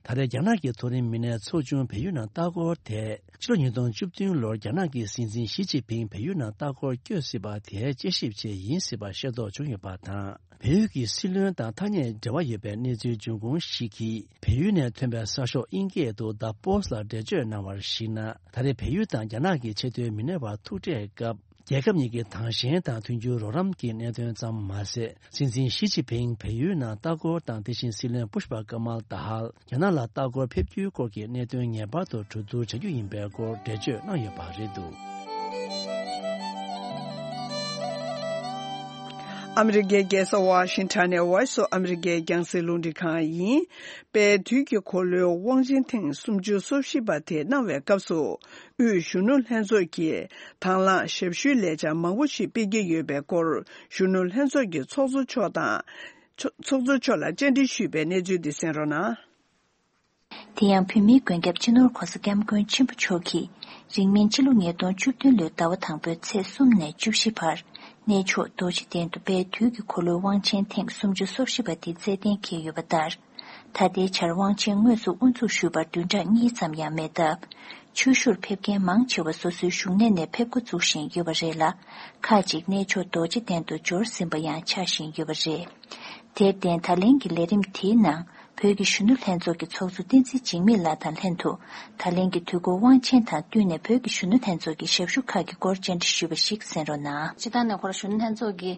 ད་རེས་རྒྱ་ནག་གི་མཐོ་རིམ་མི་སྣའི་ཚོགས་ཆུང་བལ་ཡུལ་ནང་ལྟ་སྐོར་དེ། ཕྱི་ལོ་ཉིས་སྟོང་བཅུ་བདུན་ལོར་རྒྱ་ནག་གི་སྲིད་འཛིན་ཞི་ཅིན་ཕིང་བལ་ཡུལ་ནང་ལྟ་སྐོར་བསྐྱོད་སྲིད་པ་དེའི་དཔྱད་ཞིབ་ཆེད་ཡིན་སྲིད་པ་ཤེས་རྟོགས་བྱུང་ཡོད་པ་དང་། བལ་ཡུལ་གྱི་སྲིད་བློན་དང་ཐག་ཉེ་འབྲེལ་བ་ཡོད་པའི་གནས་ཚུལ་འབྱུང་ཁུངས་ཤིག་གིས། བལ་ཡུལ་ནས་ཐོན་པའི་གསར་ཤོག་དབྱིན་སྐད་དུ་The Post ལ་འགྲེལ་བརྗོད་གནང་བར་གཞིགས་ན། ད་རེས་བལ་ཡུལ་དང་རྒྱ་ནག་གི་ཆེས་མཐོའི་མི་སྣའི་བར་ཐུག་འཕྲད་སྐབས། རྒྱལ་ཁབ་གཉིས་ཀྱི་དྭངས་ཞེན་དང་མཐུན་འགྱུར་རོགས་རམ་གྱི་གནད་དོན་ཙམ་མ་ཟད། སྲིད་འཛིན་ཞི་ཅིན་ཕིང་བལ་ཡུལ་ནང་ལྟ་སྐོར་དང་། དེ་བཞིན་སྲིད་བློན་པུཤ་པ་ཀ་མལ་ཏཱ་ཧལ་རྒྱ་ནག་ལ་ལྟ་སྐོར་ཕེབས་རྒྱུའི་སྐོར་གྱི་གནད་དོན་ངེས་པར་དུ་གྲོས་བསྡུར་བྱ་རྒྱུ་ཡིན་པའི་སྐོར་འགྲེལ་བརྗོད་གནང་ཡོད་པ་རེད་འདུག་ཨ་མི་རི་ཀའི་རྒྱལ་ས་ཝ་ཤིང་ཊོན་ནས་Voice of America ཡི་རྒྱང་སྲིང་རླུང་འཕྲིན་ཁང་ཡིན། པའི་དུས་ཀྱི་འཁོར་ལོའི་དབང་ཆེན་ཐེངས་སུམ་ཅུ་སོ་བཞི་པ་དེ་གནང་བའི་སྐབས་སུ། དབུས་གཞོན་ནུ་ལྷན་ཚོགས་ཀྱིས་དང་བླངས་ཞབས་ཞུའི་ལས་འཆར་མང་པོ་ཞིག་སྤེལ་གྱི་ཡོད་པའི་སྐོར། གཞོན་ནུ་ལྷན་ཚོགས་ཀྱི་ཚོགས་གཙོ་མཆོག་དང་། ཚོགས་གཙོ་མཆོག་ལ་བཅར་འདྲི་ཞུས་པའི་གནས་ཚུལ་འདི་གསན་རོགས་གནང་། དེ་ཡང་བོད་མིའི་མགོན་སྐྱབས་སྤྱི་ནོར་༧གོང་ས་༧སྐྱབས་མགོན་ཆེན་པོ་མཆོག་གིས། རིང་མིན་ཕྱི་ལོ་ཉིས་སྟོང་བཅུ་བདུན་ལོའི་ཟླ་བ་དང་པོའི་ཚེས་གསུམ་ནས་བཅུ་བཞི་བར། གནས་མཆོག་རྡོ་རྗེ་གདན་དུ་དཔལ་དུས་ཀྱི་འཁོར་ལོའི་དབང་ཆེན་ཐེངས་སུམ་ཅུ་སོ་བཞི་པ་དེ་རྩེད་གཏན་འཁེལ་ཡོད་པ་ལྟར། ད་ལྟའི་ཆར་དབང་ཆེན་དངོས་སུ་དབུ་འཛུགས་ཞུས་པར་བདུན་ཕྲག་གཉིས་ཙམ་ཡང་མེད་སྟབས། ཆོས་ཞུར་ཕེབས་མཁན་མང་ཆེ་བ་སོ་སོའི་བཞུགས་གནས་ནས་ཕེབས་འགོ་འཛུགས་བཞིན་ཡོད་པ་རེད་ལ། ཁག་ཅིག་གནས་མཆོག་རྡོ་རྗེ་གདན་དུ་འབྱོར་ཟིན་པ་ཡང་ཆགས་བཞིན་ཡོད་པ་རེད། དེར་བརྟེན། ད་ལན་གྱི་ལས་རིམ་དེའི་ནང་། བོད་ཀྱི་གཞོན་ནུ་ལྷན་ཚོགས་ཀྱི་ཚོགས་གཙོ་བསྟན་འཛིན་འཇིགས་མེད་ལགས་དང་ལྷན་དུ། ད་ལན་གྱི་དུས་འཁོར་དབང་ཆེན་དང་བསྟུན་ནས་བོད་ཀྱི་གཞོན་ནུ་ལྷན་ཚོགས་ཀྱི་ཞབས་ཞུ་ཁག་གི་སྐོར་བཅར་འདྲི་ཞུས་པ་ཞིག་གསན་རོགས་གནང་། སྤྱིར་བཏང་ནས་ཁོ་རང་གཞོན་ནུ་ལྷན་ཚོགས་ཀྱི་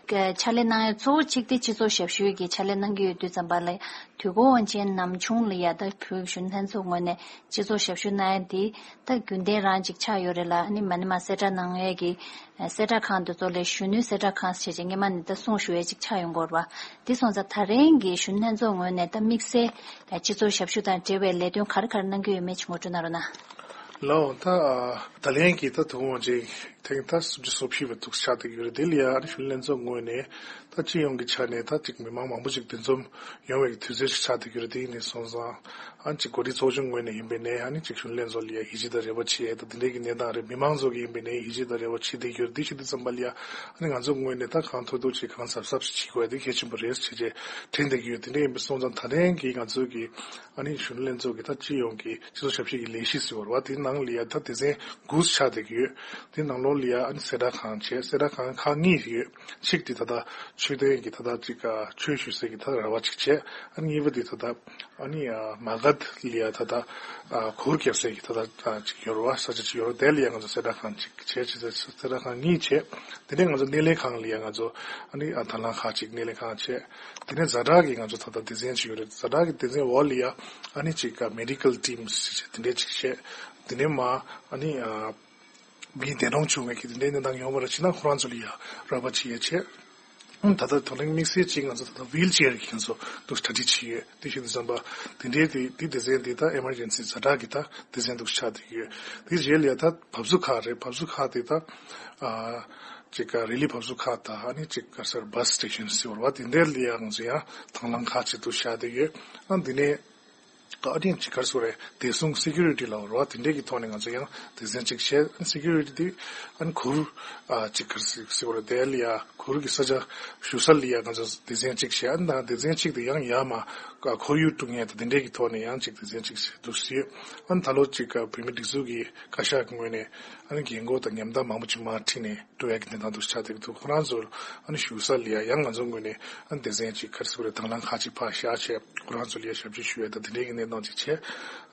ཕྱག་ལས་གནང་ཡ་གཙོ་བོ་གཅིག་དེ་སྤྱི་ཚོགས་ཞབས་ཞུའི་གི་ཕྱག་ལས་གནང་གི་ཡོད་དུས་ཙམ་པ་ལ། དུས་འཁོར་དབང་ཆེན་ནམ་བྱུང་ལ་ཡ་ད་བོད་ཀྱི་གཞོན་ནུ་ལྷན་ཚོགས་ངོས་ནས་སྤྱི་ཚོགས་ཞབས་ཞུ་གནང་ཡ་དེ་ད་རྒྱུན་ལྡན་རང་ཅིག་ཆགས་ཡོད་རེད་ལ། ཨ་ནི་མ་ཎི་མ་གསལ་བསྒྲགས་གནང་ཡས་ཀྱི་གསལ་བསྒྲགས་ཁང་དེ་ཚོ་ལས་གཞོན་ནུའི་གསལ་བསྒྲགས་ཁང་ཞེས་བྱས་སྔོན་མ་ནས་ད་གསུང་ཞུ་ཡས་ཅིག་ཆགས་ཡོང་གི་ཡོད་རེད་བ། དེ་སོང་ཙང་ད་རེས་ཀྱི་གཞོན་ནུ་ལྷན་ཚོགས་ངོས་ནས་ད་དམིགས་བསལ་སྤྱི་ཚོགས་ཞབས་ཞུ་དང་འབྲེལ་བའི་ལས་དོན་ག་རེ་ག་རེ་གནང་གི་ཡོད་མེད་ཅིག་ངོ་སྤྲོད་གནང་རོགས་གནང་། ལགས་འོང་། ད་ད་ལན་གྱི་ད་དུང་ཅིག་ཐེངས་ད་སུམ་ཅུ་སོ་བཞི་པ་འདུག་ཆགས་བསྡད་ཀྱི་ཡོད་རེད། དེ་ལ་ཡ་ཨ་ནི་གཞོན་ནུ་ལྷན་ཚོགས་ངོས་ནས་ད་སྤྱི་ཡོངས་ཀྱི་ཆ་ནས་ད་ཅིག་མི་མང་མང་པོ་ཅིག་འདུ་འཛོམས་ཡོང་བའི་དུས་ཚོད་ཅིག་ཆགས་བསྡད་ཀྱི་ཡོད་རེད། དེ་ཡིན་ནས་སོང་ཙང་ཨ་ནི་ཅིག་འགོ་ཁྲིད་ཚོགས་ཆུང་ངོས་ནས་ཡིན་པའི་ནས་ཨ་ནི་ཅིག་གཞོན་ནུ་ལྷན་ཚོགས་ལ་ཡ་ཡིད་ཆེས་དང་རེ་བ་བྱེད་ཡས་ད་དེ་འདྲའི་གི་གནས་སྟངས་རེད། མི་མང་ཚོ་གི་ཡིན་པའི་ནས་ཡིད་ཆེས་དང་རེ་བ་བྱེད་བསྡད་ཀྱི་ཡོད་རེད། དེ་བྱེད་དུས་ཙམ་པ་ལ་ཡ་ཨ་ནི་ང་ཚོ་ངོས་ནས་ད་གང་ཐུབ་ཐུབ་ཅིག་གང་གཟབ་གཟབ་ཅིག་བྱེད་དགོས་ཡ་དེ་གལ་ཆེན་པོ་རེད་ཟེར་བྱས་དྲན་བསྡད་ཀྱི་ཡོད། དེ་འདྲ་ཡིན་པ་སོང་ཙང་ད་ཐེངས་ཀྱི་ང་ཚོ་གི་ཨ་ནི་གཞོན་ནུ་ལྷན་ཚོགས་ཀྱི་ད་སྤྱི་ཡོངས་ཀྱི་སྤྱི་ཚོགས་ཞབས་ཞུ་གི་ལས་གཞི་ཟེར་བ་རེད་བ། དེའི་ནང་ལ་ཡ་ད་སྡེ་ཚན་དགུ་ཆགས་བསྡད་ཀྱི་ཡོད། དེའི་ནང་ལོགས་ལ་ཡ་ཨ་ནི་གསལ་བསྒྲགས་ཁང་བྱས། གསལ་བསྒྲགས་ཁང་ཁག་གཉིས་ཡོད། གཅིག་དེ་ད་ལྟ་མཆོད་རྟེན་གྱི་ད་ལྟ་ཅིག་ཆོས་ཞུ་སའི་གི་ད་ར་བ་ཅིག་བྱས། ཨ་ནི་གཉིས་པ་དེ་ད་ལྟ་ཨ་ནི་མ་ག་དྷ་ལ་ཡ་ད་ལྟ་གུར་རྒྱག་སའི་གི་ད་ལྟ་ཅིག་ཡོད་རེད་བ། ས་ཆ་ཅིག་ཡོད་རེད། དེ་ལ་ཡ་ང་ཚོ་གསལ་བསྒྲགས་ཁང་ཅིག་བྱས། ཅིག་གསལ་བསྒྲགས་ཁང་གཉིས་བྱས། དེ་ནས་ང་ཚོ་སྣེ་ལེན་ཁང་ལ་ཡ་ང་ཚོ་ཨ་ནི་དང་བླངས་ཁག་ཅིག་སྣེ་ལེན་ཁང་བྱས། དེ་ནས་ཛ་དྲག་གི་ང་ཚོ་ད་ལྟ་སྡེ་ཚན་ཅིག་ཡོད་རེད། ཛ་དྲག་གི་སྡེ་ཚན་འོག་ལ་ཡ་ཨ་ནི་ཅིག་མེ་ཌི་ཀལ་ཊིམ་ཟེར་བྱས་དེ་འདྲས་ཅིག་བྱས། དེ་ནས་མ་ཨ་ནི་མི་འདས་གྲོངས་བྱུང་བའི་གི་དེ་འདྲའི་གནས་སྟངས་ཡོང་བ་ར་ཕྱི་ནང་ཁོ་རང་ཚོ་ལ་ཡ་རོགས་པ་བྱེད་ཡ་བྱས། ཨང་ད་ལྟ་དོ་རིང་དམིགས་བསལ་གཅིག་ང་ཚོ་ད་ལྟ་ཝིལ་ཅེར་གྱི་ང་ཚོ་འདུག་གྲ་སྒྲིག་བྱེད་ཡོད། དེ་བཞིན་དུ་བསམ་པ་དེ་འདྲའི་དེ་དེ་སྡེ་ཚན་དེ་ད་ཨེ་མར་ཇེན་སི་ཛ་དྲག་གི་ད་སྡེ་ཚན་འདུག་ཆགས་བསྡད་ཀྱི་ཡོད། དེ་རྗེས་ལ་ཡ་ད་བབས་ཚུགས་ཁག་རེད། བབས་ཚུགས་ཁག་དེ་ད་ཨ་ཅིག་ག་རི་ལི་བབས་ཚུགས་ཁག་དང་ཨ་ནི་ཅིག་ག་ཟེར་བྷ་སི་སི་ཊེ་ཤན་ཟེར་བ་རེད་བ། དེ་འདྲའི་ལ་ཡ་ང་ཚོ་ཡ་དང་བླངས་ཁག་ཅིག་འདུག་བཞག་བསྡད་ཡོད། ཨ་འདི་ནས། ཨ་ནི་ཅིག་ག་རེ་ཟེར་དགོས་རེད། བདེ་སྲུང་སི་ཀུ་རི་ཊི་ལབ་དགོས་རེད་བ། དེ་འདྲས་ཀྱི་ཐོག་ནས་ང་ཚོ་ཡང་སྡེ་ཚན་ཅིག་བྱས། སི་ཀུ་རི་ཊི་དེ་ཨ་ནི་གུར་ཨ་ཅིག་ག་རེ་ཟེར་དགོས་རེད། དེ་ལ་ཡ་གུར་གྱི་ས་ཆ་བཞུགས་ས་ལ་ཡ་ང་ཚོ་སྡེ་ཚན་ཅིག་བྱས། ཨ་ནི་ད་སྡེ་ཚན་ཅིག་དེ་ཡང་ཡར་མར་ཁོར་ཡུག་དཀྲུག་མཁན་དང་དེ་འདྲས་ཀྱི་ཐོག་ནས་ཡང་ཅིག་སྡེ་ཚན་ཅིག་བྱས་འདུག་ཟེར། ཨ་ནི་ད་ལོ་ཅིག་བོད་མིའི་སྒྲིག་འཛུགས་ཀྱི་བཀའ་ཤག་གི་ངོས་ནས་ཨ་ནི་རྒན་གོག་དང་ཉམ་ཐག་མང་པོ་ཅིག་མར་ཁྲིད་ནས། འགྲོ་ཡ་གི་གནས་སྟངས་འདུག་ཆགས་བསྡད་ཀྱི་འདུག་ཁོ་རང་ཚོར་ཨ་ནི་བཞུགས་ས་ལ་ཡ་ཡང་ང་ཚོ་ངོས་ནས་ཨ་ནི་སྡེ་ཚན་ཅིག་ག་རེ་ཟེར་དགོས་རེད། དང་བླངས་ཁག་ཅིག་ཕར་བཞག་བྱས་ཁོ་རང་ཚོ་ལ་ཡ་ཞབས་ཕྱི་ཞུ་ཡ་དང་དེ་འདྲའི་གི་གནས་སྟངས་ཅིག་བྱས་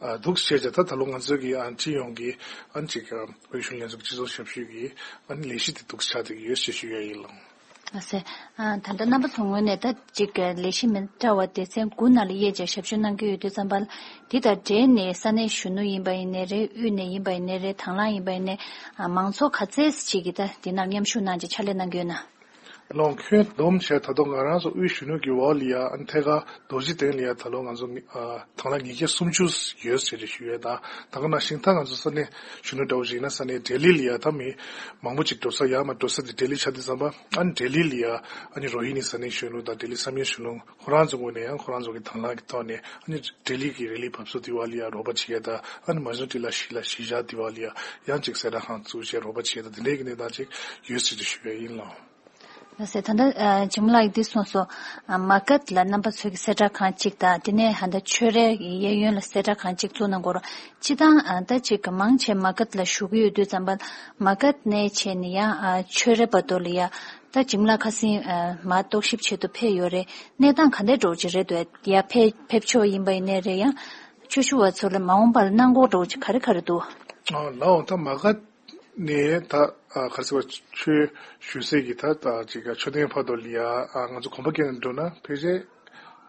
ཨ་འདུག་བྱས་བྱས། ད་ད་ལོ་ང་ཚོ་གི་ཨ་སྤྱི་ཡོངས་ཀྱི་ཨ་ནི་ཅིག་ཨ་བོད་གཞོན་ལྷན་ཚོགས་སྤྱི་ཚོགས་ཞབས་ཞུ་གི་ཨ་ནི་ལས་གཞི་དེ་འདུག་ཆགས་བསྡད་ཀྱི་ཡོད་ཅེས་ཞུ་ཡ་ཡིན། ལགས་སོ། ཨ་ད་ལྟ་རྣམ་པ་ཚོ་ངོས་ནས་ད་ཅིག་ལས་གཞི་མི་འདྲ་བ་སྡེ་ཚན་དགུ་ནང་ལ་དབྱེ་བྱས་ཞབས་ཞུ་གནང་གི་ཡོད་དུས་ཙམ་པ་ལ། འདི་དང་འབྲེལ་ནས་ས་གནས་གཞོན་ནུ་ཡིན་པ་ཡིན་ནའི་རེད། དབུས་ནས་ཡིན་པ་ཡིན་ནའི་རེད། དང་བླངས་ཡིན་པ་ཡིན་ནའི་ཨ་མང་ཚོགས་ག་ཚད་ཅིག་གིས་ད་འདི་ནང་མཉམ་ཞུགས་གནང་བྱས་ཕྱག་ལས་གནང་གི་ཡོད་ན། ལོང་ཁྱོན་བསྡོམས་བྱས་ད་དུང་ང་རང་ཚོ་དབུས་གཞོན་ནུ་གི་འོག་ལ་ཡ་ཨ་ནི་ཐད་ཀར་རྡོ་རྗེ་གདན་ལ་ཡ་ད་ལོ་ང་ཚོ་ཨ་དང་བླངས་ཉིས་བརྒྱ་སུམ་ཅུ་ཡོད་ཟེར་ཏེ་ཞུ་ཡས་དང་། ད་ག་ནང་བཞིན་ད་ང་ཚོ་ས་གནས་གཞོན་ནུ་འདྲ་བོ་ཞིག་ཡིན་ན་ས་གནས་ལྡི་ལི་ལ་ཡ་ད་མི་མང་པོ་ཅིག་འགྲོ་ས་ཡ་མ་འགྲོ་ས་དེ་ལྡི་ལི་ཆགས་དུས་ཙམ་པ། ཨ་ནི་ལྡི་ལི་ལ་ཡ་ཨ་ནི་རོ་ཧི་ནི་ས་གནས་གཞོན་ནུ་དང་ལྡི་ལི་བསམ་ཡས་གཞོན་ནུ་ཁོ་རང་ཚོ་ངོས་ནས་ཡང་ཁོ་རང་ཚོ་གི་དང་བླངས་ཀྱི་ཐོག་ནས་ཨ་ནི་ལྡི་ལི་གི་རི་ལི་བབས་ཚུགས་དེ་བ་ལ་ཡ་རོགས་པ་བྱེད་ཡས་དང་། ཨ་ནི་མ་ཟུང་ཏི་ལ་ཤི་ལ་གཞིས་ཆགས་དེ་བ་ལ་ཡ་ཡང་ཅིག་གསལ་བསྒྲགས་ཁང་བཙུགས་བྱས་རོགས་པ་བྱེད་ཡས་དང་དེ་འདྲའི་གི་གནས་སྟངས་ཅིག་ཡོད་ཟེར་ཏེ་ཞུ་ཡས་ཡིན་ལགས། ལགས་སེ། ད་ལྟ་ཨ་འཇིགས་མེད་ལགས་ཀྱིས་འདི་གསུངས་སོང་། ཨ་མ་གཏད་ལ་རྣམ་པ་ཚོ་གི་གསལ་བསྒྲགས་ཁང་གཅིག་དང་། དེ་ནས་ཧ་ད་ཆོས་རའི་གཡས་གཡོན་ལ་གསལ་བསྒྲགས་ཁང་གཅིག་བཙུགས་གནང་དགོས་རེད། སྤྱིར་བཏང་ཨ་ད་ཅིག་གི་མང་ཆེ་མ་གཏད་ལ་བཞུགས་ཀྱི་ཡོད་དུས་ཙམ་པ། མ་གཏད་ནས་བྱས་ནས་ཡང་ཨ་ཆོས་རའི་བར་དུ་ལ་ཡ་ད་འཇིགས་མེད་ལགས་ཁ་སང་ཨ་མ་རྟོག་ཞིབ་བྱེད་དུ་ཕེབས་ཡོད་རེད། གནས་སྟངས་ག་འདྲས་འགྲོ་གི་རེད་འདུག་ཡ་ཕེབས་ཕེབས་ཆོག་ཡིན་པ་ཡིན་ནའི་རེད། ཡང་ཆོས་ཞུ་བ་ཚོ་ལ་མ་འོངས་པ་ལ་གནང་སྒོ་འགྲོ་གི་ག་རེ་ག་རེ་འདུག་ཨ་ལགས་འོང་། ད་མ་གཏད་ནས་ད་ཨ་ག་རེ་ཟེར་བ། ཆོས་ཞུ་སའི་གི་ད་ད་ཅིག་མཆོད་རྟེན་བར་དུ་ལ་ཡ་ཨ་ང་ཚོ་གོམ་པ་བརྒྱབ་ནས་འགྲོ་ན་ཕལ་ཆེར་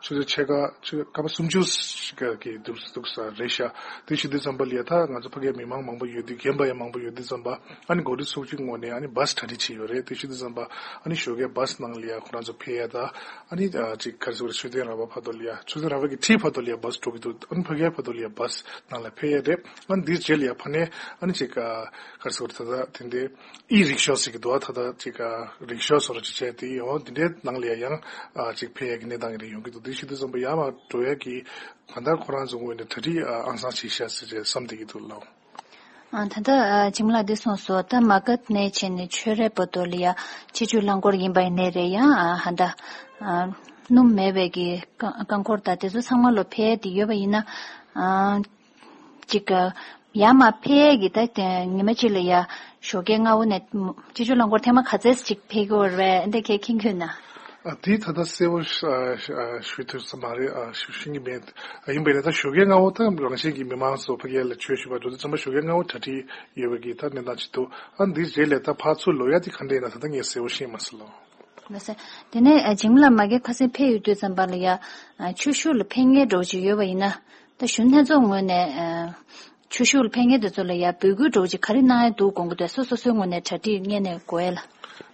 ཆུ་ཚོད་ཕྱེད་ཀ་ཆུ་ཚོད་སྐར་མ་སུམ་ཅུ་ཞིག་གི་འདུག་འདུག་ས་རེད་ཤག་དེ་ཞུ་དུས་ཙམ་པ་ལ་ཡ་ད་ང་ཚོ་ཕ་གིའི་མི་མང་མང་པོ་ཡོད་དུས། རྒན་པ་ཡང་མང་པོ་ཡོད་དུས་ཙམ་པ། ཨ་ནི་འགོ་ཁྲིད་ཚོགས་ཆུང་ངོས་ནས་ཨ་ནི་བཱས་གྲ་སྒྲིག་བྱས་ཡོད་རེད། དེ་ཞུ་དུས་ཙམ་པ་ཨ་ནི་ཞོགས་ཀའི་བཱས་ནང་ལ་ཡ་ཁོ་རང་ཚོ་ཕེབས་ཡ་ད། ཨ་ནི་ཨ་ཅིག་ག་རེ་ཟེར་དགོས་རེད། མཆོད་རྟེན་ར་བ་བར་དུ་ལ་ཡ། མཆོད་རྟེན་ར་བ་གི་འཁྲིས་བར་དུ་ལ་ཡ་བཱས་འགྲོ་གི་འདུག་ཨ་ནི་ཕ་གིའི་བར་དུ་ལ་ཡ་བཱས་ནང་ལ་ཕེབས་ཡ་རེད། ཨ་ནི་འདིའི་རྗེས་ལ་ཡ་ཕ་ནས་ཨ་ནི་ཅིག་ག་རེ་ཟེར་དགོས་རེད། ད་ད་དེ་འདྲའི་ཨི་རིག་ཤོ་ཟེར་གི་འདུག་ཨ་ད་ད་ཅིག་ག་རིག་ཤོ་བཟོ་འདྲ་ཅིག་བྱས་ཏེ། འོ་དེ་འདྲའི་ནང་ལ་ཡ་ཡང་ཨ་ཅིག་ཕེབས་ཡ་གི་གནས་སྟངས་རེ་ཡོང་གི་འདུག་དེ་ཞུ་དུས་ཙམ་པ་ཡར་མར་འགྲོ་ཡ་གི་གང་ལྟར་ཁོ་རང་ཚོ་ངོས་ནས་གྲ་སྒྲིག་ཨ་ཨང་སང་བྱས་ཤག་ཟེར་བྱས་བསམ་བསྡད་ཀྱི་འདུག་ལགས། ཨ་ད་ལྟ་ཨ་འཇིགས་མེད་ལགས་འདི་གསུངས་སོང་། ད་མ་གཏད་ནས་བྱས་ནས་ཆོས་རའི་བར་དུ་ལ་ཡ་ཆེད་བསྒྱུར་རླངས་འཁོར་ཡིན་པ་ཡིན་ནའི་རེད། ཡང་ཨ་ཧ་ད་ཨ་སྣུམ་མེད་པའི་གི་རྐང་རྐང་འཁོར་དང་དེ་ཚོ་ཚང་མ་ལོ་ཕེབས་ཏེ་ཡོད་པ་ཡིན་ན། ཨ་ཅིག་ཡར་མར་ཕེབས་ཀྱི་ད་ཉི་མ་གཅིག་ལ་ཡ་ཞོགས་ཀའི་སྔ་པོ་ནས་ཆེད་བསྒྱུར་རླངས་འཁོར་ཐེངས་མ་ག་ཚད་ཅིག་ཕེབས་ཀྱི་ཡོད་རེད། འདི་གས་མཁྱེན་གྱི་ཡོད་ན། ཨ་དེ་ད་ལྟ་གསལ་པོ་ཨ་ཨ་ཞུ་ཐུབ་ས་མ་རེད། ཨ་ཞུ་ཤེས་ཀྱི་མེད། ཨ་ཡིན་པས་ན་ད་ཞོགས་ཀའི་སྔ་པོ་ད་རང་བཞིན་གྱིས་མི་མང་ཚོ་ཕ་གི་ལ་ཆོས་ཞུ་བར་འགྲོ་དུས་ཙམ་པ་ཞོགས་ཀའི་སྔ་པོ་གྲ་སྒྲིག་ཡོད་པའི་གི་ད་གནས་སྟངས་ཅིག་འདུག་ཨ་འདི་རྗེས་ལ་ད་ཕར་ཚུར་ལོག་ཡ་དེ་ག་འདྲ་ཡིན་ན་ད་ལྟ་ངས་གསལ་པོ་ཤེས་མ་སོང་ལགས། ལགས་སོ། དེ་ནས་ཨ་འཇིགས་མེད་ལགས་མ་གི་ཁ་སང་ཕེབས་ཡོང་དུས་ཙམ་པ་ལ་ཡ་ཨ་ཆོས་ཞུ་ལ་ཕེབས་མཁན་འདྲ་བོ་ཅིག་ཡོད་པ་ཡིན་ན། ད་གཞོན་ལྷན་ཚོགས་ངོས་ནས་ཨ་ཆོས་ཞུ་ལ་ཕེབས་མཁན་དེ་ཚོ་ལ་ཡ་འབོད་སྐུལ་འདྲ་བོ་ཅིག་ག་རེ་གནང་ཡ་འདུག་དགོངས་ཀྱི་འདུག་སོ་སོ་སོའི་ངོས་ནས་གྲ་སྒྲིག་སྔོན་ནས་དགོས་ཡ་ལ།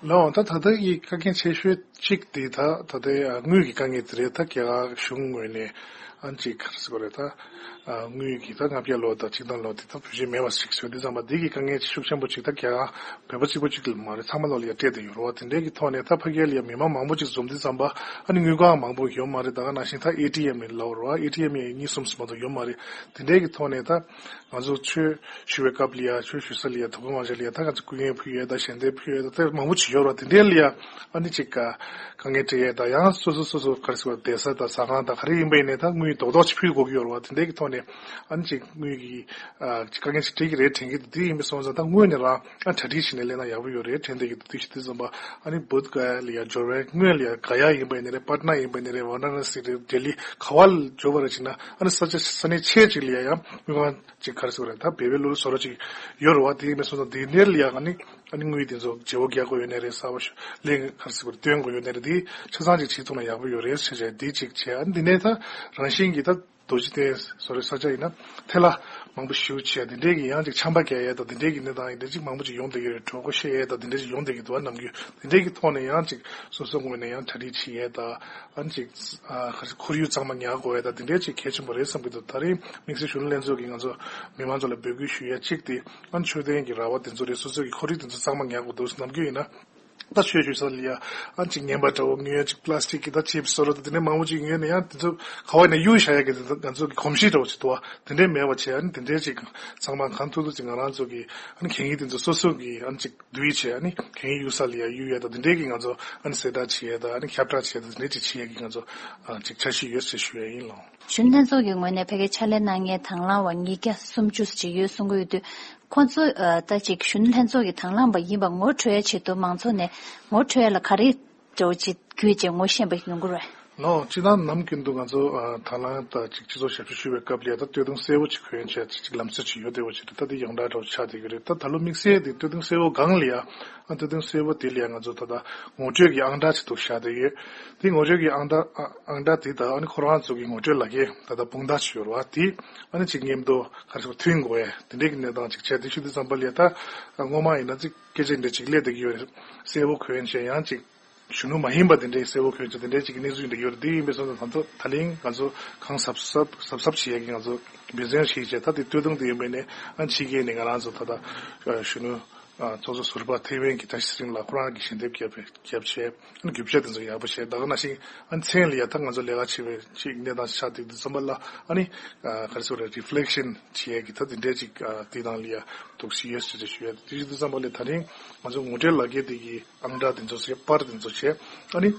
ལགས་འོང་། ད་ད་ལྟ་གི་དཀའ་ངལ་ཆེ་ཤོས་གཅིག་དེ་ད་ད་ལྟའི་ཨ་དངུལ་གྱི་དཀའ་ངལ་དེ་རེད། ད་རྒྱ་གར་གཞུང་ངོས་ནས་ཨ་ཅིག་ག་རེ་ཟེར་དགོས་རེད། ད་ཨ་དངུལ་གྱི་ད་ལྔ་བརྒྱ་ལོ་དང་ཆིག་སྟོང་ལོ་དེ་ད་བེད་སྤྱོད་མེད་པ་ཞིག་བཟོས་དུས་ཙམ་པ་འདི་གི་དཀའ་ངལ་ཤུགས་ཆེན་པོ་ཅིག་ད་རྒྱ་གར་བོད་པ་གཅིག་པོ་གཅིག་ལ་མ་རེད། ཚང་མ་ལོ་ལ་ཡ་སྤྲད་དེ་ཡོད་རེད་བ། དེ་འདྲའི་གི་ཐོག་ནས་ད་ཕ་གི་ལ་ཡ་མི་མང་མང་པོ་ཅིག་འཛོམས་དུས་ཙམ་པ་ཨ་ནི་དངུལ་ཁང་མང་པོ་ཡོད་མ་རེད། ད་ག་ནང་བཞིན་ད་ཨེ་ཊི་ཨེམ་ལ་རེད་བ། ཨེ་ཊི་ཨེམ་ཡང་གཉིས་གསུམ་ཙམ་མ་གཏོགས་ཡོད་མ་རེད། དེ་འདྲའི་གི་ཐོག་ནས་ད་ང་ཚོ་ཆོས་ཞུ་བའི་སྐབས་ལ་ཡ་ཆོས་ཞུ་ས་ལ་ཡ་དོ་དགོང་མང་ཆེ་ལ་ཡ་ད་ང་ཚོ་སྐུ་ངལ་ཕུལ་ཡས་དང་ཞལ་འདེབས་ཕུལ་ཡས་དང་དེ་མང་པོ་ཅིག་ཡོད་རེད་བ། དེ་འདྲའི་ལ་ཡ་ཨ་ནི་ཅིག་ག་དཀའ་ངལ་འཕྲད་ཡས་དང་ཡང་སོ་སོ་སོ་སོ་ག་རེ་ཟེར་བ་བསྡད་ས་དང་ཟ་ཁང་དང་ག་རེ་ཡིན་པ་ཡིན་ནའི་ད་དངུལ་རྡོག་རྡོག་ཅིག་ཕུལ་དགོས་ཀྱི་ཡོད་རེད་བ། དེ་འདྲའི་གི་ཐོག་ནས་ཨ་ནི་ཅིག་དངུལ་གི་ཨ་ཅིག་དཀའ་ངལ་ཅིག་འཕྲད་ཀྱི་རེད་དྲན་གྱི་འདུག་དེ་ཡིན་པ་སོང་ཙང་ད་སྔོན་ནས་རང་ཨ་གྲ་སྒྲིག་བྱས་ནས་སླེབས་ན་ཡག་པོ་ཡོད་རེད་དྲན་བསྡད་ཀྱི་འདུག་དེ་ཞུ་དུས་ཙམ་པ་ཨ་ནི་བོད་ག་ལ་ཡ་འབྱོར་བའི་སྔོན་ལ་ཡ་ག་ཡ་ཡིན་པ་ཡིན་ནའི་རེད། པ་ཊ་ན་ཡིན་པ་ཡིན་ནའི་རེད། ཝ་ར་ཎ་སི་རེད། ལྡི་ལི་ག་བ་ལ་འབྱོར་བ་རེད་བྱས་ན་ཨ་ནི་ས་ཆ་ས་གནས་ཆེ་ཅིག་ལ་ཡ་ཡང་དངུལ་ཁང་ཅིག་ག་རེ་ཟེར་དགོས་རེད། ད་བེ་བེ་ལུ་ལུ་བཟོ་འདྲ་ཅིག་ཡོད་རེད་བ། དེ་ཡིན་པ་སོང་ཙང་དེ་འདྲ་ལ་ཡ་ཨ་ནི་ཨ་ནི་དངུལ་དེ་ཚོ་བརྗེ་པོ་རྒྱག་དགོས་ཡོད་ནའི་རེད། གསར་པ་ལེན་ག་རེ་ཟེར་དགོས་རེད། བཏོན་དགོས་ཡོད་ནའི་རེད། དེ་ཆ་ཚང་ཅིག་བྱེད་ཐུབ་ན་ཡག་པོ་ཡོད་རེད་ཟེར་བྱས་དེ་ཅིག་བྱས། ཨ་ནི་དེ་ནས་ད་རང་བཞིན་གྱིས་ད་རྡོ་རྗེ་གདན་བཟོ་འདྲའི་ས་ཆ་ཡིན་ན་ཐལ་བ་མང་པོ་ཞེ་པོ་བྱས། དེ་འདྲའི་གི་ཡང་ཅིག་ཆམ་པ་རྒྱག་ཡས་དང་དེ་འདྲའི་གི་གནས་སྟངས་ཡིན་དེ་ཅིག་མང་པོ་ཅིག་ཡོང་བསྡད་ཀྱི་རེད། གྲོད་ཁོག་བཤལ་ཡས་དང་དེ་འདྲའི་ཅིག་ཡོང་བསྡད་ཀྱི་འདུག་ཨ་ནམ་རྒྱུན་དེ་འདྲའི་གི་ཐོག་ནས་ཡང་ཅིག་སོ་སོ་ངོས་ནས་ཡང་གྲ་སྒྲིག་བྱེད་ཡས་དང་ཨ་ནི་ཅིག་ཨ་ཁོར་ཡུག་གཙང་མ་ཉར་དགོས་ཡས་དང་དེ་འདྲའི་ཅིག་གལ་ཆེན་པོ་རེད་བསམ་གྱི་འདུག་ད་རིང་དམིགས་བསལ་གཞོན་ནུ་ལྷན་ཚོགས་ཀྱིས་ང་ཚོ་མི་མང་ཚོ་ལ་འབོད་སྐུལ་ཞུ་ཡས་གཅིག་དེ་ཨ་ནི་མཆོད་རྟེན་གྱི་ར་བ་དེ་ཚོ་རེད། སོ་སོ་གི་ཁོར་ཡུག་དེ་ཚོ་གཙང་མ་ཉར་དགོས་འདུག་ནམ་རྒྱུན་ཡིན་ན། ད་ཆོས་ཞུ་ས་ལ་ཡ་ཨ་ཅིག་ངན་པ་འདྲ་བོ་ཉོས། ཅིག་པ་ལ་སི་ཊིག་གི་ད་ཅིབ་སི་བཟོ་འདྲ་དང་དེ་འདྲའི་མང་པོ་ཅིག་ཉོས་ནས་ཡང་དེ་ཚོ་ག་བ་ནས་གཡུག་བཞག་ཡ་གི་དེ་ང་ཚོ་གི་གོམས་གཤིས་འདྲ་བོ་ཅིག་འདུག་བ། དེ་འདྲའི་མེད་པ་བྱས། ཨ་ནི་དེ་འདྲའི་ཅིག་ཚང་མ་གང་ཐུབ་ཐུབ་ཅིག་ང་རང་ཚོ་གི་ཨ་ནི་གད་སྙིགས་དེ་ཚོ་སོ་སོ་གི་ཨ་ནི་ཅིག་བསྡུས་བྱས། ཨ་ནི་གད་སྙིགས་གཡུག་ས་ལ་ཡ་གཡུག་ཡ་དང་དེ་འདྲའི་གི་ང་ཚོ་ཨ་ནི་གསལ་བསྒྲགས་བྱེད་ཡ་དང་ཨ་ནི་ཁྱབ་བསྒྲགས་བྱེད་ཡ་དང་དེ་འདྲའི་ཅིག་བྱེད་ཡ་གི་ང་ཚོ་ཨ་ཅིག་འཆར་གཞི་ཡོད་ཟེར་ཞུ་ཡ་ཡིན་ལགས། གཞོན་ལྷན་ཚོགས་ཀྱི་ངོས་ནས་ཕ་གིར་ཕྱག་ལས་གནང་མཁན་དང་བླངས་པ་ཉིས་བརྒྱ་སུམ་ཅུ་ཅིག་ཡོད་གསུང་གི་ཡོད་དུས། ཁོང་ཚོ་ཨ་ད་ཅིག་གཞོན་ནུ་ལྷན་ཚོགས་ཀྱི་དང་བླངས་པ་ཡིན་པ་ངོ་སྤྲོད་ཡ་ཆེད་དུ་མང་ཚོགས་ནས་ངོ་སྤྲོད་ཡ་ལ་ག་རེ་འདྲ་བོ་ཅིག་བརྒྱུད་བྱས་ངོ་ཤེས་པ་ཡོང་གི་རེད། ལགས་འོང་། སྤྱིར་བཏང་ནམ་རྒྱུན་དུ་ང་ཚོ་ཨ་དང་བླངས་དང་ཅིག་སྤྱི་ཚོགས་ཞབས་ཞུ་ཞུ་བའི་སྐབས་ལ་ཡ་ད་སྟོད་ཐུང་གསལ་པོ་ཅིག་གོན་བྱས་ཅིག་ལམ་སྲོལ་ཅིག་ཡོད་བསྡད་པ་ཅིག་རེད། ད་དེ་ཡོངས་གྲགས་འདྲ་བོ་ཆགས་བསྡད་ཀྱི་རེད། ད་ད་ལོ་དམིགས་བསལ་དེ་སྟོད་ཐུང་གསལ་པོ་སྒང་ལ་ཡ་ཨ་སྟོད་ཐུང་གསལ་པོ་དེ་ལ་ཡ་ང་ཚོ་ད་ལྟ་ངོ་སྤྲོད་ཀྱི་ཨང་གྲངས་ཅིག་འདུག་བཞག་བསྡད་ཡོད། དེ་ངོ་སྤྲོད་ཀྱི་ཨང་གྲངས་ཨ་ཨང་གྲངས་དེ་དང་ཨ་ནི་ཁོ་རང་ཚོ་གི་ངོ་སྤྲོད་ལག་འཁྱེར་ད་ལྟ་དཔུང་རྡང་ཅིག་ཡོད་རེད་བ། དེ་ཨ་ནི་ཅིག་མཉམ་དུ་ག་རེ་ཟེར་མཐུན་དགོས་ཡ་དེ་འདྲའི་གི་གནས་སྟངས་ཅིག་བྱས། དེ་ཞུ་དུས་ཙམ་པ་ལ་ཡ་ད་སྔོན་མ་ཡིན་ན་ཅིག་སྐད་ཆ་འདི་ཅིག་སླེབས་བསྡད་ཀྱི་ཡོད་རེད། གསལ་པོ་གོན་བྱས་ཡང་ཅིག་ གཞོན་ནུ་མ་ཡིན་པ་དེ་འདྲའི་གསལ་པོ་གྱོན་ཆ་དེ་འདྲའི་ཅིག་གི་གནས་ཚུལ་ཞིག་འདྲ་ཡོད་རེད། དེ་ཡིན་པའི་སོང་ཙང་ད་ལྟ་ད་ལན་ང་ཚོ་གང་གཟབ་གཟབ་གཟབ་གཟབ་བྱེད་ཡ་གི་ང་ཚོ་འབད་བརྩོན་བྱེད་བྱས། ད་དེ་སྟོད་ཐུང་དེ་ཡིན་པ་ནས་ཨ་ཕྱི་རྒྱལ་ནས་ང་རང་ཚོ་ད་ལྟ་གཞོན་ནུ་ཚོགས་གཙོ་ཟུར་པ་ཐེ་ཝན་གྱི་ད་ཤི་སིང་ལ་ཁོ་རང་གི་ཞལ་འདེབས་བརྒྱབ་པའི་རྒྱབ་བྱས། ཨ་ནི་རྒྱུ་ཆ་དེ་ཚོ་ཡག་པོ་བྱས། ད་ག་ནང་བཞིན་ཨ་ནི་མཚན་ལ་ཡ་ད་ང་ཚོ་ལས་ཀ་བྱེད་པའི་ཅིག་གནས་སྟངས་ཆགས་དེ་དུས་ཙམ་པ་ལ་ཨ་ནི་ག་རེ་ཟེར་རེ་རི་ཕི་ལེག་ཤན་བྱེད་ཡ་གི་ད་དེ་འདྲའི་ཅིག་དེ་དང་ལ་ཡ་འདུག་སེ་ཡོད་ཟེར་ཞུ་ཡ། དེ་ཞུ་དུས་ཙམ་པ་ལ་ད་རིང་ང་ཚོ་ངོ་སྤྲོད་ལག་འཁྱེར་དེ་གི་ཨང་གྲངས་དེ་ཚོ་བྱས། པར་དེ་ཚོ་བྱས། ཨ་ནི་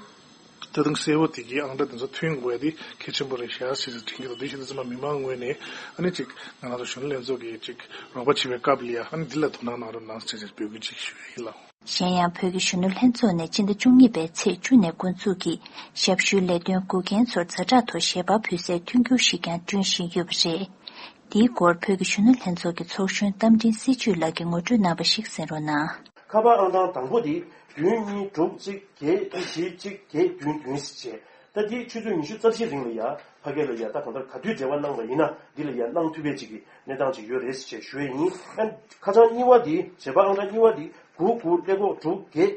ད་དུང་གསལ་པོ་དེ་གི་ཨང་གྲངས་དེ་ཚོ་ཐོན་དགོས་ཡ་དེ་གལ་ཆེན་པོ་རེད་ཤག་ཟེར་ཟེར་དྲན་གྱི་འདུག་དེ་བཞིན་དུ་ཚང་མ་མི་མང་ངོས་ནས་ཨ་ནི་ཅིག་ང་རང་ཚོ་གཞོན་ནུ་ལྷན་ཚོགས་ཀྱི་ཅིག་རོགས་པ་བྱེད་པའི་སྐབས་ལ་ཡ་ཨ་ནི་འདི་ལ་དོ་སྣང་གནང་རོགས་གནང་ཟེར་ཟེར་འབོད་སྐུལ་ཅིག་ཞུ་ཡ་ཡིན་ལགས། གཞན་ཡང་བོད་ཀྱི་གཞོན་ནུ་ལྷན་ཚོགས་ནས་སྤྱི་ཟླ་བཅུ་གཉིས་པའི་ཚེས་བཅུ་ནས་འགོ་འཛུགས་ཀྱིས་ཞབས་ཞུའི་ལས་དོན་འགོད་མཁན་ཚོར་ཛ་དྲག་ཐོག་ཞལ་པར་ཕུལ་སའི་མཐུན་འགྱུར་ཞིག་ཀྱང་བསྐྲུན་བཞིན་ཡོད་པ་རེད། འདིའི་སྐོར་བོད་ཀྱི་གཞོན་ནུ་ལྷན་ཚོགས་ཀྱི་ཚོགས་གཞོན་རྟ་མགྲིན་སྲིད་བྱུས་ལགས་ཀྱིས་ངོ་སྤྲོད་གནང་བ་ཞིག་གསན་རོགས་གནང་། ཁ་པར་ཨང་གྲངས་དང་པོ་དེ་བདུན་གཉིས་དྲུག་གཅིག་བརྒྱད་བཞི་གཅིག་བརྒྱད་བདུན་བདུན་ཟེར་བྱས། ད་དེ་ཆུ་ཚོད་ཉི་ཤུ་རྩ་བཞིའི་རིང་ལ་ཡ་ཕ་གི་ལ་ཡ་ད་གང་ལྟར་ག་དུས་འབྲེལ་བ་གནང་བ་ཡིན་ན་འདི་ལ་ཡ་གནང་ཐུབ་པའི་ཅིག་གི་གནས་སྟངས་ཅིག་ཡོད་རེད་ཟེར་བྱས་ཞུ་ཡས་ཡིན། ཨ་ཁ་བྱང་གཉིས་པ་འདི་བྱེད་པ་ཨང་གྲངས་གཉིས་པ་འདི་དགུ་དགུ་ཀླད་ཀོར་དྲུག་བརྒྱད་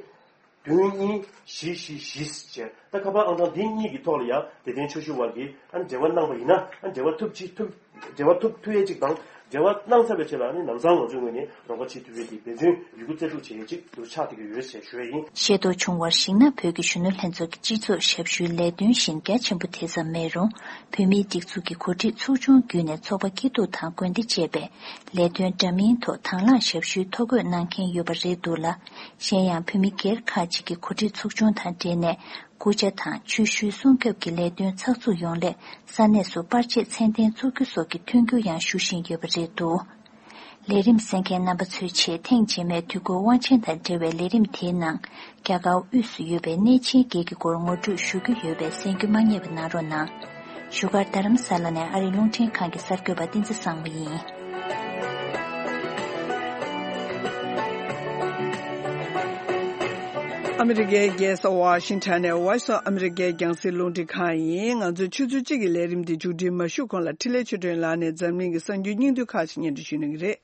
བདུན་གཉིས་བཞི་བཞི་བཞི་ཟེར་བྱས། ད་ཁ་པར་ཨང་གྲངས་འདི་གཉིས་ཀྱི་ཐོག་ལ་ཡ་དད་ལྡན་ཆོས་ཞུ་བ་གིས་ཨ་འབྲེལ་བ་གནང་བ་ཡིན་ན་ཨ་འབྲེལ་བ་ཐུབ་ཅི་ཐུབ་འབྲེལ་བ་ཐུབ་ཐུབ་ཡས་ཅིག་དང་། འབྲེལ་བ་གནང་ཚར་བའི་རྗེས་ལ་ནི་ལམ་སང་ང་ཚོའི་ངོས་ནས་རོགས་པ་བྱེད་ཐུབ་ཡས་ཀྱི་འབད་བརྩོན་ཡོད་རྒུ་རྩལ་སྤྲུགས་བྱེད་ཡས་ཅིག་འདུག་ཆགས་བསྡད་ཀྱི་ཡོད་ཅེས་ཞུ་ཡས་ཡིན། ཤེས་རྟོགས་བྱུང་བར་གཞིགས་ན། བོད་ཀྱི་གཞོན་ནུ་ལྷན་ཚོགས་ཀྱི་སྤྱི་ཚོགས་ཞབས་ཞུའི་ལས་དོན་བཞིན་རྒྱ་ཆེན་པོ་དེ་ཙམ་མེད་རུང་། བོད་མིའི་སྒྲིག་འཛུགས་ཀྱི་གོ་སྒྲིག་ཚོགས་ཆུང་བརྒྱུད་ནས་ཚོགས་པ་སྐྱིད་སྡུག་དང་དགོན་སྡེ་བཅས་པའི་ལས་དོན་འདྲ་མིན་ཐོག་དང་བླངས་ཞབས་ཞུའི་ཐོ་འགོད་གནང་མཁན་ཡོད་པ་རེད་འདུག་ལ། གཞན་ཡང་བོད་མི་སྒེར་ཁག་ཅིག་གི་གོ་སྒྲིག་ཚོགས་ཆུང་དང་འབྲེལ་ནས། སྐུ་ཕྱྭ་དང་ཆོས་ཞུའི་སྲུང་སྐྱོབ་ཀྱི་ལས་དོན་ཚགས་ཚུད་ཡོང་སླད་ས་གནས་སུ་པར་ཆས་ཚད་ལྡན་བཙུགས་རྒྱུ་སོགས་ཀྱི་མཐུན་འགྱུར་ཡང་ཞུ་བཞིན་ཡོད་པ་རེད་འདུག་ལས་རིམ་གསན་མཁན་རྣམ་པ་ཚོའི་ཆེད་ཐེངས་རྗེས་མའི་དུས་འཁོར་དབང་ཆེན་དང་འབྲེལ་བའི་ལས་རིམ་དེའི་ནང་རྒྱ་གར་དབུས་སུ་ཡོད་པའི་གནས་ཆེན་བརྒྱད་ཀྱི་སྐོར་ངོ་སྤྲོད་ཞུ་རྒྱུ་ཡོད་པས་གསན་རྒྱུ་མ་བསྙེལ་བ་གནང་རོགས་གནང་། བཞུགས་སྒར་རྡ་རམ་ས་ལ་ནས་ཨ་རིའི་རླུང་འཕྲིན་ཁང་གི་གསར་འགོད་པ་བསྟན་འཛིན་བཟང་མོ་ཡིན། ཨ་མི་རི་ཀའི་རྒྱལ་ས་ཝ་ཤིང་ཊོན་ནས་Voice of America རྒྱང་སྲིང་རླུང་འཕྲིན་ཁང་ཡིན། ང་ཚོའི་ཆུ་ཚོད་གཅིག་གི་ལས་རིམ་འདི་མཇུག་སྒྲིལ་མ་ཞུས་གོང་ལ་འཕྲིན་ལས་ཆོས་སྒྲོན་ལགས་ནས་འཛམ་གླིང་གི་གསར་འགྱུར་སྙིང་བསྡུས་ཁག་ཅིག་སྙན་སྒྲོན་ཞུ་གནང་གི་རེད།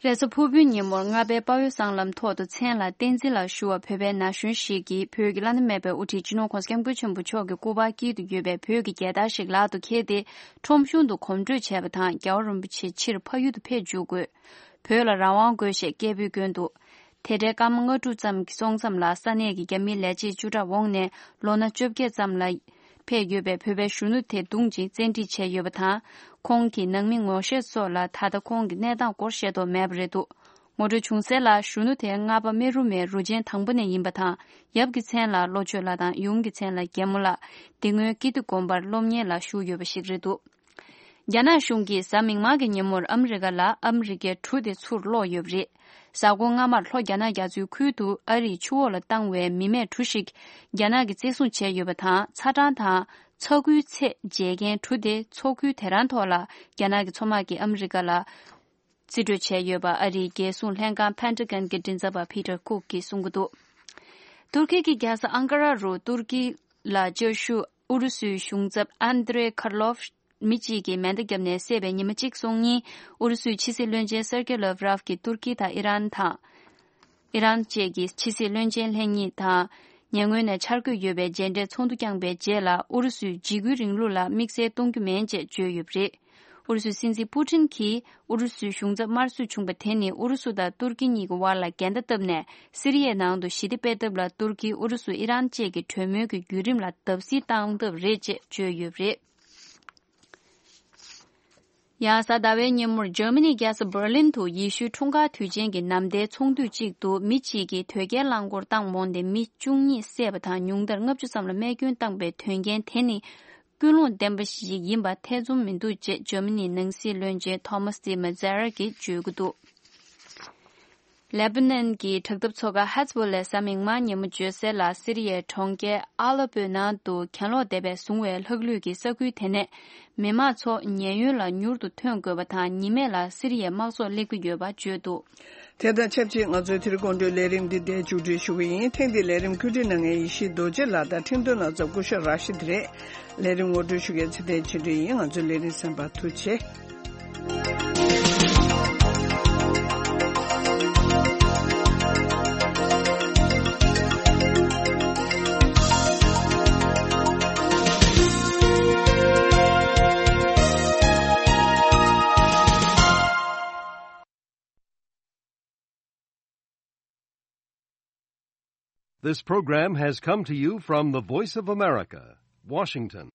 རེས་གཟའ་ཕུར་བུའི་ཉིན་མོར་རྔ་པའི་དཔའ་བོའི་སྲང་ལམ་ཐོག་ཏུ་མཚན་ལ་བསྟན་འཛིན་ལགས་ཞུ་བ་བོད་པའི་ན་གཞོན་ཞིག་གིས་བོད་ཀྱི་བླ་ན་མེད་པའི་དབུ་ཁྲིད་སྤྱི་ནོར་༸གོང་ས་༸སྐྱབས་མགོན་ཆེན་པོ་མཆོག་གི་སྐུ་པར་དཀྱིལ་དུ་ཡོད་པའི་བོད་ཀྱི་རྒྱལ་དར་ཞིག་ལག་ཏུ་འཁྱེར་ཏེ། ཁྲོམ་གཞུང་དུ་གོམ་བགྲོད་བྱས་པ་དང་། རྒྱལ་བ་རིན་པོ་ཆེ་ཕྱིར་ཕ་ཡུལ་དུ་ཕེབས་འཇུག་དགོས། བོད་ལ་རང་དབང་དགོས་ཞེས་སྐད་འབོད་བསྐྱོན་འདུག་དེ་འདྲའི་སྐར་མ་ལྔ་དྲུག་ཙམ་གྱི་སོང་མཚམས་ལ་ས་གནས་ཀྱི་རྒྱ་མིའི་ལས་བྱེད་བཅུ་ཕྲག་འོངས་ནས་ལོ་ན་བཅོ་བརྒྱད་ཙམ་ལ་ཕེབས་ཡོད་པའི་བོད་པའི་གཞོན་ནུ་དེ་བརྡུངས་ཤིང་བཙན་ཁྲིད་བྱས་ཡོད་པ་དང་། ཁོང་གི་ནང་མི་ངོ་ཤེས་སོགས་ལ་ད་ལྟ་ཁོང་གི་གནས་སྟངས་སྐོར་ཤེས་རྟོགས་མེད་པ་རེད་འདུག་ངོ་སྤྲོད་བྱུང་གསལ་ལ། གཞོན་ནུ་དེ་རྔ་པ་སྨེ་རུ་མའི་རུ་ཆེན་དང་པོ་ནས་ཡིན་པ་དང་། ཡབ་ཀྱི་མཚན་ལ་བློ་ཆོས་ལགས་དང་ཡུམ་གྱི་མཚན་ལ་རྒྱལ་མོ་ལགས། དེ་སྔོན་ཀིརྟི་དགོན་པར་སློབ་གཉེར་ལ་ཞུགས་ཡོད་པ་ཞིག་རེད་འདུག་རྒྱ་ནག་གཞུང་གིས་གཟའ་མིག་དམར་གྱི་ཉིན་མོར་ཨ་མི་རི་ཀ་ལ་ཨ་མི་རི་ཀའི་གྲུ་དེ་ཚུར་སློག་ཡོད་པ་རེད། གཟའ་འཁོར་སྔ་མར་ལྷོ་རྒྱ་ནག་རྒྱ་མཚོའི་ཁུལ་དུ་ཨ་རིས་ཆུ་འོག་ལ་བཏང་བའི་མི་མེད་གྲུ་ཞིག་རྒྱ་ནག་གིས་བཙན་བཟུང་བྱས་ཡོད་པ་དང་། ཚ་གྲང་དང་ཚ་ཁུལ་ཚད་འཇལ་མཁན་གྲུ་དེ་མཚོ་ཁུལ་དེ་རང་ཐོག་ལ་རྒྱ་ནག་གི་མཚོ་དམག་གིས་ཨ་མི་རི་ཀ་ལ་རྩིས་སྤྲོད་བྱས་ཡོད་པ་ཨ་རིའི་རྒྱལ་སྲུང་ལྷན་ཁང་Pentagon གྱི་མགྲིན་ཚབ་པ་Peter Cook གིས་གསུང་གི་འདུག་ཏུར་ཀི་གི་རྒྱལ་ས་ཨང་ཀ་ར་རུ་ཏུར་ཀི་ལ་བཅའ་བཞུགས་ཨུ་རུ་སུའི་གཞུང་ཚབ་Andrei Karlov མི་གཅིག་གིས་མེ་མདའ་བརྒྱབ་ནས་བསད་པའི་ཉི་མ་གཅིག་སོང་ཉིན། ཨུ་རུ་སུའི་ཕྱི་སྲིད་བློན་ཆེན་Sergey Lavrov གྱིས་ཏུར་ཀི་དང་ཨི་རན་དང་། ཨི་རན་བཅས་ཀྱི་ཕྱི་སྲིད་བློན་ཆེན་ལྷན་གཉིས་དང་། ཉེ་སྔོན་ནས་འཆར་འགོད་ཡོད་པའི་མཇལ་འཕྲད་ཚོགས་འདུ་བསྐྱངས་པའི་རྗེས་ལ། ཨུ་རུ་སུས་འཇིགས་སྐུལ་རིང་ལུགས་ལ་དམིགས་བསལ་གཏོང་རྒྱུ་མིན་ཅེས་བརྗོད་ཡོད་པ་རེད། ཨུ་རུ་སུའི་སྲིད་འཛིན་པུ་ཏིན་གྱིས་ཨུ་རུ་སུའི་གཞུང་ཚབ་དམར་གསོད་བྱུང་བ་དེ་ནི་ཨུ་རུ་སུ་དང་ཏུར་ཀི་གཉིས་ཀྱི་དབར་ལ་འགལ་ཟླ་བཏབ་ནས། སི་རི་ཡའི་ནང་དུ་ཞི་བདེ་སྤེལ་ཐབས་ལ་ཏུར་ཀི། ཨུ་རུ་སུ། ཨི་རན་བཅས་ཀྱི་གྲོས་མོལ་གྱི་བརྒྱུད་རིམ་ལ་བརྡབ་གསིག་བཏང་ཐབས་རེད་ཅེས་བརྗོད་ཡོད་པ་རེད། ཡང་གཟའ་ཟླ་བའི་ཉིན་མོར་འཇར་མ་ནིའི་རྒྱལ་ས་འབར་ལིན་དུ་ཡེ་ཤུའི་འཁྲུངས་སྐར་དུས་ཆེན་གྱི་ནམ་ཟླའི་ཚོགས་འདུ་གཅིག་ཏུ་མི་གཅིག་གིས་དོས་སྐྱེལ་རླངས་འཁོར་བཏང་འོང་སྟེ་མི་བཅུ་གཉིས་བསད་པ་དང་། ཉུང་མཐར་ལྔ་བཅུ་ཙམ་ལ་རྨས་སྐྱོན་བཏང་པའི་དོན་རྐྱེན་དེ་ནི་ཀུན་སློང་ལྡན་པ་ཞིག་ཡིན་པ་ཐེ་ཚོམ་མི་འདུག་ཅེས་འཇར་མ་ནིའི་ནང་སྲིད་བློན་ཆེན་Thomas de Maizière གྱིས་བརྗོད་ཀྱི་འདུག་ལེ་བྷ་ནན་གྱི་དྲག་འཐབ་ཚོ་ཁག་ཧེ་ཛ་བྷོ་ལས་གཟའ་མིག་དམར་ཉིན་མོ་བརྗོད་གསལ་ལ། སི་རི་ཡའི་གྲོང་ཁྱེར་ཨ་ལེ་པོའི་ནང་དུ་གྱེན་ལོག་སྡེ་བས་བཟུང་བའི་ལྷག་ལུས་ཀྱི་ས་ཁུལ་དེ་ནས་མི་མང་ཚོ་ཉེན་གཡོལ་ལ་མྱུར་དུ་ཐོན་དགོས་པ་དང་། ཉི་མས་ལ་སི་རི་ཡའི་དམག་ཚོགས་སླེབས་ཀྱི་ཡོད་པ་བརྗོད་འདུག་དེ་དང་ཆབས་ཅིག་ང་ཚོའི་དེ་རིང་དགོང་དྲོའི་ལས་རིམ་འདི་འདིར་མཇུག་སྒྲིལ་ཞུ་གི་ཡིན། ཐེངས་འདིའི་ལས་རིམ་བཀོད་སྒྲིག་གནང་མཁན་ཡེ་ཤེས་རྡོ་རྗེ་ལགས་དང་འཕྲིན་གཏོང་ལག་རྩལ་སྐུ་ཞབས་ར་ཤིད་རེད། ལས་རིམ་ངོ་སྤྲོད་ཞུ་མཁན་ཚེ་བརྟན་ཆོས་སྒྲོན་ཡིན། ང་ཚོའི་ལས་རིམ་གསན་པར་ཐུགས་རྗེ་ཆེ། This program has come to you from the Voice of America, Washington.